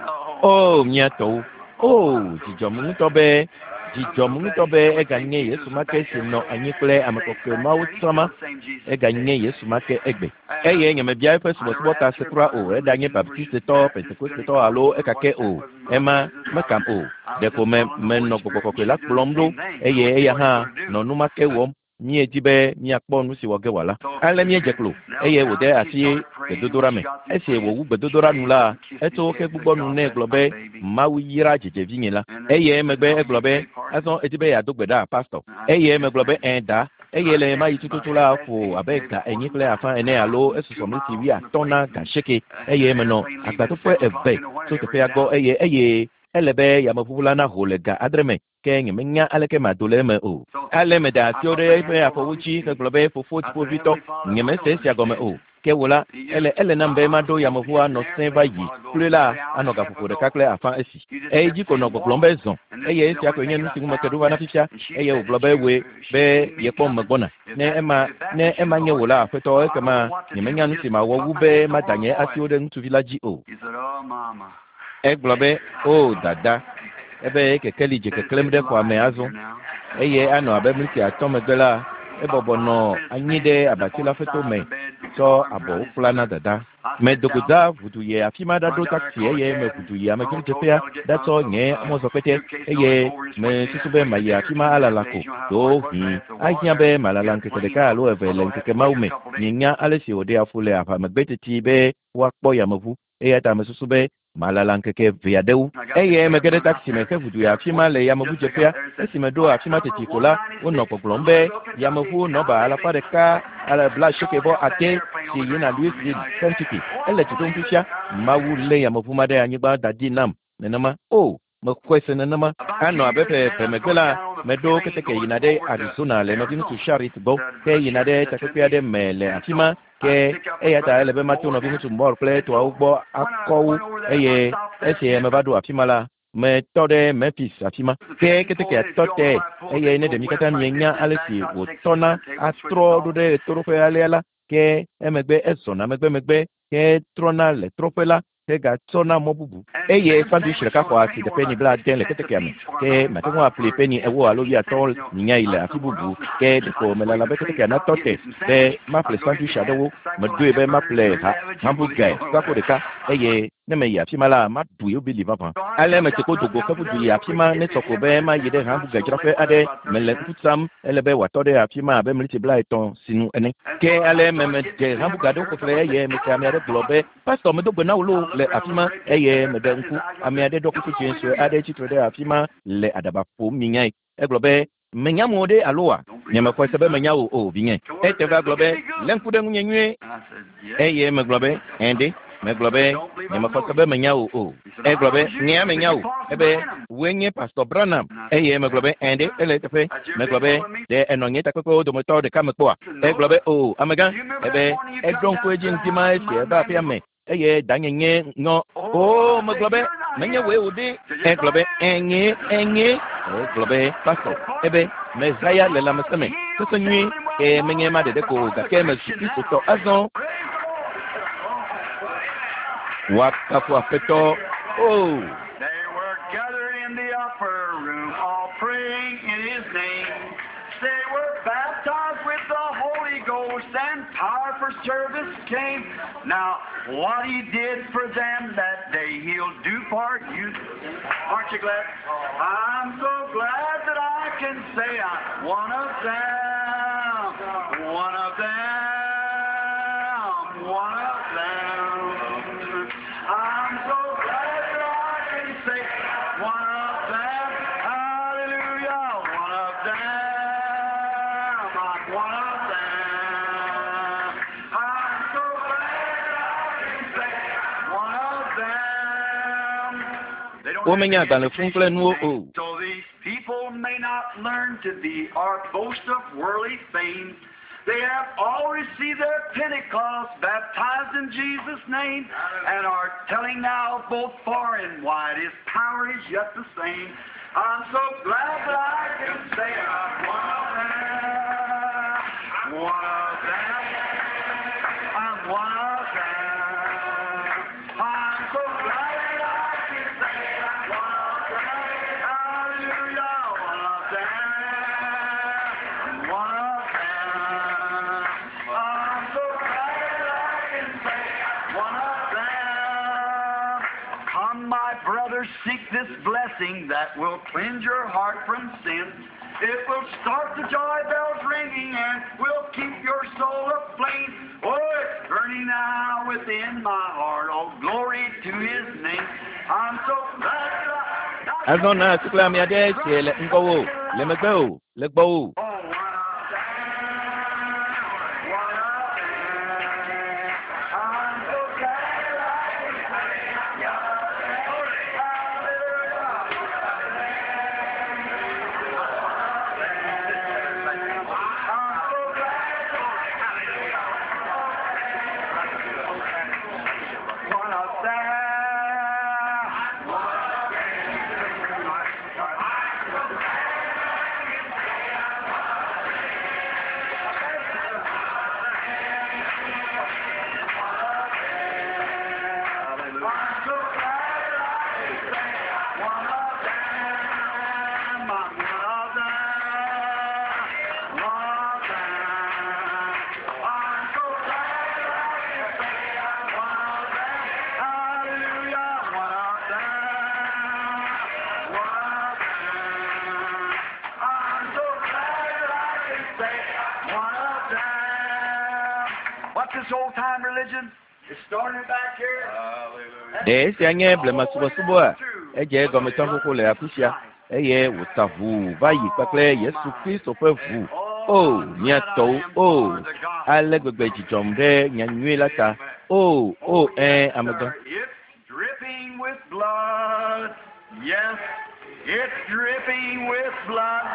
Oo, mía tɔwo! Oo, dzi dzɔm ŋutɔ be, dzi dzɔm ŋutɔ be eganye Yesu ma ke si nɔ anyi kple ame kɔkɔe mawo tsã ma. Eganye Yesu ma ke egbe. Eye nyemebia eƒe subɔsubɔ ta se kura o, eɖanye Baptistetɔ, Pentekostetɔ alo ekake o. Ema mekam o. Ɖeko me, menɔ Gbɔgbɔ Kɔkɔe la kplɔm ɖo, eye eya hã nɔ nu ma ke wɔm. Míedi be míakpɔ nu si wɔ ge wòala. Ale míedze klo, eye wòde asi gbedodoɖa me. Esi wòwu gbedodoɖa nu la, etso xe gbugbɔ nu nɛ gblɔ be, Mawu yra dzedze vinye la. Eye emegbe egblɔ be, Azɔ èdi be yeado gbe ɖa, Pastɔ? Eye megblɔ be, Ẽ, da. Eye le ɣemaɣi tututu la, ƒo abe ga 4:30 ene alo esusɔ miniti 50 na ga asieke, eye menɔ agbadɔƒe eve tso teƒea gbɔ eye eye ele be yameʋuʋu la naho le ga 6 me. Ke nyemenya aleke mado le eme o. Ale meda asiwo ɖe eƒe afɔwo dzi hegblɔ be, Fofo Dziƒoʋĩtɔ, nyemese esia gɔme o. Ke wò la, ele ele nam be maɖo yameʋua nɔ sẽ va yi kloe la anɔ gaƒoƒo ɖeka kple afã esi. Eyi dzi ko nɔ gbɔgblɔm be, Zɔ! Eye esia koe nye nusi ŋu meke ɖo va na fifia. Eye wògblɔ be, Wòe be yekpɔm megbɔna. Ne ema, ne ema nye wò la, Aƒetɔ, ekema nyemenya nusi mawɔ wu be mada nye asiwo ɖe ŋutsuvi la dzi o. Egblɔ be, O, dada, ebe kekeli dze keklẽm ɖe xɔa me azɔ. Eye anɔ abe miniti 5 megbe la, ebɔbɔ nɔ anyi ɖe abati la ƒe tome tsɔ abɔwo kpla na dada. Medo go da ʋudu yi afi ma ɖaɖo taxi eye meʋudu yi amedzrodzeƒea ɖatsɔ nye mɔzɔkpɛtɛ eye mesusu be mayi afi ma alala ko. Ɖewohĩ ahiã be malala ŋkeke ɖeka alo eve le ŋkeke mawo me. Mienya ale si wòɖea fu le aʋa megbe teti be woakpɔ yameʋu. Eya ta mesusu be malala ŋkeke eve aɖewo. Eye mege ɖe taxi me heʋu yi afi ma le yameʋudzeƒea. Esi meɖo afi ma teti ko la, wonɔ gbɔgblɔm be yameʋu nɔba 189 si yina Louisville, Kentucky, ele du ɖom fifia. Mawu lé yameʋu ma ɖe anyigba da ɖi nam nenema. O, mexɔe se nenema. Anɔ abe ƒe eve megbe la, meɖo keteke yina ɖe Arizona le nɔviŋutsu Sharrit gbɔ, ke yina ɖe takpekpe aɖe me le afi ma. Ke eya ta ele be mato nɔviŋutsu Moore kple etɔawo gbɔ akɔ wo, eye esi meva ɖo afi ma la, metɔ ɖe Memphis afi ma. Ke ketekea tɔ te, eye ne ɖe mi katã mienya ale si wòtɔna atrɔ ɖo ɖe ɣetoɖoƒe alea la, ke emegbe ezɔna megbemegbe hetrɔna le trɔƒe la hegatsɔna mɔ bubu. Eye sandwich ɖeka xɔ asi de peni 70 le ketekea me, ke mate ŋu aƒli peni 40 alo 50 nyayi le afi bubu. Ke ɖeko melala be ketekea natɔ te be maƒle sandwich aɖewo. Meɖoe be maƒle ha hamburger kpakpo ɖeka, eye ne meyi afi ma la, maɖu yewo bili vavã. Ale metse ko do go heƒu du yi afi ma ne sɔ ko be mayi ɖe hamburger dzraƒe aɖe. Mele ŋku tsam, ele be wòatɔ ɖe afi ma abe miniti 30 sinu ene. Ke ale me medze hamburger aɖewo ƒeƒle eye mese ame aɖe gblɔ be, Pastor, medo gbe na wò loo le afi ma. Eye meɖe ŋku, ame aɖe ɖɔ kuku dzẽ sue aɖe tsitre ɖe afi ma le aɖaba ƒom minyae. Egblɔ be, Menya amewo ɖe aloa? Nyemexɔe se be menya wò o, vinye. Ete va gblɔ be, Lé ŋku ɖe ŋunye nyuie. Eye megblɔ be, Ẽ ɖe. Megblɔ be, Nyemexɔe se be menya wò o. Egblɔ be, Nyea menya wò. Ebe, Wòe nye Pastor Branham. Eye megblɔ be, Ẽ ɖe, ele eteƒe. Megblɔ be, Ɖe ènɔ nye takpekpewo dometɔ ɖeka me kpɔa? Egblɔ be, O, amegã. Ebe, Eɖo ŋku edzi ŋdi ma esi eva aƒea me eye danye nye ŋɔ. O, megblɔ be, menye wòe wò ɖe. Egblɔ be, Ẽ, nyee, ẽ, nyee. Egblɔ be, Pastor, ebe, mehaya le lãmesẽ me, sese nyuie, ke menye ema ɖeɖe ko o, gake mezu Kristotɔ azɔ. Woakafu Aƒetɔ. O! Gathered in the upper room, all praying in His name. They were baptized with the Holy Ghost and power for service came. Now, what He did for them that day, He'll do for you. Aren't you glad? I'm so glad that I can say I'm one of them. One of them. One of them. I'm so glad that I can say one of them. Hallelujah. One of them. I'm one of them. I'm so glad that I can say one of them. They don't have Womenya any agbalẽ fũu kple nuwo o. So these people may not learn to be or boast of worldly fame. They have all received their Pentecost, baptized in Jesus' name, and are telling now both far and wide His power is yet the same. I'm so glad that I can say I'm one of them. One of them. I'm one of them. I'm so glad that I can say I'm one of them. Hallelujah, one of them. One of them. I'm so glad that I can say one of them. Come, my brothers, seek this blessing that will cleanse your heart from sin. It will start the joy bells ringing and will keep your soul aflame. Oh, it's burning now within my heart. Oh, glory to His name. I'm so glad that I... Azɔ na atikple ame aɖe tsie le ŋgɔwò, le megbe o, le gbɔwò. Oh, one of them, one of them. I'm so glad that I can say, hallelujah. I'm so glad. One of them. I'm so glad I can say one of them. I'm one of them. One of them. I'm so glad I can say one of them. Hallelujah. One of them. One of them. I'm so glad that I can say one of them. What's this old time religion? It started back here. Ɖe esia nye blemasubɔsubɔa? Edze egɔme tsã xoxo le afi sia eye wòta ʋuu va yi kpakple Yesu Kristo ƒe ʋu. O, mía tɔwo, o, ale gbegbe dzidzɔm ɖe nyanyui la ta. O, o, ẽ, amegã. It's dripping with blood. Yes, it's dripping with blood.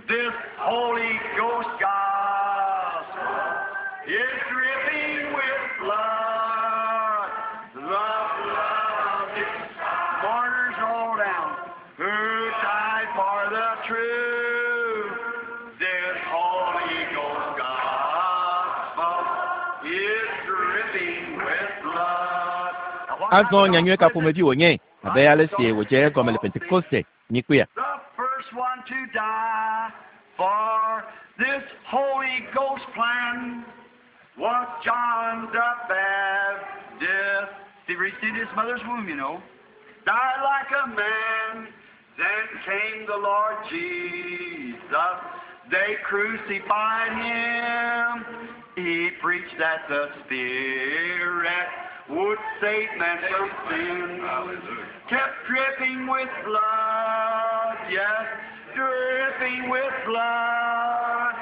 This Holy Ghost gospel is dripping with blood. The blood of the martyrs all down who died for the truth. This Holy Ghost gospel is dripping with blood. Now, what Azɔ kind of nyanyui ka ƒomevi wònye abe ale si wòdze egɔme le Pentekoste nyikpea. The first one to die for this Holy Ghost plan was John the Baptist. He received his mother's womb, you know. Died like a man. Then came the Lord Jesus. They crucified him. He preached that the Spirit would save men from sin. Kept dripping with blood, yes, dripping with blood.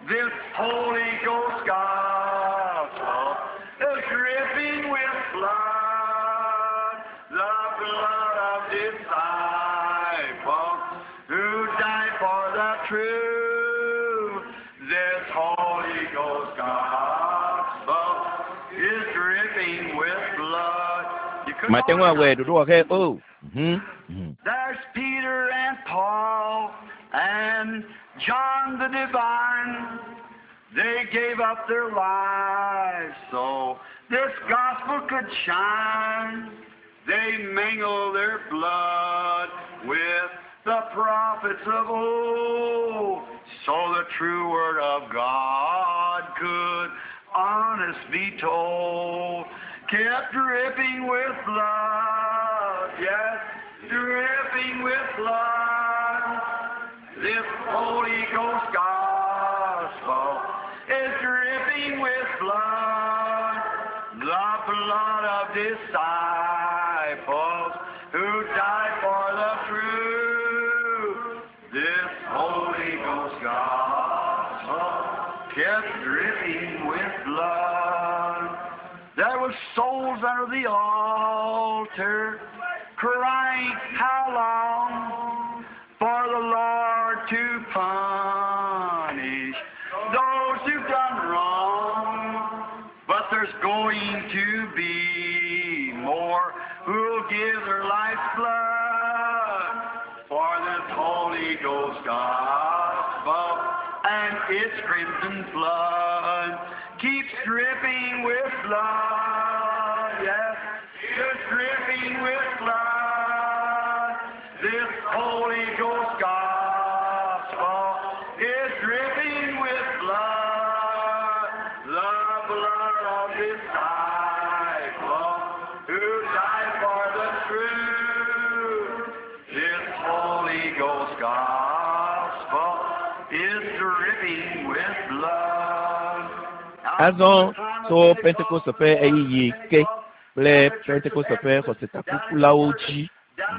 This Holy Ghost gospel is dripping with blood, the blood of disciples who died for the truth. This Holy Ghost gospel is dripping with blood. You couldn't Mate ŋu awɔe ɖoɖo wɔxe o. Mhm. Mhm. There's Peter and Paul and John the Divine. They gave up their lives so this gospel could shine. They mingle their blood with the prophets of old, so the true word of God could honest be told. Kept dripping with blood, yes, dripping with blood. This Holy Ghost gospel is dripping with blood, the blood of disciples who died for the truth. This Holy Ghost gospel kept dripping with blood. There were souls under the altar crying, how long for the Lord to punish those who've done wrong? But there's going to be more who'll give their life's blood for this Holy Ghost gospel and its crimson flood keeps dripping with blood. Yes, it's dripping with blood. This Holy Ghost gospel is dripping with blood, the blood of disciples who died for the truth. This Holy Ghost gospel is dripping with blood. Azɔ tso Pentekoste ƒe ɣeyiɣi ke kple Pentekoste ƒe xɔsetakukulawo dzi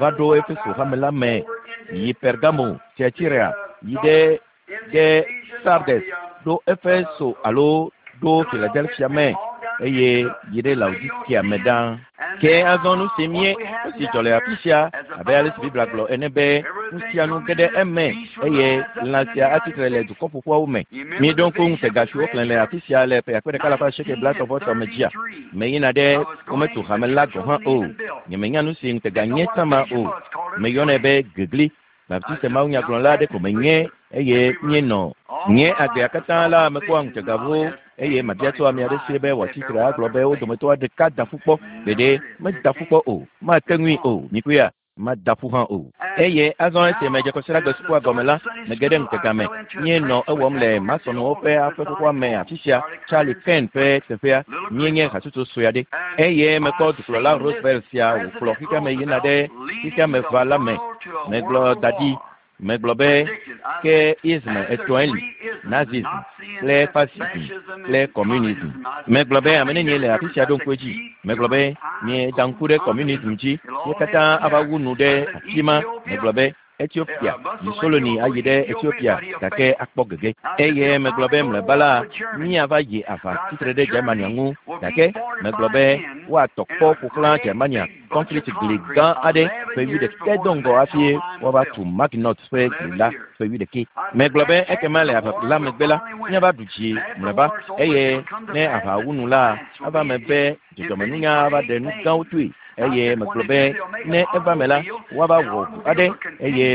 va ɖo Efeso hame la me, yi Pergamo, Thyatira, yi ɖe ɖe Sardes, ɖo Efeso alo ɖo Philadelphia me, eye yi ɖe Laodikea me ɖaa. Ke azɔ nu si mie, nu si dzɔ le afi sia, abe ale si Biblia gblɔ ene be, nu sia nu ge ɖe eme, eye lã sia atsi tre le dukɔ ƒoƒuawo me. Míeɖo ŋku ŋutega si woxlẽ le afi sia le ƒe akpe ɖeka alafa asieke blaetɔ̃-vɔ-etɔ̃ me dzia? Meyina ɖe wometu hame la gɔ̃ hã o. Nyemenya nu si ŋutega nye tsã ma o. Meyɔnɛ be gegli. Baptiste mawunyagblɔla aɖe ko menye eye míenɔ. Nye agbea katã la, mekpɔa ŋutegawo eye mabia tso ame aɖe si be wòatsi tre agblɔ be wo dometɔ ɖeka da ƒu kpɔ. Gbeɖe, meda ƒu kpɔ o. Mate ŋui o. Mikpɔea? Mada ƒu hã o. Eye azɔ esi medze Kɔsiɖagbe sukua gɔme la, mege ɖe ŋutega me. Míenɔ ewɔm le Masonwo ƒe aƒe xoxoa me afi sia, Charlie Kern ƒe teƒea. Míenye hatsotso sue aɖe. Eye mekpɔ dukplɔla Roosevelt sia wòkplɔ xexeame yina ɖe xexeameʋa la me. Megblɔ da ɖi. Megblɔ be, ke ism etɔ̃e li, Nazism kple fasism kple kɔmunism. Megblɔ be, ame nenie le afi sia ɖo ŋku edzi? Megblɔ be, mieda ŋku ɖe kɔmunism dzi, ye katã ava wu nu ɖe afi ma. Megblɔ be, Etiopia, Mussolini ayi ɖe Etiopia gake akpɔ gege. Eye megblɔ be mlɔeba la, míava yi aʋa tsitre ɖe Germania ŋu. Gake megblɔ be woatɔ kpɔ ƒo xlã Germania kɔnkriti gli gã aɖe ƒe wuiɖekɛ do ŋgɔ hafi woava tu Maginot ƒe gli la ƒe wuiɖekɛ. Megblɔ be ekema le aʋa la megbe la, míava ɖu dzi mlɔeba, eye ne aʋa wu nu la, ava eme be dzɔdzɔmenunya ava ɖe nu gãwo toe. Eye megblɔ be ne eva me la, woava wɔ ʋu aɖe, eye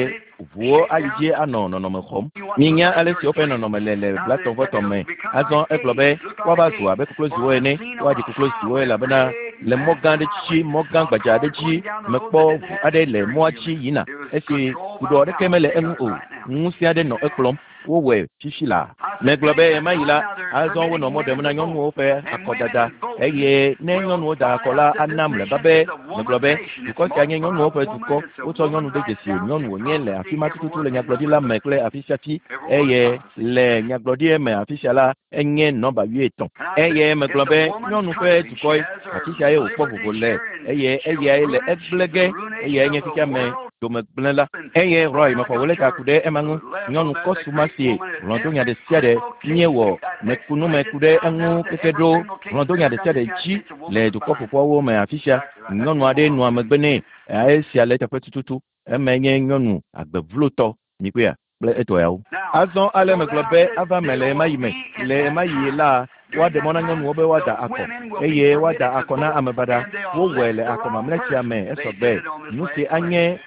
ʋuwo ayi dzi anɔ nɔnɔme xɔm. Minya ale si woƒe nɔnɔme le le blatɔ̃-vɔ-etɔ̃ me. Azɔ egblɔ be woava zu abe kokloziwo ene, woaɖi kokloziwo elabena le mɔ gã aɖe dzi, mɔ gã gbadza aɖe dzi, mekpɔ ʋu aɖe le mɔa dzi yina esi kuɖɔ aɖeke mele eŋu o. Ŋusẽ aɖe nɔ ekplɔm. Wowɔe fifi laa. Megblɔ be ɣemaɣi la, azɔ wonɔ mɔ ɖem na nyɔnuwo ƒe akɔdada, eye ne nyɔnuwo da akɔ la, ana mlɔeba be, megblɔ be, dukɔ sia nye nyɔnuwo ƒe dukɔ, wotsɔ nyɔnu de dzesi, nyɔnu wònye le afi ma tututu le nyagblɔɖi la me kple afisiafi, eye le nyagblɔɖi me afisia la, enye nɔmba wuietɔ̃. Eye megblɔ be, nyɔnu ƒe dukɔe, afisiae wòkpɔ vovo le, eye eyae le egblẽ ge, eyae nye xexea me domegblẽla. Eye Roy, mexɔ wò lɛta ku ɖe ema ŋu. Nyɔnu kɔsu ma si hlɔ̃donya ɖe sia ɖe míewɔ meku nu me ku ɖe eŋu keke ɖo hlɔ̃donya ɖe sia ɖe dzi le dukɔ ƒoƒuawo me afisia. Nyɔnu aɖe nɔa megbe nɛ. Esia le eteƒe tututu. Emae nye nyɔnu agbevlotɔ. Mikpɔea? Kple etɔeawo. Azɔ ale megblɔ be ava me le ɣemaɣi me. Le ɣemaɣi la, woaɖe mɔ na nyɔnuwo be woada akɔ, eye woada akɔ na ame baɖa. Wowɔe le akɔ mamlɛ sia me esɔgbe. Nusi anye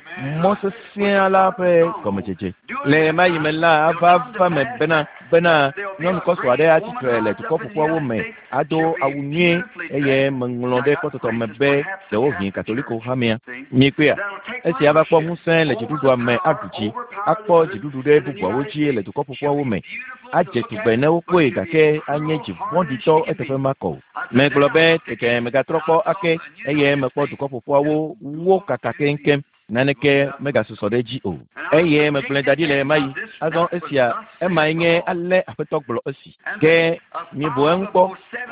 Mɔ sesẽa la ƒe gɔmedzedze. Le ɣemaɣi me la, ava va me bena, bena nyɔnu kɔsɔ aɖe atsi tre le Dukɔ Ƒoƒuawo me, ado awu nyuie, eye meŋlɔ ɖe kpɔtɔtɔ me be ɖewohĩ Katoliko hamea. Mikpɔea? Esi ava kpɔ ŋusẽ le dziɖuɖua me aɖu dzi, akpɔ dziɖuɖu ɖe bubuawo dzi le Dukɔ Ƒoƒuawo me, adze tugbe ne wokpɔe gake anye dzi vɔ̃ɖitɔ eteƒe makɔ o. Megblɔ be, Tete megatrɔ kpɔ ake, eye mekpɔ Dukɔ Ƒoƒuawo wo kaka keŋkeŋ. Naneke megasusɔ ɖe edzi o. Eye megblɔe da ɖi le ɣemaɣi. Azɔ esia, emae nye ale Aƒetɔ gblɔ esi. Ke mibu eŋu kpɔ,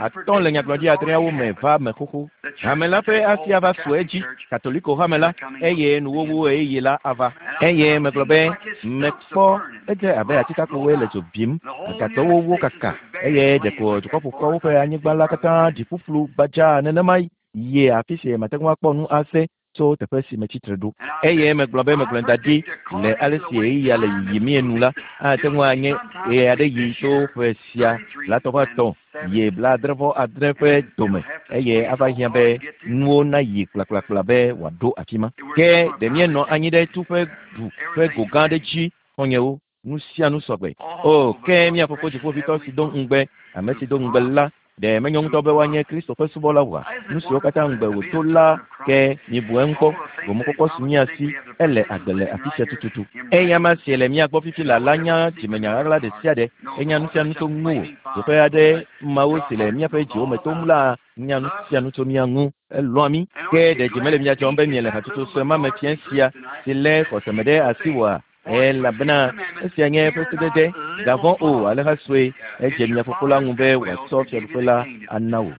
atɔ̃ le nyagblɔɖi adreawo me va me xoxo. Hame la ƒe asi ava su edzi, Katoliko hame la, eye nuwuwu ɣeyiɣi la ava. Eye megblɔ be, Mekpɔ, edze abe atikakpowoe le dzo bim, agakpewo wó kaka, eye ɖeko Dukɔ Ƒoƒuawo ƒe anyigba la katã ɖi ƒuƒlu gbadzaa nenemae yie afi si mate ŋu akpɔ nu ase tso teƒe si metsi tre ɖo. Eye megblɔ be megblɔe da ɖi le ale si ɣeyiɣia le yiyimie nu la, ate ŋu anye ɣeaɖeɣi tso ƒe sia blaetɔ̃-vɔ-etɔ̃ yi blaadre-vɔ-adre ƒe dome, eye ava hiã be nuwo nayi kplakplakpla be wòaɖo afi ma. Ke ɖe míenɔ anyi ɖe tu ƒe du ƒe go gã aɖe dzi, xɔ̃nyewo, nu sia nu sɔgbe. O, ke mía Fofo Dziƒoʋĩtɔ si do ŋugbe, ame si do ŋugbe la, ɖe menyo ŋutɔ be woanye Kristo ƒe subɔla oa? Nu siwo katã ŋugbe wòdo la, ke mibu eŋu kpɔ. Gomekpɔkpɔ su mía si, ele agbe le afi sia tututu. Eyama si le mía gbɔ fifi laa la nya dzimenya ɣaɣla ɖe sia ɖe, enya nu sia nu tso ŋuwò. Teƒe aɖe Mawu si le míaƒe dziwo me tom la nya nu sia nu tso mía ŋu. Elɔ̃a mí. Ke ɖe dzi mele mia dzɔm be miele hatsotso sue ma me fiẽ sia si lé xɔse me ɖe asi oa? Elabena esia nye eƒe sedede, Gavɔ̃ o, alẽha sue, edze mia fofo la ŋu be wòatsɔ fiaɖuƒe la ana wò.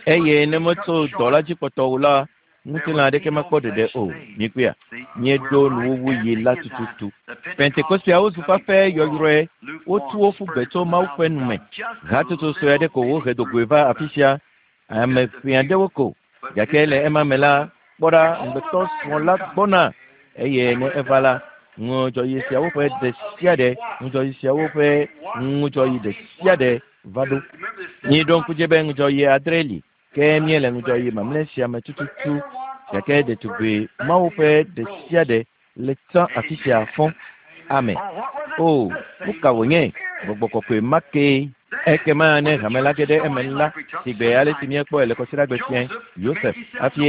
Eye ne metso dɔ la dzi kpɔtɔ o la, ŋutilã aɖeke makpɔ ɖeɖe o. Mikpɔea? Míeɖo nuwuwuɣi la tututu. Pentekosteawo zu fafɛ yɔyrɔe, wotu wo ƒu gbe tso Mawu ƒe nu me. Hatsotso sue aɖe ko wohe do goe va afisia, ame ʋɛ aɖewo ko. Gake le ema me la, kpɔ ɖa, ŋugbetɔ srɔ̃ la gbɔna, eye ne eva la, ŋudzɔɣi siawo ƒe ɖe sia ɖe, ŋudzɔɣi siawo ƒe ŋudzɔɣi ɖe sia ɖe va ɖo. Miɖo ŋku dzi be ŋudzɔɣi adre li, ke míele ŋudzɔɣi mamlɛ sia me tututu. Gake ɖetugbui mawo ƒe ɖe sia ɖe le tsã afi sia fɔ. Amen. O, nu ka wònye? Gbɔgbɔ kɔkɔe ma kee. Ekema ne hame la ge ɖe eme la, sigbe ale si míekpɔe le Kɔsiɖagbe fiẽ, Yosef, hafi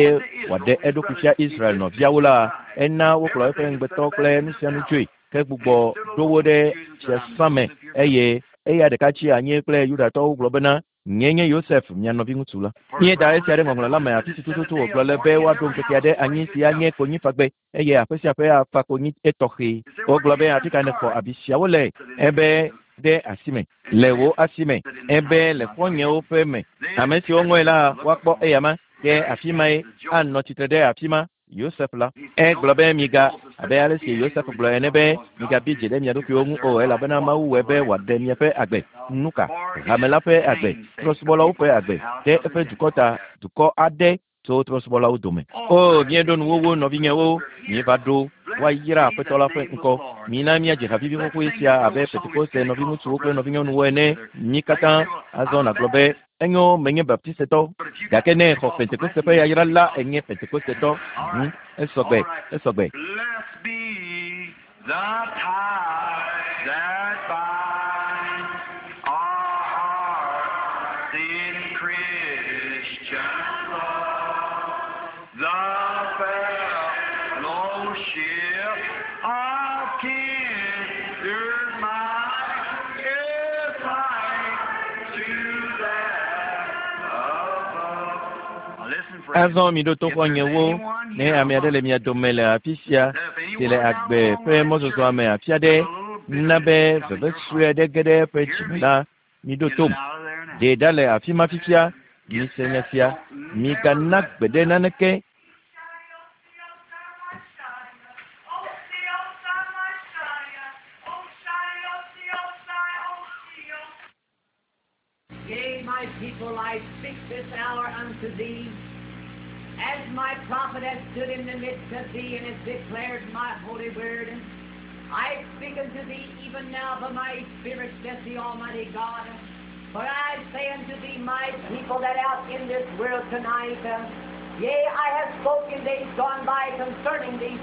wòaɖe eɖokui fia Israel nɔviawo la, ena wokplɔ eƒe ŋugbetɔ kple nu sia nu dzoe, ke gbugbɔ ɖo wo ɖe fiasã me, eye eya ɖeka tsi anyi kple Yudatɔwo gblɔ bena, Nyee nye Yosef, mia nɔviŋutsu la. Míeda esia ɖe Ŋɔŋlɔ la me afi si tututu wògblɔ le be woaɖo ŋkeke aɖe anyi si anye konyifagbe, eye aƒe sia aƒe afa konyi etɔxɛ. Wogblɔ be, Afi ka nèxɔ abi siawo le? Ebe, Ɖe asi me. Le wò asi me. Ebe, Le xɔ̃nyewo ƒe me. Ame siwo ŋɔe la, woakpɔ eyama. Ke afi mae anɔ tsitre ɖe afi ma. Yosef la. Egblɔ be, Miga, abe ale si Yosef gblɔ ene be, Migabi dzi ɖe mia ɖokuiwo ŋu o, elabena Mawu wɔe be wòaɖe miaƒe agbe. Nuka? Hame la ƒe agbe, trɔ̃subɔlawo ƒe agbe, ɖe eƒe dukɔ ta, dukɔ aɖe tso trɔ̃subɔlawo dome. O, míeɖo nuwuwu, nɔvinyewo, míeva ɖo. Woayra Aƒetɔ la ƒe ŋkɔ. Mina míadzi ha vivi xoxoe sia abe Pentekoste nɔviŋutsuwo kple nɔvinyɔnuwo ene, mí katã. Azɔ nàgblɔ be, Enyo, menye Baptistetɔ, gake ne exɔ Pentekoste ƒe yayra la, enye Pentekostetɔ. Hm, esɔgbe, esɔgbe. Blessed be the tie that binds our hearts in Christian love, the fellowship of kindred minds is like to that above. Listen, friends. Azɔ miɖo to xɔ̃nyewo, ne ame aɖe le mia dome le afi sia, si le agbe ƒe mɔzɔzɔa me afi aɖe, na be veve sue aɖe ge ɖe eƒe dzi me la, miɖo tom. Ɖee ɖa le afi ma fifia, mise nya sia, migana gbeɖe naneke Yea, my people, I speak this hour unto thee, as my prophet hath stood in the midst of thee and hath declared my holy word. I speak unto thee even now by my Spirit, saith the Almighty God. For I say unto thee, my people that out in this world tonight, yea, I have spoken days gone by concerning these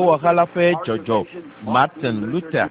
Ɖekewɔha la ƒe dzɔdzɔ, Martin Luther.